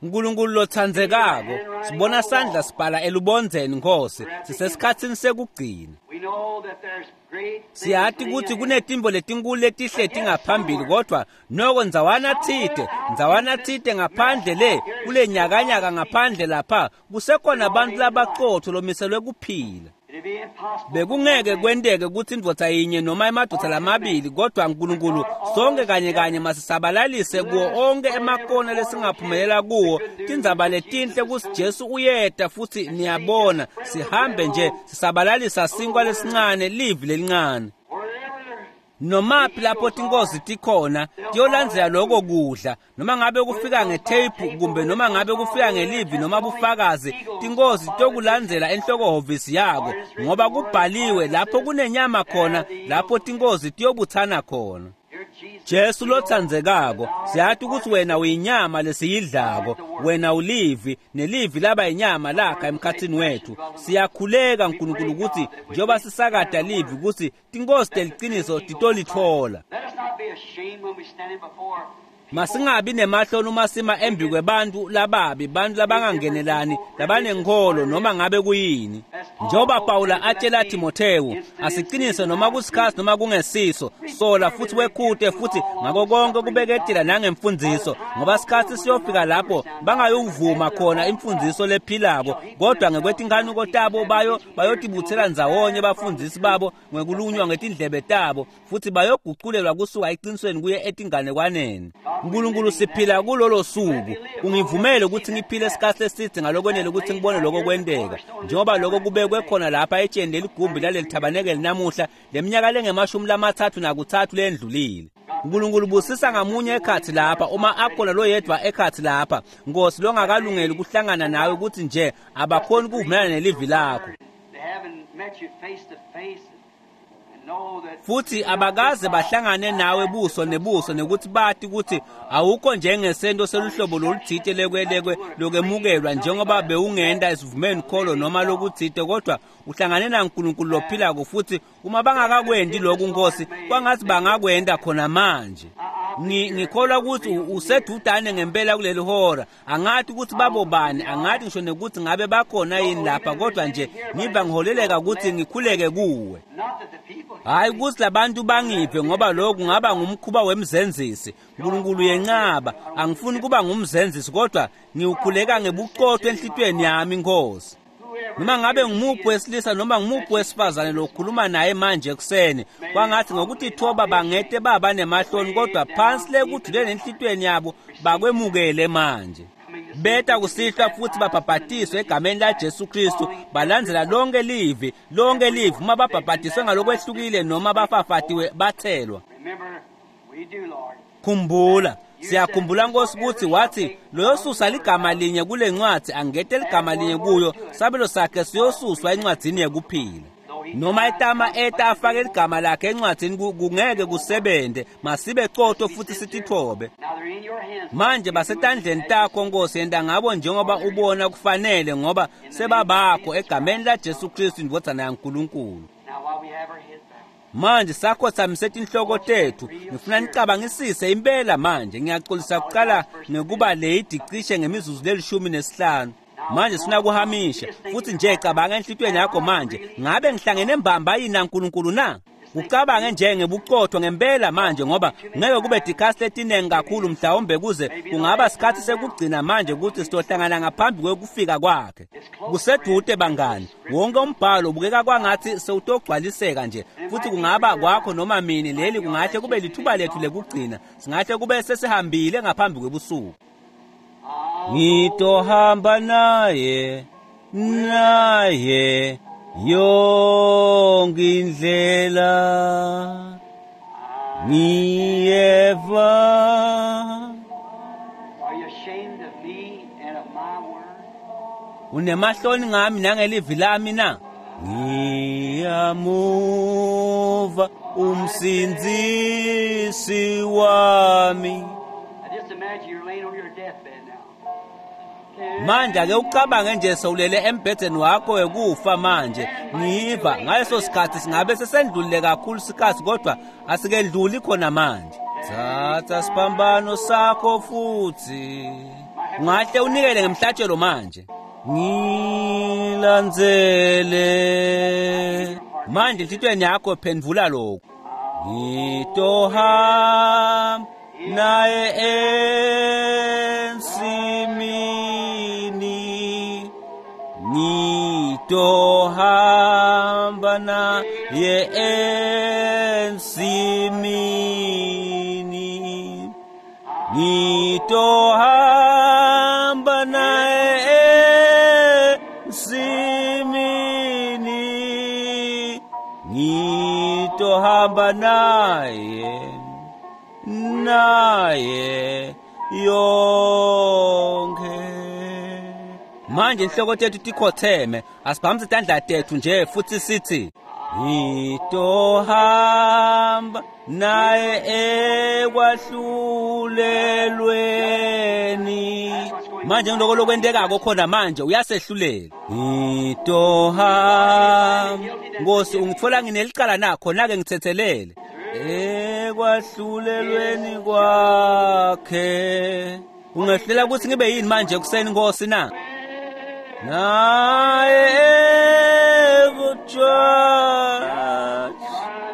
Nkulunkulu lotsandzekako, sibona sandla sibhala elubondzeni Nkosi, sisesikhatsini sekugcina. Siyati ukuthi kunetimbo letinkulu letihleti ngaphambili, kodwa noko ndzawana tsite, ndzawana tsite ngaphandle le, kule nyakanyaka ngaphandle lapha, kusekhona abantu labaqotho lomiselwe kuphila. Bekungeke kwenteke ukuthi indvodza yinye noma emadvodza lamabili, kodwa Nkulunkulu sonke kanye kanye masisabalalise kuwo onke emakona lesingaphumelela kuwo tindzaba letinhle kutsi Jesu uyeta, futhi niyabona sihambe nje sisabalalisa sinkwa lesincane, livi lelincane. Nomaphi lapho tinkozi tikhona tiyolandzela lokho kudla, noma ngabe kufika ngetheyipu kumbe noma ngabe kufika ngelivi noma bufakazi, tinkozi tokulandzela enhlokohhovisi yako, ngoba kubhaliwe lapho kunenyama khona lapho tinkozi tiyobutsana khona. Jesu lotsandzekako, siyati ukuthi wena uyinyama lesiyidlako, wena ulivi, nelivi laba inyama lakha emkhatsini wethu. Siyakhuleka Nkulunkulu ukuthi njengoba sisakada livi ukuthi tinkosi teliciniso titolitfola. Let us not be ashamed when we standing before Masingabi nemahloni uma sima embi kwebantu lababi, bantu labangangenelani, labanenkholo noma ngabe kuyini. Njengoba Pawula atshela Timothewu, asiqinise noma kusikhathi noma kungesiso, sola futhi wekhute futhi ngako konke kubeketela nangemfundiso, ngoba sikhathi siyofika lapho bangayovuma khona imfundiso lephilako, kodwa ngekwetinkanuko tabo bayo bayotibutsela ndzawonye bafundisi babo ngekulunywa ngetindlebe tabo, futhi bayoguculelwa kusuka eqinisweni kuye etinganekwaneni. Nkulunkulu, siphila kulolo suku. Ungivumele ukuthi ngiphile isikhathi eside ngalokwenele ukuthi ngibone lokho kwenteka, njengoba lokho kubekwe khona lapha etsheni leligumbi laleli thabanekeli namuhla leminyaka lengemashumi lamathathu nakuthathu lendlulile. Nkulunkulu, busisa ngamunye ekhathi lapha, uma akhona loyedwa ekhathi lapha, Nkosi, longakalungeli ukuhlangana nawe ukuthi nje abakhoni ukuvumelana nelivi lakho, They haven't met you face to face and know that futhi abakaze bahlangane nawe buso nebuso nekuthi bati ukuthi awukho njengesento seluhlobo loluthite lekwelekwe lokwemukelwa njengoba bewungenda esivumeni kholo noma lokuthite, kodwa uhlangane naNkulunkulu lophilako. Futhi uma bangakakwendi lokhu, Nkosi, kwangathi bangakwenda khona manje. Ngi- ngikholwa ukuthi u- usedudane ngempela kuleli hora. Angathi ukuthi babobani, angathi ngisho nekuthi ngabe bakhona yini lapha, kodwa nje ngiva ngiholeleka ukuthi ngikhuleke kuwe. not that the people Hayi ukuthi labantu bangiphe, ngoba lokhu kungaba ngumkhuba wemzenzisi. Nkulunkulu yenqaba, angifuni kuba ngumzenzisi, kodwa ngiwukhuleka ngebuqotho enhlitiyweni yami, Nkosi. Noma ngabe ngumuphi wesilisa noma ngumuphi wesifazane lokhuluma naye manje ekuseni, kwangathi ngokuthi thoba bangete baba nemahloni, kodwa phansi le kujuleni enhlitiyweni yabo bakwemukele manje. Beta kusihlwa futhi babhabhatiswe egameni laJesu Kristu, balandzela lonke livi, lonke livi, uma babhabhatiswe ngalokwehlukile noma bafafatiwe bathelwa. Remember, we do, Lord. Khumbula, siyakhumbula Nkosi ukuthi wathi loyosusa ligama linye kule ncwadi angete ligama linye kuyo, sabelo sakhe siyosuswa encwadini yekuphila. Noma etama eta afake ligama lakhe encwadini ku- kungeke kusebente. Masibe qotho futhi sitithobe. Now they're in your hands. Manje basetandleni takho, Nkosi, yenta ngabo njengoba ubona kufanele, ngoba sebabakho egameni laJesu Kristu indvodzana yaNkulunkulu. Now while we have our heads bowed, Manje sakhothamise tinhloko tethu, ngifuna nicabangisise impela manje. Ngiyaxolisa kuqala ngekuba late cishe ngemizuzu lelishumi nesihlanu. Manje sifuna kuhamisha futhi nje cabanga enhlitiyweni yakho manje, ngabe ngihlangene mbamba yini naNkulunkulu na? Ucabange nje ngebuqotho ngempela manje, ngoba ngeke kube dikhasi letinengi kakhulu, mhlawumbe kuze kungaba sikhathi sekugcina manje ukuthi sitohlangana ngaphambi kwekufika kwakhe. Kusedude bangani, wonke umbhalo ubukeka kwangathi sewutogcwaliseka nje, futhi kungaba kwakho noma mini. Leli kungahle kube lithuba lethu lekugcina, singahle kube sesihambile ngaphambi kwebusuku. Ngitohamba naye, naye yonke indlela, ngiyeva. Are you ashamed of me and of my word? Unemahloni ngami nangelivi lami na? Ngiyamuva umsindzisi wami. I just imagine you're laying on your deathbed now. Manje ake ucabange nje sewulele embhedeni wakho wekufa manje. Ngiva ngaleso sikhathi singabe sesendlulile kakhulu sikhathi, kodwa asikedluli khona manje. Thatha siphambano sakho futhi ungahle unikele ngemhlatshelo manje. Ngilandzele manje, enhlitiyweni yakho phendvula lokhu. Ngitohamba naye ensimini, ngitohamba naye ensimini, ngitohamba naye ensimini, ngitohamba naye, naye yonke. Manje inhloko tethu tikhotheme, asibhambise tandla tethu nje futhi sithi Ngitohamba naye ekwahlulelweni. Manje ngiloko lokwentekako khona manje uyasehlulela. Ngitohamba Nkosi ungitfola nginelicala na khona ke ngithethelele ekwahlulelweni kwakhe. Ungehlulela ukuthi ngibe yini manje kuseni Nkosi na? Naye ekujudge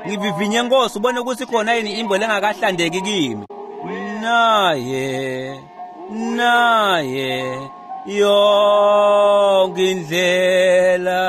ngivivinye Nkosi ubone ukuthi khona yini imbo lengakahlandeki kimi. Naye naye yonke indlela.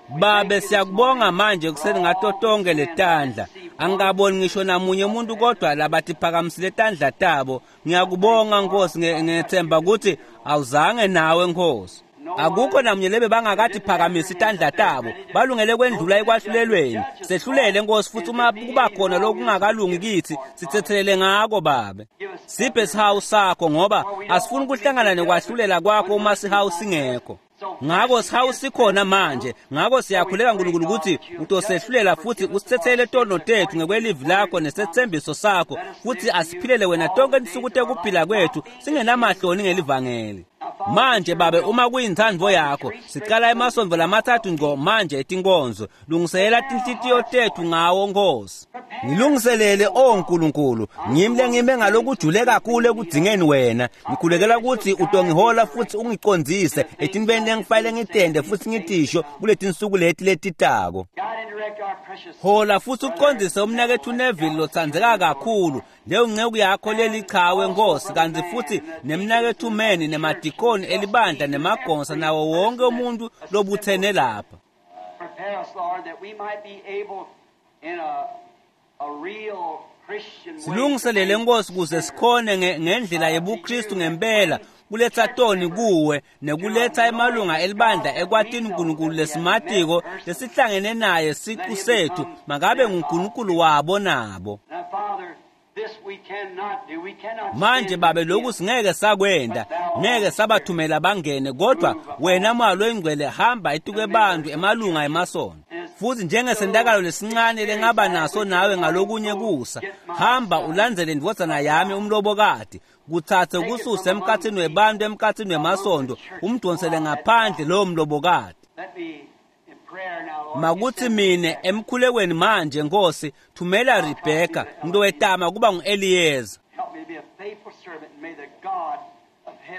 Babe siyakubonga manje kuseni ngato tonke letandla. Angikaboni ngisho namunye umuntu kodwa labathi phakamisile tandla tabo. Ngiyakubonga Nkosi, ngethemba ukuthi awuzange nawe Nkosi. Akukho namunye lebe bangakathi phakamisa itandla tabo, balungele kwendlula ekwahlulelweni. Sehlulele Nkosi, futhi uma kuba khona lokungakalungi kithi sithethelele ngako Babe. Siphe sihawu sakho ngoba asifuni ukuhlangana nekwahlulela kwakho uma sihawu singekho. Ngako sihawu sikhona manje. Ngako siyakhuleka Nkulunkulu ukuthi utosehlulela futhi usithethele tono tethu ngekwelivi lakho nesethembiso sakho, futhi asiphilele wena tonke insuku tekuphila kwethu singenamahloni ngelivangeli. Manje Babe, uma kuyintsandvo yakho sicala emasontfo lamathathu ngco manje etinkonzo. Lungiselela tinhlitiyo tethu ngawo Nkosi. Ngilungiselele o Nkulunkulu, ngimi lengime ngalokujule kakhulu ekudzingeni wena. Ngikhulekela ukuthi utongihola futhi ungicondzise etintfweni lengifanele ngitende futhi ngitisho kuletinsuku leti letitako. Hola futhi ucondzise umnaketfu Neville lotsandzeka kakhulu, leyo nceku yakho lelichawe Nkosi, kanti futhi nemnaketfu Meni nemadikoni elibandla nemagonsa nawo wonke umuntu lobuthene lapha. Silungiselele Nkosi kuze sikhone ngendlela yebuKristu ngempela kuletsa toni kuwe nekuletsa emalunga elibandla ekwatini uNkulunkulu lesimatiko lesihlangene naye siqu sethu, makabe nguNkulunkulu wabo nabo. Manje Babe, lokhu singeke sakwenda, ngeke sabathumela bangene, kodwa wena Moya loyingcwele hamba etukwe bantu emalunga emasonto. Futhi njengesentakalo lesincane lengaba naso nawe ngalokunye kusa, hamba ulandzele indvodzana yami umlobokati, kutsatse kususe emkhatsini webantu emkhatsini wemasonto, umdonsele ngaphandle lowo mlobokati. Makuthi mine emkhulekweni manje Nkosi, thumela Rebecca ngitowetama kuba ngu-Eliyeza.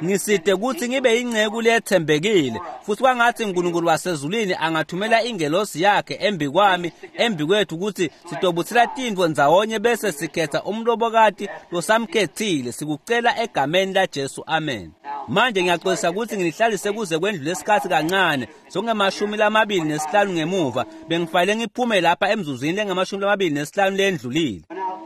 Ngiside ukuthi ngibe inceku lethembekile, futhi kwangathi uNkulunkulu wasezulwini angathumela ingelosi yakhe embi kwami embi kwethu ukuthi sitobutsela tintfo ndzawonye bese sikhetha umlobokati losamkhethile. Sikucela egameni laJesu, amen. Manje ngiyaxolisa ukuthi nginihlalise kuze kwendlule isikhathi kancane, songemashumi lamabili nesihlanu ngemuva. Bengifanele ngiphume lapha emzuzwini lengamashumi lamabili nesihlanu lendlulile.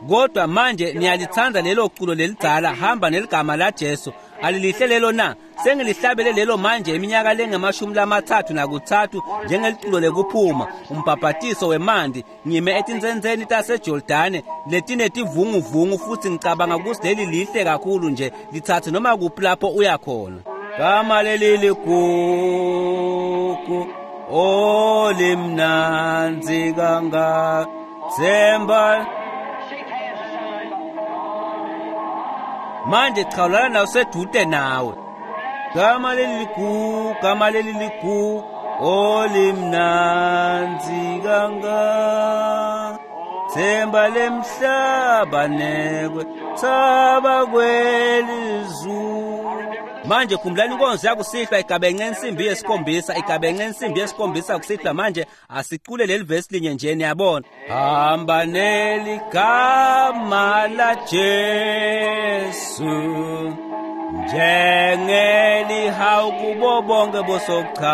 Kodwa manje niyalithanda lelo culo lelidzala, hamba neligama laJesu. Alilihle lelo na? Sengilihlabele lelo manje iminyaka lengamashumi lamathathu nakutsatfu njengeliculo lekuphuma umbhabhatiso wemandi, ngime etinsentseni taseJordane letinetivunguvungu, futhi ngicabanga ukuthi leli lihle kakhulu nje, lithathe noma kuphi lapho uya khona. Gama leli ligugu olimnandzi kangaka, themba. Manje chawulana nawe sedude nawe. Gama leli ligugu, gama leli ligugu olimnandzi kangaka, themba lemhlaba nekwe thaba kwelizulu. Manje khumbulani inkonzo yakusihlwa igabenxe insimbi yesikhombisa, igabenxe insimbi yesikhombisa kusihlwa. Manje asicule leli vesi linye nje, niyabona. Hamba neligama laJesu njengelihawu kubo bonke bosochaka,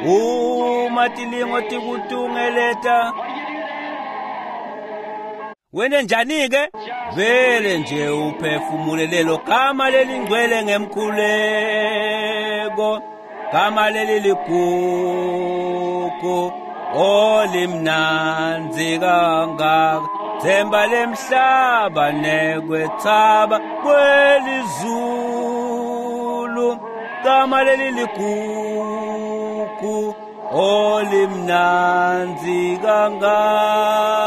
uma tilingo tikutungeleta wena njani ke? Vele nje uphefumule lelo gama lelingcwele ngemkhuleko, gama leli ligugu olimnandzi kangaka, themba lemhlaba nekwethaba kwelizulu, gama leli ligugu Ligugu olimnandzi kangaka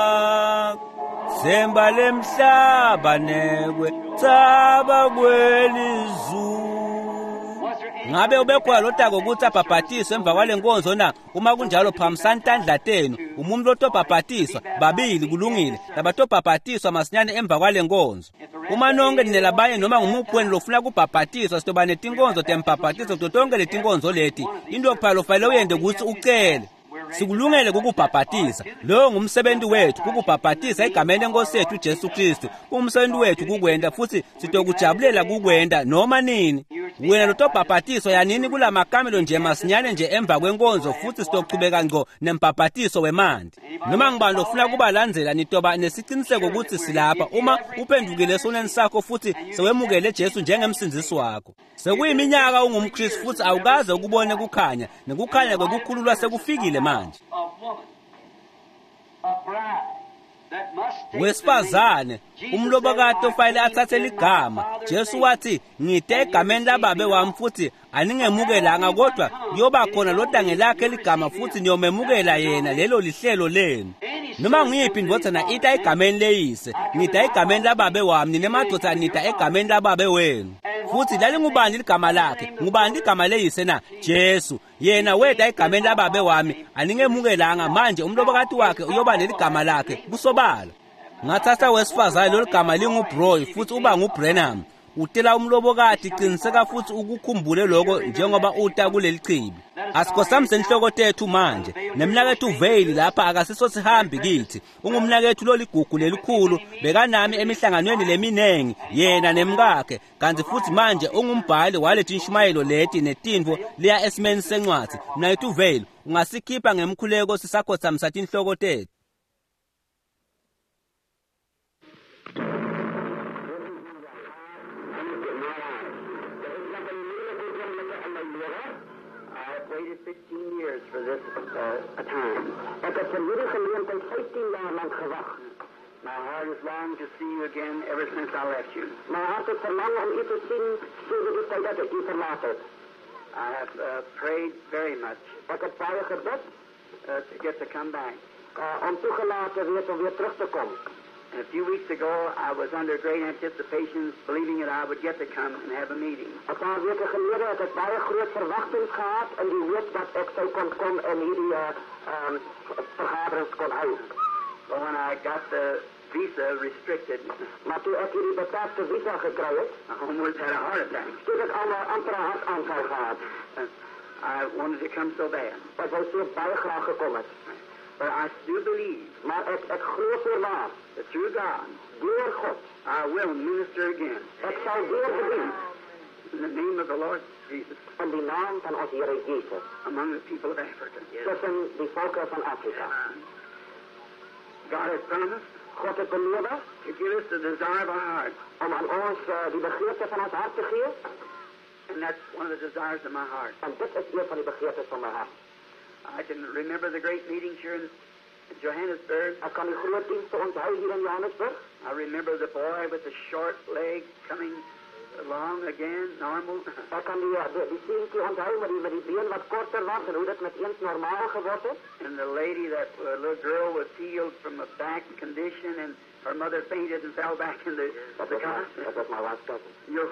Semba lemhlaba nekwe tsaba kwelizulu. Ngabe ubekhona lotako ukuthi abhabhatiswe emva kwale nkonzo na? Uma kunjalo phakamisani tandla tenu. Umuntu lotobhabhatiswa babili kulungile, labatobhabhatiswa masinyane emva kwale nkonzo. Uma nonke ninelabanye noma ngumuphi wenu lofuna kubhabhatiswa, sitoba netinkonzo tembhabhatiso kuto tonke letinkonzo leti. Into kuphela lofanele uyente ukuthi ucele. Sikulungele kukubhabhatisa. Lowo ngumsebenzi wethu, kukubhabhatisa egameni lenkosi yethu Jesu Kristu. Umsebenzi wethu kukwenda futhi sitokujabulela kukwenda noma nini. Wena lotobhabhatiswa yanini kulamakamelo nje masinyane nje emva kwenkonzo futhi sitochubeka ngco nembhabhatiso wemanti. Noma ngibani lofuna kubalandzela nitoba nesiciniseko ukuthi silapha uma uphendukile esonweni sakho futhi sewemukele Jesu njengemsindzisi wakho. Sekuyiminyaka ungumKristu futhi awukaze ukubone kukhanya, nekukhanya kwekukhululwa sekufikile manje. Wesifazane umlobokati ofanele athathe ligama. Jesu wathi ngite egameni lababe wami futhi aningemukelanga, kodwa kuyoba khona lodange lakhe ligama futhi niyomemukela yena. Lelo lihlelo lenu. Noma ngiyiphi indvodzana ita egameni leyise, ngita egameni lababe wami, nine madvodza nita egameni lababe wenu. Futhi lalingubani ligama lakhe? Ngubani ligama leyise na? Jesu. Yena weta egameni lababe wami, aningemukelanga. Manje umlobokati wakhe uyoba neligama lakhe kusobala. Ngathatha wesifazane lolu gama linguBroy futhi uba nguBrenham. Utela umlobokati, qiniseka futhi ukukhumbule lokho njengoba uta kuleli chibi. Asikhosamise inhloko tethu manje. Nemnakethu Vale lapha akasiso sihambi kithi. Ungumnakethu loligugu lelikhulu, bekanami emihlanganweni leminengi yena nemkakhe, kanti futhi manje ungumbhali walethi inshumayelo leti netintfo liya esimeni sencwadzi. Mnakethu Vale, ungasikhipha ngemkhuleko sisakhothamisa tinhloko tethu. fifteen years for this uh, time. Ek het vir hierdie geleentheid vyftien jaar lank gewag. My heart has longed to see you again ever since I left you. My hart het verlang om u te sien sedert die tyd dat ek u verlaat het. I have uh, prayed very much. Ek het baie gebid uh, to get to come back. Uh, om toegelaat te wees om weer terug te kom. And a few weeks ago, I was under great anticipations, believing that I would get to come and have a meeting. Een paar weke gelede het ek baie groot verwagtings gehad in die hoop dat ek sou kon kom en hierdie uh, um, vergaderings kon hou. But when I got the visa restricted, maar toe ek hierdie beperkte visa gekry het, I almost had a heart attack. Toe het ek al amper 'n hartaanval gehad. Uh, I wanted to come so bad. Ek wou so baie graag gekom het. But I do believe, maar ek, ek glo voorwaar, that through God, deur God, I will minister again. Ek sal weer bedien. In the name of the Lord Jesus. In die naam van ons Here Jesus. Among the people of Africa. Yes. Tussen die volke van Afrika. God has promised. God het beloof to give us the desire of our heart. Om aan ons uh, die begeerte van ons hart te gee. And that's one of the desires of my heart. En dit is een van die begeertes van my hart. I can remember the great meetings here in Johannesburg. Ek kan die groot dienste onthou hier in Johannesburg. I remember the boy with the short leg coming along again, normal. Ek kan die, die, die seentjie onthou met die, met die been wat korter was en hoe dit met eens normaal geword het. And the lady, that uh, little girl was healed from a back condition and her mother fainted and fell back in the, the car. Dat was my wife's cousin. Your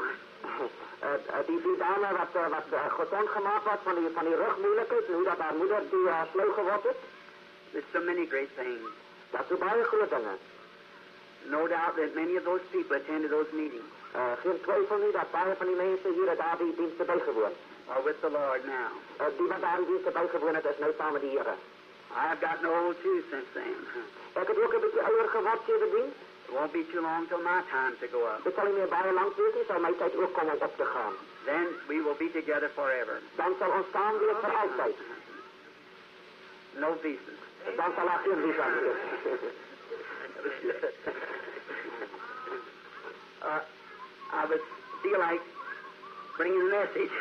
Uh, die, die dame wat, uh, wat uh, gezond gemaakt was van die, van die rugmoeilijkheid en hoe dat haar moeder die uh, flauw geword het. There's so many great things. Dat is baie groot dinge. No doubt that many of those people attended those meetings. Uh, geen twyfel nie dat baie van die mense hier het daar die dienste bygewoon. Are with the Lord now. Uh, die wat daar die dienste bygewoon het, is nou saam met die Here. I've gotten old too since then. Ek het ook 'n bietjie ouer geword sedertdien. It won't be too long till my time to go up. Dit sal nie meer baie lank wees nie, sal my tyd ook kom om op te gaan. Then we will be together forever. Dan sal ons saam wees vir altyd. No visas. Dan sal daar geen visa wees. uh, I would feel like bringing a message.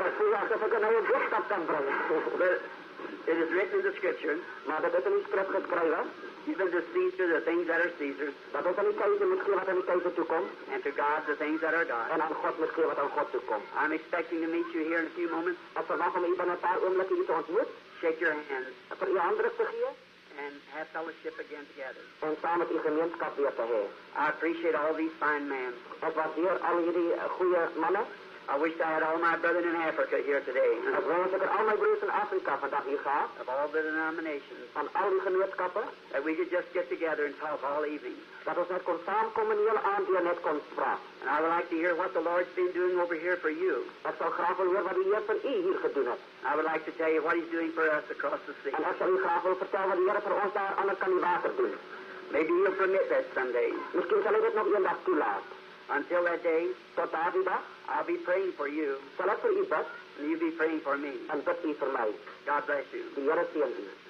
Ek voel asof ek nou 'n boodskap kan bring. But it is written in the scripture. Maar dit is in die skrif geskrywe. Give unto Caesar the things that are Caesar's, Dat ons aan die keizer moet gee wat aan die keizer toekomt. and to God the things that are God's. En aan God moet gee wat aan God toekomt. I'm expecting to meet you here in a few moments. Ek verwag om u binne 'n paar oomblikke hier te ontmoet. Shake your hands Vir u handdruk te gee. and have fellowship again together. En saam met u gemeenskap weer te hê. I appreciate all these fine men. Ek waardeer al hierdie eh, goeie manne. I wish I had all my brethren in Africa here today, Ek wens ek het al my broers in Afrika vandag hier gehad. of all the denominations, Van al die gemeenskappe. that we could just get together and talk all evening. Dat ons net kon saamkom en die hele aand deur net kon praat. And I would like to hear what the Lord's been doing over here for you. Ek sal graag wil hoor wat die Heer vir u hier gedoen het. I would like to tell you what He's doing for us across the sea. En ek sal u graag wil vertel wat die Here vir ons daar aan die ander kant die water doen. Maybe He'll permit that someday. Miskien sal hy dit nog eendag toelaat. Until that day, Tot daardie dag I'll be praying for you, sal ek vir u bid and you be praying for me. en bid u vir my. God bless you. Die Here seën u.